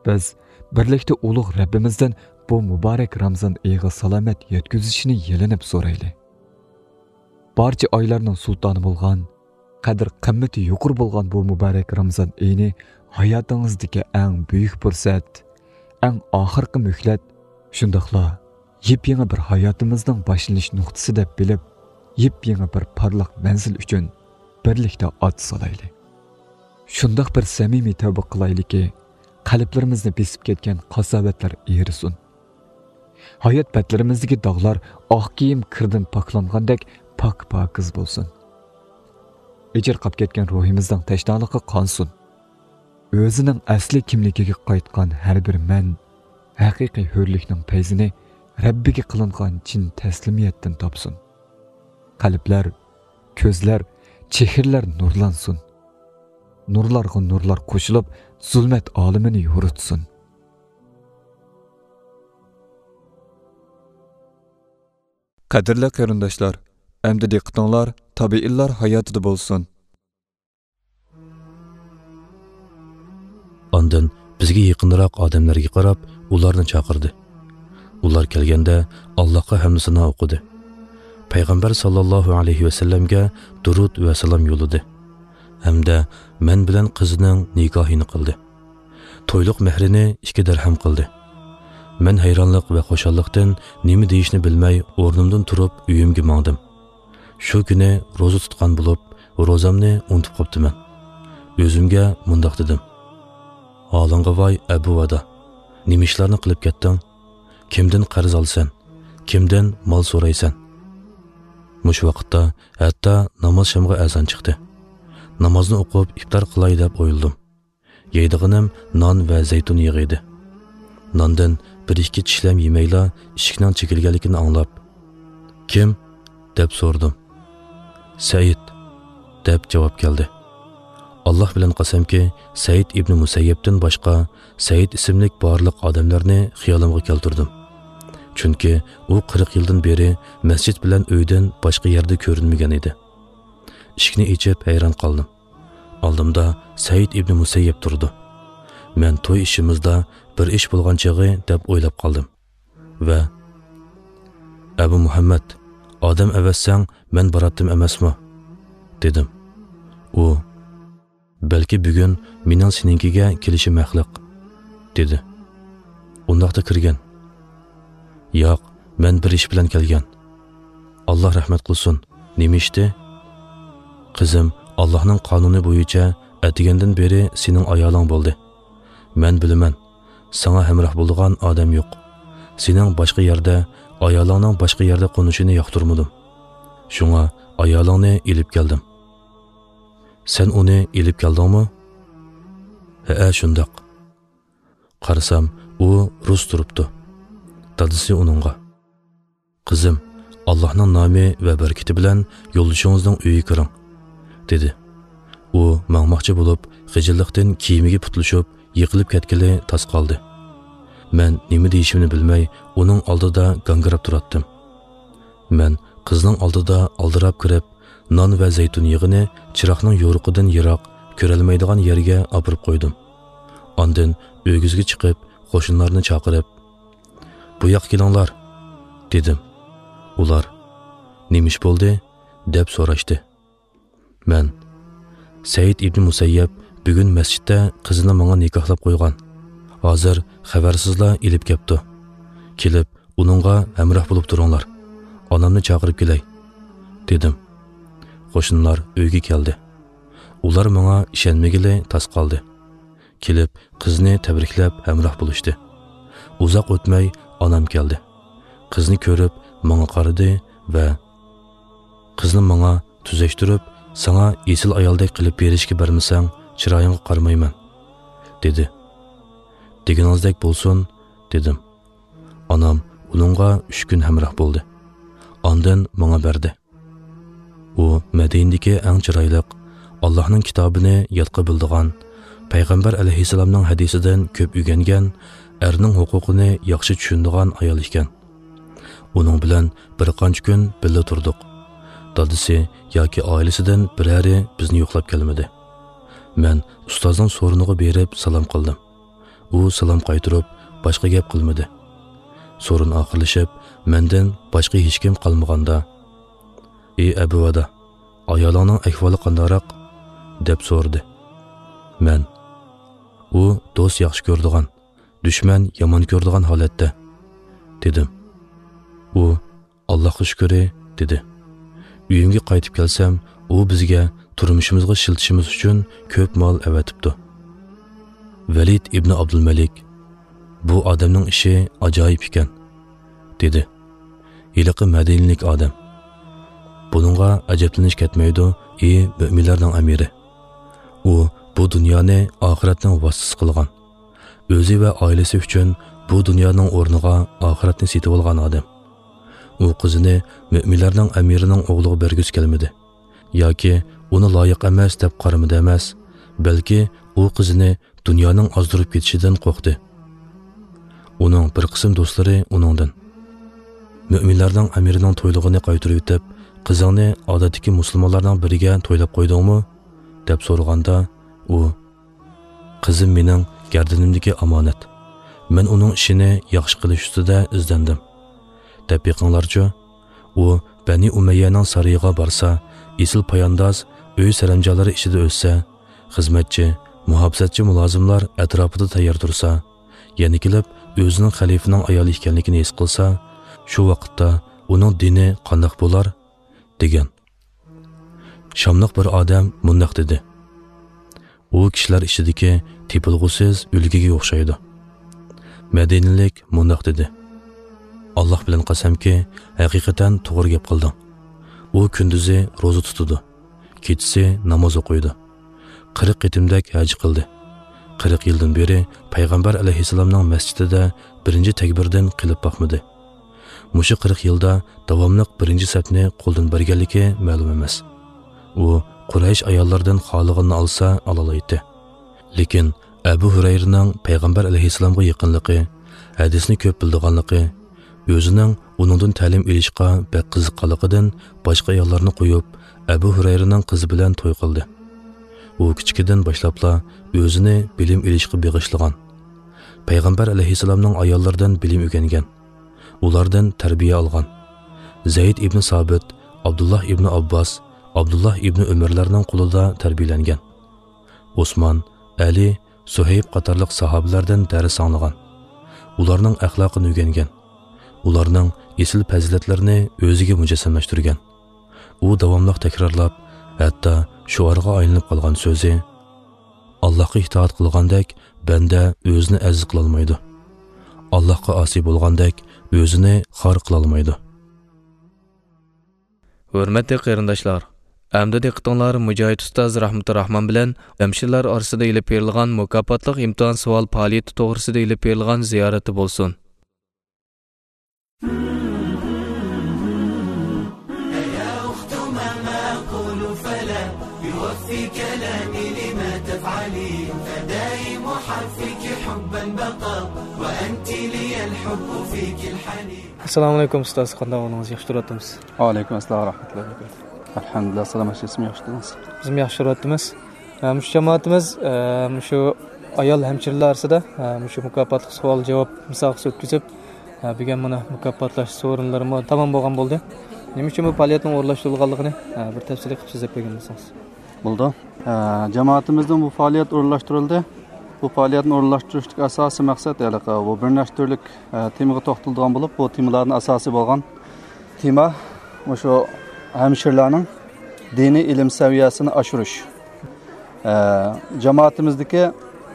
بىز بىرلىكتە ئۇلۇغ رەببىمىزدىن بۇ مۇبارەك رامزان ئېيىغا سالامەت يەتكۈزۈشىنى يېلىنىپ سورايلى. بارچە ئايلارنىڭ سۇلتانى بولغان، قەدىر-قىممىتى يۇقىرى بولغان بۇ مۇبارەك رامزان ئېيىنى ھاياتىڭىزدىكى ئەڭ بۈيۈك پۇرسەت، ئەڭ ئاخىرقى مۆھلەت، شۇنداقلا يېپيېڭى بىر ھاياتىمىزنىڭ باشلىنىش نۇقتىسى دەپ بىلىپ، يېپيېڭى بىر پارلاق مەنزىل ئۈچۈن بىرلىكتە ئات سالايلى. شۇنداق بىر سەمىمىي تەۋبە قىلايلىكى، قەلبلىرىمىزنى بېسىپ كەتكەن قاساۋەتلەر ئېرىسۇن. ھايات بەتلىرىمىزدىكى داغلار ئاق كىيىم كىردىن پاكلانغاندەك پاك-پاكىز بولسۇن. ئېچىرقاپ كەتكەن روھىمىزنىڭ تەشنالىقى قانسۇن. ئۆزىنىڭ ئەسلى كىملىكىگە قايتقان ھەر بىر مەن ھەقىقىي ھۆرلۈكنىڭ پەيزىنى رەببىگە قىلىنغان چىن تەسلىمىيەتتىن تاپسۇن. قەلبلەر، كۆزلەر، چېھرىلەر نۇرلانسۇن. نۇرلارغا نۇرلار قوشۇلۇپ، زۇلمەت ئالىمىنى يورۇتسۇن. قەدىرلىك قېرىنداشلار، ئەمدى دىققىتىڭلار تابىئىنلار ھاياتىدا بولسۇن. ئاندىن بىزگە يېقىنراق ئادەملەرگە قاراپ، ئۇلارنى چاقىردى. ئۇلار كەلگەندە، ئاللاھقا ھەمدۇ سانا ئوقۇدى. پەيغەمبەر ساللاللاھۇ ئەلەيھى ۋەسەللەمگە دۇرۇد ۋە سالام يوللىدى ھەمدە مەن بىلەن قىزىنىڭ نىكاھىنى قىلدى. تويلۇق مەھرىنى ئىككى دىرھەم قىلدى. مەن ھەيرانلىق ۋە خۇشاللىقتىن نېمە دېيىشنى بىلمەي، ئورنۇمدىن تۇرۇپ، ئۆيۈمگە ماڭدىم. شۇ كۈنى روزا تۇتقان بولۇپ، روزامنى ئۇنتۇپ قاپتىمەن. ئۆزۈمگە مۇنداق دېدىم: «ھالىڭغا ۋاي، ئەبۇ ۋادا! نېمە ئىشلارنى قىلىپ كەتتىڭ؟ كىمدىن قەرز ئالىسەن؟ كىمدىن مال سورايسەن؟» مۇشۇ ۋاقىتتا ھەتتا ناماز شامغا ئەزان چىقتى. نامازنى ئوقۇپ، ئىپتار قىلاي دەپ ئويلىدىم. يەيدىغىنىم نان ۋە زەيتۇن يېغى ئىدى. ناندىن بىر-ئىككى چىشلەم يېمەيلا، ئىشىكنىڭ چېكىلگەنلىكىنى ئاڭلاپ، «كىم؟» دەپ سورىدىم. «سەئىد» دەپ جاۋاب كەلدى. ئاللاھ بىلەن قەسەمكى، سەئىد ئىبنى مۇسەييەبتىن باشقا سەئىد ئىسىملىك بارلىق ئادەملەرنى خىيالىمغا كەلتۈردۈم. چۈنكى ئۇ قىرىق يىلدىن بېرى مەسچىت بىلەن ئۆيدىن باشقا يەردە كۆرۈنمىگەن ئىدى. ئىشىكنى ئېچىپ ھەيران قالدىم. ئالدىمدا سەئىد ئىبنى مۇسەييەب تۇرىدۇ. مەن توي ئىشىمىزدا بىر ئىش بولغان چېغى دەپ ئويلاپ قالدىم ۋە «ئەبۇ مۇھەممەد، ئادەم ئەۋەتسەڭ، مەن باراتتىم ئەمەسمۇ؟» دېدىم. ئۇ «بەلكى بۈگۈن مېنىڭ سېنىڭكىگە كېلىشىم ھەقلىق» دېدى. «ئۇنداقتا كىرگىن.» «ياق، مەن بىر ئىش بىلەن كەلگەن.» «ئاللاھ رەھمەت قىلسۇن. نېمە ئىشتى؟» «قىزىم، ئاللاھنىڭ قانۇنى بويىچە ئەتىگەندىن بېرى سېنىڭ ئايالىڭ بولدى. مەن بىلىمەن، ساڭا ھەمراھ بولىدىغان ئادەم يوق. سېنىڭ باشقا يەردە، ئايالىڭنىڭ باشقا يەردە قونۇشىنى ياقتۇرمىدىم. شۇڭا ئايالىڭنى ئېلىپ كەلدىم.» «سەن ئۇنى ئېلىپ كەلدىڭمۇ؟» «ھەئە، شۇنداق.» قارىسام، ئۇ رۇس تۇرۇپتۇ. دادىسى ئۇنىڭغا: «قىزىم، ئاللاھنىڭ نامى ۋە بەرىكىتى بىلەن يولدىشىڭىزنىڭ ئۆيىگە كىرىڭ» دېدى. ئۇ ماڭماقچى بولۇپ، خىجىللىقتىن كىيىمىگە پۇتلىشىپ، يىقىلىپ كەتكىلى تاس قالدى. مەن نېمە دېيىشىمنى بىلمەي، ئۇنىڭ ئالدىدا گاڭگىراپ تۇراتتىم. مەن قىزنىڭ ئالدىدا ئالدىراپ كىرىپ، نان ۋە زەيتۇن يېغىنى چىراغنىڭ يورۇقىدىن يىراق، كۆرەلمەيدىغان يەرگە ئاپىرىپ قويدۇم. ئاندىن ئۆگزىگە چىقىپ، قوشنىلارنى چاقىرىپ، «بۇ ياققا كېلىڭلار» دېدىم. ئۇلار: «نېمە ئىش بولدى؟» دەپ سوراشتى. مەن: «سەئىد ئىبنى مۇسەييەب بۈگۈن مەسچىتتە قىزىنى ماڭا نىكاھلاپ قويغان. ھازىر خەۋەرسىزلا ئېلىپ كەپتۇ. كېلىپ، ئۇنىڭغا ھەمراھ بولۇپ تۇرۇڭلار. ئانامنى چاقىرىپ كېلەي، دېدىم. قوشنىلار ئۆيگە كەلدى. ئۇلار ماڭا ئىشەنمىگىلى تاس قالدى. كېلىپ، قىزنى تەبرىكلەپ ھەمراھ بولۇشتى. ئۇزاق ئۆتمەي ئانام كەلدى. قىزنى كۆرۈپ ماڭا قارىدى ۋە قىزنى ماڭا تۈزەشتۈرۈپ، «ساڭا ئېسىل ئايالدەك قىلىپ بېرىشكە بەرمىسەڭ، چىرايىڭغا قارىمايمەن» دېدى. «دېگىنىڭىزدەك بولسۇن» دېدىم. ئانام ئۇنىڭغا ئۈچ كۈن ھەمراھ بولدى. ئاندىن ماڭا بەردى. ئۇ مەدىنىدىكى ئەڭ چىرايلىق، ئاللاھنىڭ كىتابىنى ياتقا بىلىدىغان، پەيغەمبەر ئەلەيھىسسالامنىڭ ھەدىسىدىن كۆپ ئۆگەنگەن، ئەرنىڭ ھوقۇقىنى ياخشى چۈشىنىدىغان ئايال ئىكەن. ئۇنىڭ بىلەن بىر قانچە كۈن بىللە تۇردۇق. دادىسى ياكى ئائىلىسىدىن بىرەرى بىزنى يوقلاپ كەلمىدى. مەن ئۇستازنىڭ سورۇنىغا بېرىپ سالام قىلدىم. ئۇ سالام قايتۇرۇپ، باشقا گەپ قىلمىدى. سورۇن ئاخىرلىشىپ، مەندىن باشقا ھېچكىم قالمىغاندا، «ئى ئەبۇ ۋەدا، ئايالىڭنىڭ ئەھۋالى قانداقراق؟» دەپ سورىدى. مەن، «ئۇ دوست ياخشى كۆرىدىغان، دۈشمەن يامان كۆرىدىغان ھالەتتە» دېدىم. ئۇ، «ئاللاھقا شۈكرى» دېدى. ئۆيۈمگە قايتىپ كەلسەم، ئۇ بىزگە تۇرمۇشىمىزغا ئىشلىتىشىمىز ئۈچۈن كۆپ مال ئەۋەتىپتۇ. ۋەلىد ئىبنى ئابدۇلمەلىك، «بۇ ئادەمنىڭ ئىشى ئاجايىپ ئىكەن» دېدى. ھېلىقى مەدىنىلىك ئادەم. بۇنىڭغا ئەجەبلىنىش كەتمەيدۇ، ئى مۆمىنلەرنىڭ ئەمىرى. ئۇ بۇ دۇنيانى ئاخىرەتنىڭ ۋاسىتىسى قىلغان. ئۆزى ۋە ئائىلىسى ئۈچۈن بۇ دۇنيانىڭ ئورنىغا ئاخىرەتنى سېتىۋالغان ئادەم. ئۇ قىزىنى مۆمىنلەرنىڭ ئەمىرىنىڭ ئوغلىغا بەرگۈسى كەلمىدى. ياكى ئۇنى لايىق ئەمەس دەپ قارىمىدى ئەمەس، بەلكى ئۇ قىزىنى دۇنيانىڭ ئازدۇرۇپ كېتىشىدىن قورقتى. ئۇنىڭ بىر قىسىم دوستلىرى ئۇنىڭدىن، «مۆمىنلەرنىڭ ئەمىرىنىڭ تويلۇقىنى قايتۇرۇۋېتىپ، قىزىڭنى ئادەتتىكى مۇسۇلمانلارنىڭ بىرىگە تويلاپ قويدۇڭمۇ؟» دەپ سورىغاندا، ئۇ، «قىزىم مېنىڭ گەردىنىمدىكى ئامانەت. مەن ئۇنىڭ ئىشىنى ياخشى قىلىش ئۈستىدە ئىزدەندىم» دەپ بېقىڭلارچۇ. ئۇ بەنى ئۇمەييەنىڭ سارىيىغا بارسا، ئېسىل پايانداز ئۆي سەرەمجانلىرى ئىچىدە ئۆتسە، خىزمەتچى، مۇھاپىزەتچى مۇلازىملار ئەتراپىدا تەييار تۇرسا، يەنە كېلىپ ئۆزىنىڭ خەلىپىنىڭ ئايالى ئىكەنلىكىنى ھېس قىلسا، شۇ ۋاقىتتا ئۇنىڭ دىنى قانداق بولار؟ دېگەن. شاملىق بىر ئادەم مۇنداق دېدى: «ئۇ كىشىلەر ئىچىدىكى تېپىلغۇسىز ئۈلگىگە ئوخشايدۇ.» مەدىنىلىك مۇنداق دېدى: «ئاللاھ بىلەن قەسەمكى، ھەقىقەتەن توغرا گەپ قىلدىڭ. ئۇ كۈندۈزى روزا تۇتىدۇ، كېچىسى ناماز ئوقۇيدۇ. قىرىق قېتىمدەك ھەج قىلدى. قىرىق يىلدىن بېرى پەيغەمبەر ئەلەيھىسسالامنىڭ مەسچىتىدە بىرىنچى تەكبىردىن قېلىپ باقمىدى. مۇشۇ قىرىق يىلدا داۋاملىق بىرىنچى سەپنى قولدىن بەرگەنلىكى مەلۇم ئەمەس. ئۇ قۇرەيش ئاياللىرىدىن خالىغىنىنى ئالسا ئالالايتتى. لېكىن ئەبۇ ھۇرەيرىنىڭ پەيغەمبەر ئەلەيھىسسالامغا يېقىنلىقى، ھەدىسنى كۆپ بىلىدىغانلىقى، ئۆزىنىڭ ئۇنىڭدىن تەلىم ئېلىشقا بەك قىزىققانلىقىدىن باشقا ئاياللارنى قويۇپ، ئەبۇ ھۇرەيرىنىڭ قىزى بىلەن توي قىلدى. ئۇ كىچىكىدىن باشلاپلا ئۆزىنى بىلىم ئېلىشقا بېغىشلىغان. پەيغەمبەر ئەلەيھىسسالامنىڭ ئاياللىرىدىن بىلىم ئۆگەنگەن. ئۇلاردىن تەربىيە ئالغان. زەيد ئىبنى سابىت، ئابدۇللاھ ئىبنى ئابباس، ئابدۇللاھ ئىبنى ئۆمەرلەرنىڭ قولىدا تەربىيەلەنگەن. ئوسمان، ئەلى، سۇھەيب قاتارلىق ساھابىلەردىن دەرس ئاڭلىغان. ئۇلارنىڭ ئەخلاقىنى ئۆگەنگەن. ئۇلارنىڭ ئېسىل پەزىلەتلىرىنى ئۆزىگە مۇجەسسەملەشتۈرگەن. ئۇ داۋاملىق تەكرارلاپ، ھەتتا شوئارغا ئايلىنىپ قالغان سۆزى، «ئاللاھقا ئىتائەت قىلغاندەك، بەندە ئۆزىنى ئەزىز قىلالمايدۇ. ئاللاھقا ئاسىي بولغاندەك، ئۆزىنى خار قىلالمايدۇ.» ھۆرمەتلىك قېرىنداشلار، ئەمدى دىققىتىڭلار مۇجاھىد ئۇستاز رەھمىتۇرراھمان بىلەن جەمشىدلار ئارىسىدا ئېلىپ بېرىلغان مۇكاپاتلىق ئىمتىھان سوئال پائالىيىتى توغرىسىدا ئېلىپ بېرىلغان زىيارەتتە بولسۇن. ئەسسالامۇ ئەلەيكۇم ئۇستاز، قانداق ئەھۋالىڭىز؟ ياخشى تۇرۇۋاتىمىز. ۋەئەلەيكۇم ئەسسالام ۋە رەھمەتۇللاھى ۋە بەرىكاتۇھ. ئەلھەمدۇلىللاھ، سالامەتلىك، سىز ياخشىمۇ؟ ياخشى تۇرۇۋاتىمىز. بىزمۇ ياخشى تۇرۇۋاتىمىز. ئە، مۇشۇ جامائىتىمىز، ئە، مۇشۇ ئايال ھەمشىرىلەر ئارىسىدا، ئە، مۇشۇ مۇكاپاتلىق سوئال جاۋاب مۇسابىقىسى ئۆتكۈزۈپ، ئە، بۈگۈن مانا مۇكاپاتلاش سورۇنلىرىمۇ تامام بولغان بولدى. نېمە ئۈچۈن بۇ پائالىيەتنىڭ ئورۇنلاشتۇرۇلغانلىقىنى، ئە، بىر تەپسىلىي قىلىپ سۆزلەپ بەرگەن بولسىڭىز. بولىدۇ. ئە، جامائىتىمىزنىڭ بۇ پائالىيەت ئورۇنلاشتۇرۇلدى. بۇ پائالىيەتنى ئورۇنلاشتۇرۇشتىكى ئاساسىي مەقسەت ھېلىقى بۇ بىر نەچچە تۈرلۈك، ئە، تېمىغا توختىلىدىغان بولۇپ، بۇ تېمىلاردىن ئاساسىي بولغان تېما مۇشۇ ھەمشىرىلەرنىڭ دىنىي ئىلىم سەۋىيەسىنى ئاشۇرۇش. ئە، جامائىتىمىزدىكى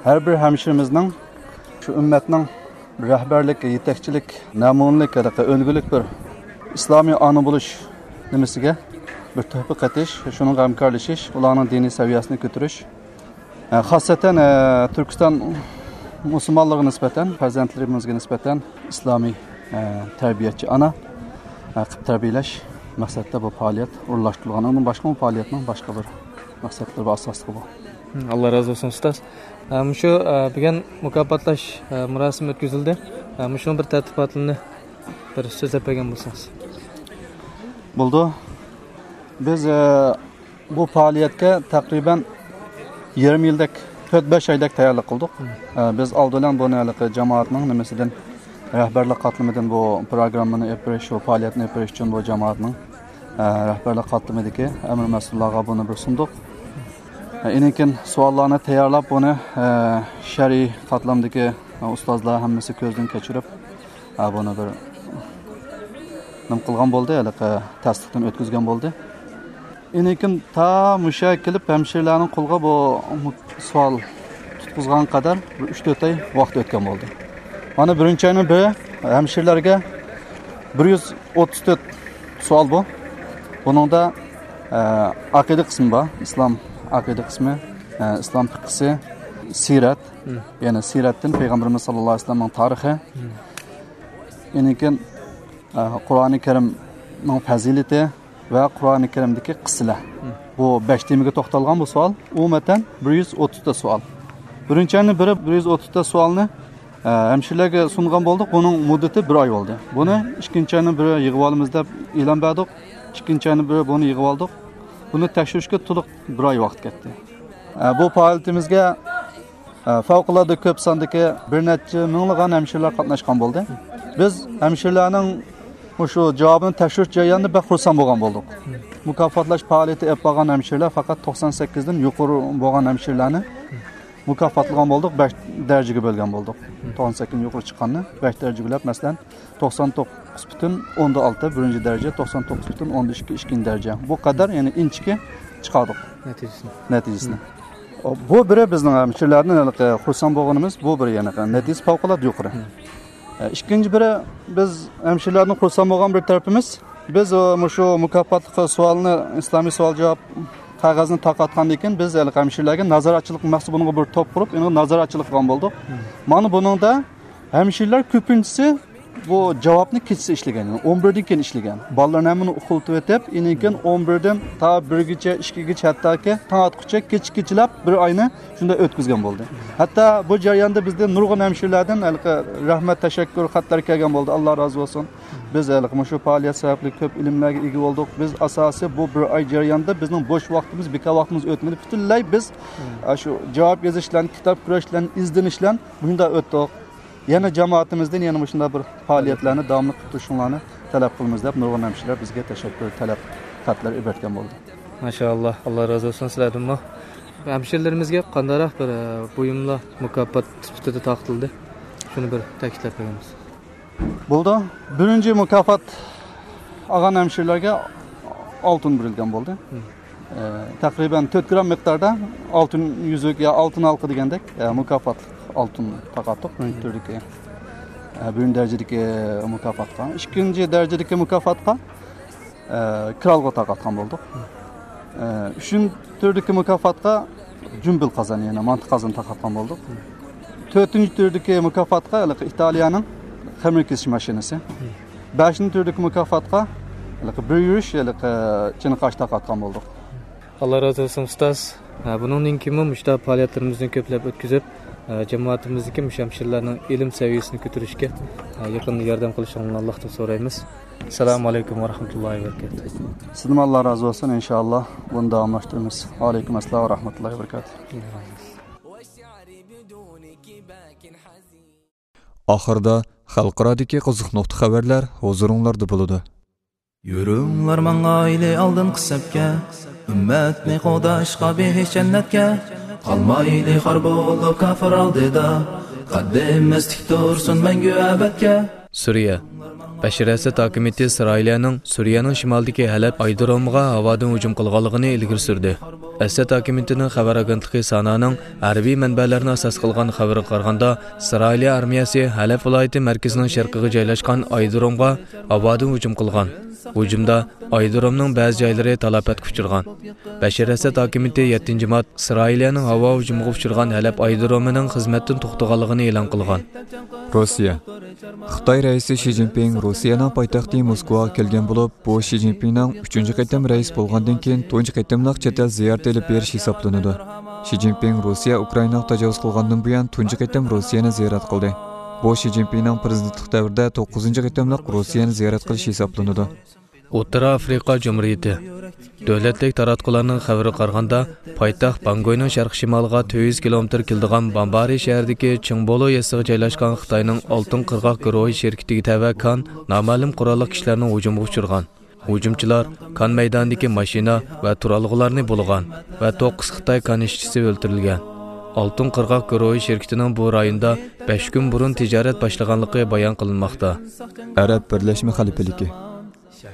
ھەر بىر ھەمشىرىمىزنىڭ شۇ ئۈممەتنىڭ رەھبەرلىك، يېتەكچىلىك، نەمۇنىلىك، ھېلىقى ئۈلگىلىك بىر ئىسلامىي ئانا بولۇش نېمىسىگە بىر تۆھپە قېتىش، شۇنىڭغا ھەمكارلىشىش، ئۇلارنىڭ دىنىي سەۋىيەسىنى كۆتۈرۈش. ئە، خاسسەتەن، ئە، تۈركىستان مۇسۇلمانلىرىغا نىسبەتەن، پەرزەنتلىرىمىزگە نىسبەتەن ئىسلامىي، ئە، تەربىيەچى ئانا، ئە، قىلىپ تەربىيەلەش مەقسەتتە بۇ پائالىيەت ئورۇنلاشتۇرۇلغان. ئۇنىڭدىن باشقىمۇ پائالىيەتنىڭ باشقا بىر مەقسەتلىرى بار، ئاساسلىقى بۇ. ئاللا رازى بولسۇن، ئۇستاز. ئە، مۇشۇ، ئە، بۈگۈن مۇكاپاتلاش، ئە، مۇراسىمى ئۆتكۈزۈلدى. ئە، مۇشۇنىڭ بىر تەرتىپاتىنى بىر سۆزلەپ بەرگەن بولسىڭىز. بولىدۇ. بىز، ئە، بۇ پائالىيەتكە تەقرىبەن يېرىم يىلدەك، تۆت بەش ئايدەك تەييارلىق قىلدۇق. ئە، بىز ئالدى بىلەن بۇنى ھېلىقى جامائەتنىڭ نېمىسىدىن، رەھبەرلىك قاتلىمىدىن بۇ پروگراممىنى ئېلىپ بېرىش، شۇ پائالىيەتنى ئېلىپ بېرىش ئۈچۈن بۇ جامائەتنىڭ، ئە، رەھبەرلىك قاتلىمىدىكى ئەمىر مەسئۇللارغا بۇنى بىر سۇندۇق. ئە، ئىنىكىن سوئاللارنى تەييارلاپ، بۇنى، ئە، شەرئىي قاتلامدىكى، ئە، ئۇستازلار ھەممىسى كۆزدىن كەچۈرۈپ، ئە، بۇنى بىر نېمە قىلغان بولدى، ھېلىقى تەستىقتىن ئۆتكۈزگەن بولدى. ئىنىكىن تا مۇشۇ يەرگە كېلىپ، ھەمشىرىلەرنىڭ قولىغا بۇ سوئال تۇتقۇزغان قەدەر بىر ئۈچ تۆت ئاي ۋاقىت ئۆتكەن بولدى. مانا بىرىنچى ئاينىڭ بىرى ھەمشىرىلەرگە بىر يۈز ئوتتۇز تۆت سوئال بۇ. بۇنىڭدا، ئە، ئەقىدە قىسمى بار، ئىسلام ئەقىدە قىسمى، ئە، ئىسلام پىقھىسى، سىرەت، يەنى سىرەتتىن پەيغەمبىرىمىز ساللاللاھۇ ئەلەيھى ۋەسەللەمنىڭ تارىخى، ئىنىكىن، ئە، قۇرئانى كەرىمنىڭ پەزىلىتى ۋە قۇرئانى كەرىمدىكى قىسسىلەر. بۇ بەش تېمىگە توختالغان بۇ سوئال. ئومۇمەن بىر يۈز ئوتتۇز تۆت سوئال. بىرىنچى ئاينىڭ بىرى بىر يۈز ئوتتۇز تۆت سوئالنى، ئە، ھەمشىرىلەرگە سۇنغان بولدۇق. بۇنىڭ مۇددىتى بىر ئاي بولدى. بۇنى ئىككىنچى ئاينىڭ بىرى يىغىۋالىمىز دەپ ئېلان بەردۇق. ئىككىنچى ئاينىڭ بىرى بۇنى يىغىۋالدۇق. بۇنى تەكشۈرۈشكە تولۇق بىر ئاي ۋاقىت كەتتى. ئە، بۇ پائالىيىتىمىزگە ئە، پەۋقۇلئاددە كۆپ ساندىكى بىر نەچچە مىڭلىغان ھەمشىرىلەر قاتناشقان بولدى. بىز ھەمشىرىلەرنىڭ مۇشۇ جاۋابىنى تەكشۈرۈش جەريانىدا بەك خۇرسەن بولغان بولدۇق. مۇكاپاتلاش پائالىيىتى ئېلىپ بارغان ھەمشىرىلەر، پەقەت توقسان سەككىزدىن يۇقىرى بولغان ھەمشىرىلەرنى مۇكاپاتلىغان بولدۇق، بەش دەرىجىگە بۆلگەن بولدۇق. توقسان سەككىزدىن يۇقىرى چىققاننى بەش دەرىجە بۆلۈپ، مەسىلەن، توقسان توققۇز پۈتۈن ئوندا ئالتە بىرىنچى دەرىجە، توقسان توققۇز پۈتۈن ئوندا ئىككى ئىككىنچى دەرىجە. بۇ قەدەر، يەنى ئىنچىكە چىقاردۇق نەتىجىسىنى. نەتىجىسىنى. بۇ بىرى بىزنىڭ ھەمشىرىلەردىن ھېلىقى خۇرسەن بولغىنىمىز، بۇ بىرى، يەنى نەتىجىسى پەۋقۇلئاددە يۇقىرى. ئە، ئىككىنچى بىرى، بىز ھەمشىرىلەردىن خۇرسەن بولغان بىر تەرىپىمىز، بىز، ئە، مۇشۇ مۇكاپاتلىق سوئالنى، ئىسلامىي سوئال جاۋاب قەغەزنى تارقاتقاندىن كېيىن، بىز ھېلىقى ھەمشىرىلەرگە نازارەتچىلىك مەخسۇس بۇنىڭغا بىر توپ قۇرۇپ، ئېنىڭ نازارەتچىلىك قىلغان بولدۇق. مانا بۇنىڭدا ھەمشىرىلەر كۆپىنچىسى بۇ جاۋابنى كېچىسى ئىشلىگەن، يەنى ئون بىردىن كېيىن ئىشلىگەن. بالىلارنى ھەممىنى ئۇخلىتىۋېتىپ، ئىنىكىن ئون بىردىن تا بىرگىچە، ئىككىگىچە، ھەتتاكى تاڭ ئاتقۇچە كېچە كېچىلەپ بىر ئاينى شۇنداق ئۆتكۈزگەن بولدى. ھەتتا بۇ جەرياندا بىزدىن نۇرغۇن ھەمشىرىلەردىن ھېلىقى رەھمەت، تەشەككۈر خەتلەر كەلگەن بولدى. ئاللا رازى بولسۇن. بىز ھېلىقى مۇشۇ پائالىيەت سەۋەبلىك كۆپ ئىلىملەرگە ئىگە بولدۇق. بىز ئاساسىي بۇ بىر ئاي جەريانىدا بىزنىڭ بوش ۋاقتىمىز، بىكار ۋاقتىمىز ئۆتمىدى. پۈتۈنلەي بىز، ئە، شۇ جاۋاب يېزىشلارنى، كىتاب كۆرۈشلەرنى، ئىزدىنىشلەرنى مۇشۇنداق ئۆتتۇق. يەنە جامائىتىمىزدىن يەنە مۇشۇنداق بىر پائالىيەتلەرنى داۋاملىق قىلىپ تۇرۇشۇڭلارنى تەلەپ قىلىمىز دەپ نۇرغۇن ھەمشىرىلەر بىزگە تەشەككۈر تەلەپ خەتلىرى ئېلىپ كەلگەن بولدى. ماشائاللا، ئاللا رازى بولسۇن سىلەردىنمۇ. ھەمشىرىلىرىمىزگە قانداقراق بىر، ئە، بۇيۇملار مۇكاپات سۈپىتىدە تارقىتىلدى؟ شۇنى بىر تەكىتلەپ بەرگەن بولسىڭىز. بولىدۇ. بىرىنچى مۇكاپات ئالغان ھەمشىرىلەرگە ئالتۇن بېرىلگەن بولدى. ئە، تەقرىبەن تۆت گرام مىقداردا ئالتۇن يۈزۈك يا ئالتۇن ھالقا دېگەندەك، ئە، مۇكاپاتلىق ئالتۇن تارقاتتۇق. بىرىنچى تۈردىكى، ئە، بىرىنچى دەرىجىدىكى مۇكاپاتقا. ئىككىنچى دەرىجىدىكى مۇكاپاتقا، ئە، كىرئالغا تارقاتقان بولدۇق. ئە، ئۈچىنچى تۈردىكى مۇكاپاتقا جۈمبۈل قازان، يەنى مانتا قازان تارقاتقان بولدۇق. تۆتىنچى تۈردىكى مۇكاپاتقا ھېلىقى ئىتالىيەنىڭ خېمىر كېسىش ماشىنىسى. بەشىنچى تۈردىكى مۇكاپاتقا ھېلىقى بىر يۈرۈش ھېلىقى چىنىقاش تارقاتقان بولدۇق. ئاللا رازى بولسۇن، ئۇستاز. ھە، بۇنىڭدىن كېيىنمۇ مۇشۇنداق پائالىيەتلىرىمىزنى كۆپلەپ ئۆتكۈزۈپ، ھە، جامائىتىمىزدىكى مۇشۇ ھەمشىرىلەرنىڭ ئىلىم سەۋىيەسىنى كۆتۈرۈشكە، ھە، يېقىندا ياردەم قىلىشىڭلارنى ئاللاھتىن سورايمىز. ئەسسالامۇ ئەلەيكۇم ۋە رەھمەتۇللاھى ۋە بەرىكاتۇھ. سىزدىنمۇ ئاللا رازى بولسۇن، ئىنشائاللا بۇنى داۋاملاشتۇرىمىز. ۋەئەلەيكۇم ئەسسالام ۋە رەھمەتۇللاھى ۋە بەرىكاتۇھ. ئاخىرىدا خەلقئارادىكى قىزىق نۇقتا خەۋەرلەر ھۇزۇرۇڭلاردا بولىدۇ. يۈرۈڭلار ماڭايلى ئالدىنقى سەپكە، ئۈممەتنى قوغداشقا بېھىش جەننەتكە. قالمايلى خار بولۇپ كاپىر ئالدىدا، قەددىمىز تىك تۇرسۇن مەڭگۈ ئەبەدكە. سۈرىيە. بەشىر ئەسەد ھاكىمىيىتى ئىسرائىلىيەنىڭ سۈرىيەنىڭ شىمالىدىكى ھەلەپ ئايرودرومىغا ھاۋادىن ھۇجۇم قىلغانلىقىنى ئىلگىرى سۈردى. ئەسەد ھاكىمىيىتىنىڭ خەۋەر ئاگېنتلىقى سانانىڭ ھەربىي مەنبەلەرنى ئاساس قىلغان خەۋىرىگە قارىغاندا، ئىسرائىلىيە ئارمىيەسى ھەلەپ ۋىلايىتى مەركىزىنىڭ شەرقىگە جايلاشقان ئايرودرومغا ھاۋادىن ھۇجۇم قىلغان. ھۇجۇمدا ئايرودرومنىڭ بەزى جايلىرى تالاپەتكە ئۇچرىغان. بەشىر ئەسەد ھاكىمىيىتى يەتتىنچى مارت ئىسرائىلىيەنىڭ ھاۋا ھۇجۇمىغا ئۇچرىغان ھەلەپ ئايرودرومىنىڭ خىزمەتتىن توختىغانلىقىنى ئېلان قىلغان. روسىيە. خىتاي رەئىسى شى جىنپىڭ روسىيەنىڭ پايتەختى موسكۋاغا كەلگەن بولۇپ، بۇ شى جىنپىڭنىڭ ئۈچىنچى قېتىم رەئىس بولغاندىن كېيىن تۇنجى قېتىملىق چەت ئەل زىيارىتى ئېلىپ بېرىش ھېسابلىنىدۇ. شى جىنپىڭ روسىيە ئۇكرائىناغا تاجاۋۇز قىلغاندىن بۇيان تۇنجى قېتىم روسىيەنى زىيارەت قىلدى. بۇ شى جىنپىڭنىڭ پىرېزىدېنتلىق دەۋرىدە توققۇزىنچى قېتىملىق روسىيەنى زىيارەت قىلىشى ھېسابلىنىدۇ. ئوتتۇرا ئافرىقا جۇمھۇرىيىتى. دۆلەتلىك تاراتقۇلارنىڭ خەۋىرىگە قارىغاندا، پايتەخت بانگكوينىڭ شەرقىي شىمالىغا تۆت يۈز كىلومېتىر كېلىدىغان بامبارى شەھىرىدىكى چىڭبولو يېزىسىغا جايلاشقان خىتاينىڭ ئالتۇن قىرغاق گۇرۇھى شىركىتىگە تەۋە كان نامەلۇم قوراللىق كىشىلەرنىڭ ھۇجۇمىغا ئۇچرىغان. ھۇجۇمچىلار كان مەيدانىدىكى ماشىنا ۋە تۇرالغۇلارنى بۇلىغان ۋە توققۇز خىتاي كان ئىشچىسى ئۆلتۈرۈلگەن. ئالتۇن قىرغاق گۇرۇھى شىركىتىنىڭ بۇ رايوندا بەش كۈن بۇرۇن تىجارەت باشلىغانلىقى بايان قىلىنماقتا. ئەرەب بىرلەشمە خەلىپىلىكى.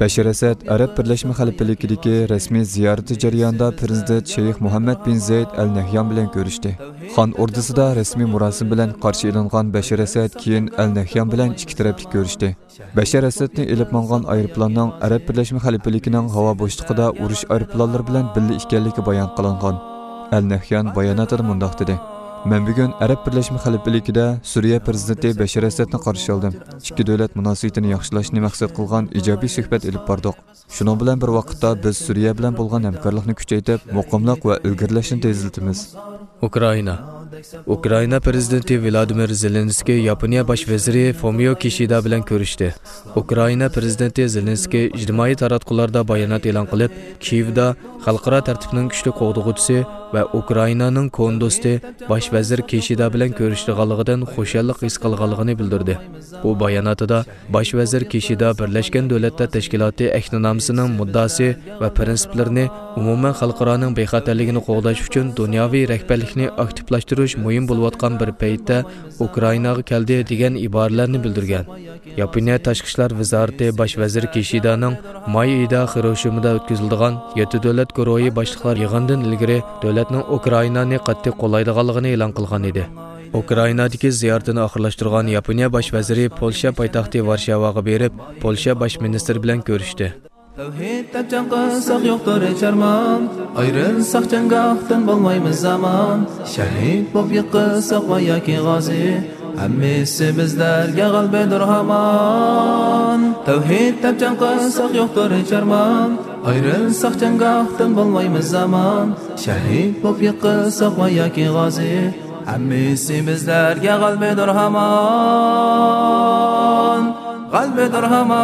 بەشىر ئەسەد ئەرەب بىرلەشمە خەلىپىلىكىدىكى رەسمىي زىيارىتى جەريانىدا پىرېزىدېنت شەيخ مۇھەممەد بىن زەيد ئەل نەھيان بىلەن كۆرۈشتى. خان ئوردىسىدا رەسمىي مۇراسىم بىلەن قارشى ئېلىنغان بەشىر ئەسەد كېيىن ئەل نەھيان بىلەن ئىككى تەرەپلىك كۆرۈشتى. بەشەر ئەسەدنى ئېلىپ ماڭغان ئايروپىلاننىڭ ئەرەب بىرلەشمە خەلىپىلىكىنىڭ ھاۋا بوشلۇقىدا ئۇرۇش ئايروپىلانلىرى بىلەن بىللە ئىكەنلىكى بايان قىلىنغان. ئەل نەھيان باياناتىدا مۇنداق دېدى: مەن بۈگۈن ئەرەب بىرلەشمە خەلىپىلىكىدە سۈرىيە پىرېزىدېنتى بەشەر ئەسەدنى قارشى ئالدىم. ئىككى دۆلەت مۇناسىۋىتىنى ياخشىلاشنى مەقسەت قىلغان ئىجابىي سۆھبەت ئېلىپ باردۇق. شۇنىڭ بىلەن بىر ۋاقىتتا، بىز سۈرىيە بىلەن بولغان ھەمكارلىقنى كۈچەيتىپ، مۇقىملىق ۋە ئىلگىرىلەشنى تېزلىتىمىز. ئۇكرائىنا. ئۇكرائىنا پىرېزىدېنتى ۋلادىمىر زېلېنسكىي ياپونىيە باش ۋەزىرى فۇمىيو كىشىدا بىلەن كۆرۈشتى. ئۇكرائىنا پىرېزىدېنتى زېلېنسكىي ئىجتىمائىي تاراتقۇلاردا بايانات ئېلان قىلىپ، كىيېۋدا خەلقئارا تەرتىپنىڭ كۈچلۈك قوغدىغۇچىسى ۋە ئۇكرائىنانىڭ كونا دوستى باش ۋەزىر كىشىدا بىلەن كۆرۈشىدىغانلىقىدىن خۇشاللىق ھېس قىلغانلىقىنى بىلدۈردى. ئۇ باياناتىدا، باش ۋەزىر كىشىدا بىرلەشكەن دۆلەتلەر تەشكىلاتى ئەھدىنامىسىنىڭ مۇددىئاسى ۋە پىرىنسىپلىرىنى، ئومۇمەن خەلقئارانىڭ بىخەتەرلىكىنى قوغداش ئۈچۈن دۇنياۋى رەھبەرلىكنى ئاكتىپلاشتۇرۇش مۇھىم بولۇۋاتقان بىر پەيتتە ئۇكرائىناغا كەلدى، دېگەن ئىبارىلەرنى بىلدۈرگەن. ياپونىيە تاشقى ئىشلار ۋىزارىتى باش ۋەزىرى كىشىدانىڭ ماي ئېيىدا خىروشىمىدا ئۆتكۈزۈلىدىغان يەتتە دۆلەت گۇرۇھى باشلىقلار يىغىنىدىن ئىلگىرى دۆلەتنىڭ ئۇكرائىنانى قاتتىق قوللايدىغانلىقىنى ئېلان قىلغان ئىدى. ئۇكرائىنادىكى زىيارىتىنى ئاخىرلاشتۇرغان ياپونىيە باش ۋەزىرى پولشا پايتەختى ۋارشاۋاغا بېرىپ، پولشا باش مىنىستىرى بىلەن كۆرۈشتى. تەۋھىد دەپ جەڭ قىلساق يوقتۇر ھېچ ئارمان، ئايرىلساق جەڭگاھتىن بولمايمىز ئامان. شەھىد بولۇپ يىقىلساق ۋە ياكى غازى، ھەممىسى بىزلەرگە غەلىبىدۇر ھامان. تەۋھىد دەپ جەڭ قىلساق يوقتۇر ھېچ ئارمان، ئايرىلساق جەڭگاھتىن بولمايمىز ئامان. شەھىد بولۇپ يىقىلساق ۋە ياكى غازى، ھەممىسى بىزلەرگە غەلىبىدۇر ھامان، غەلىبىدۇر ھامان.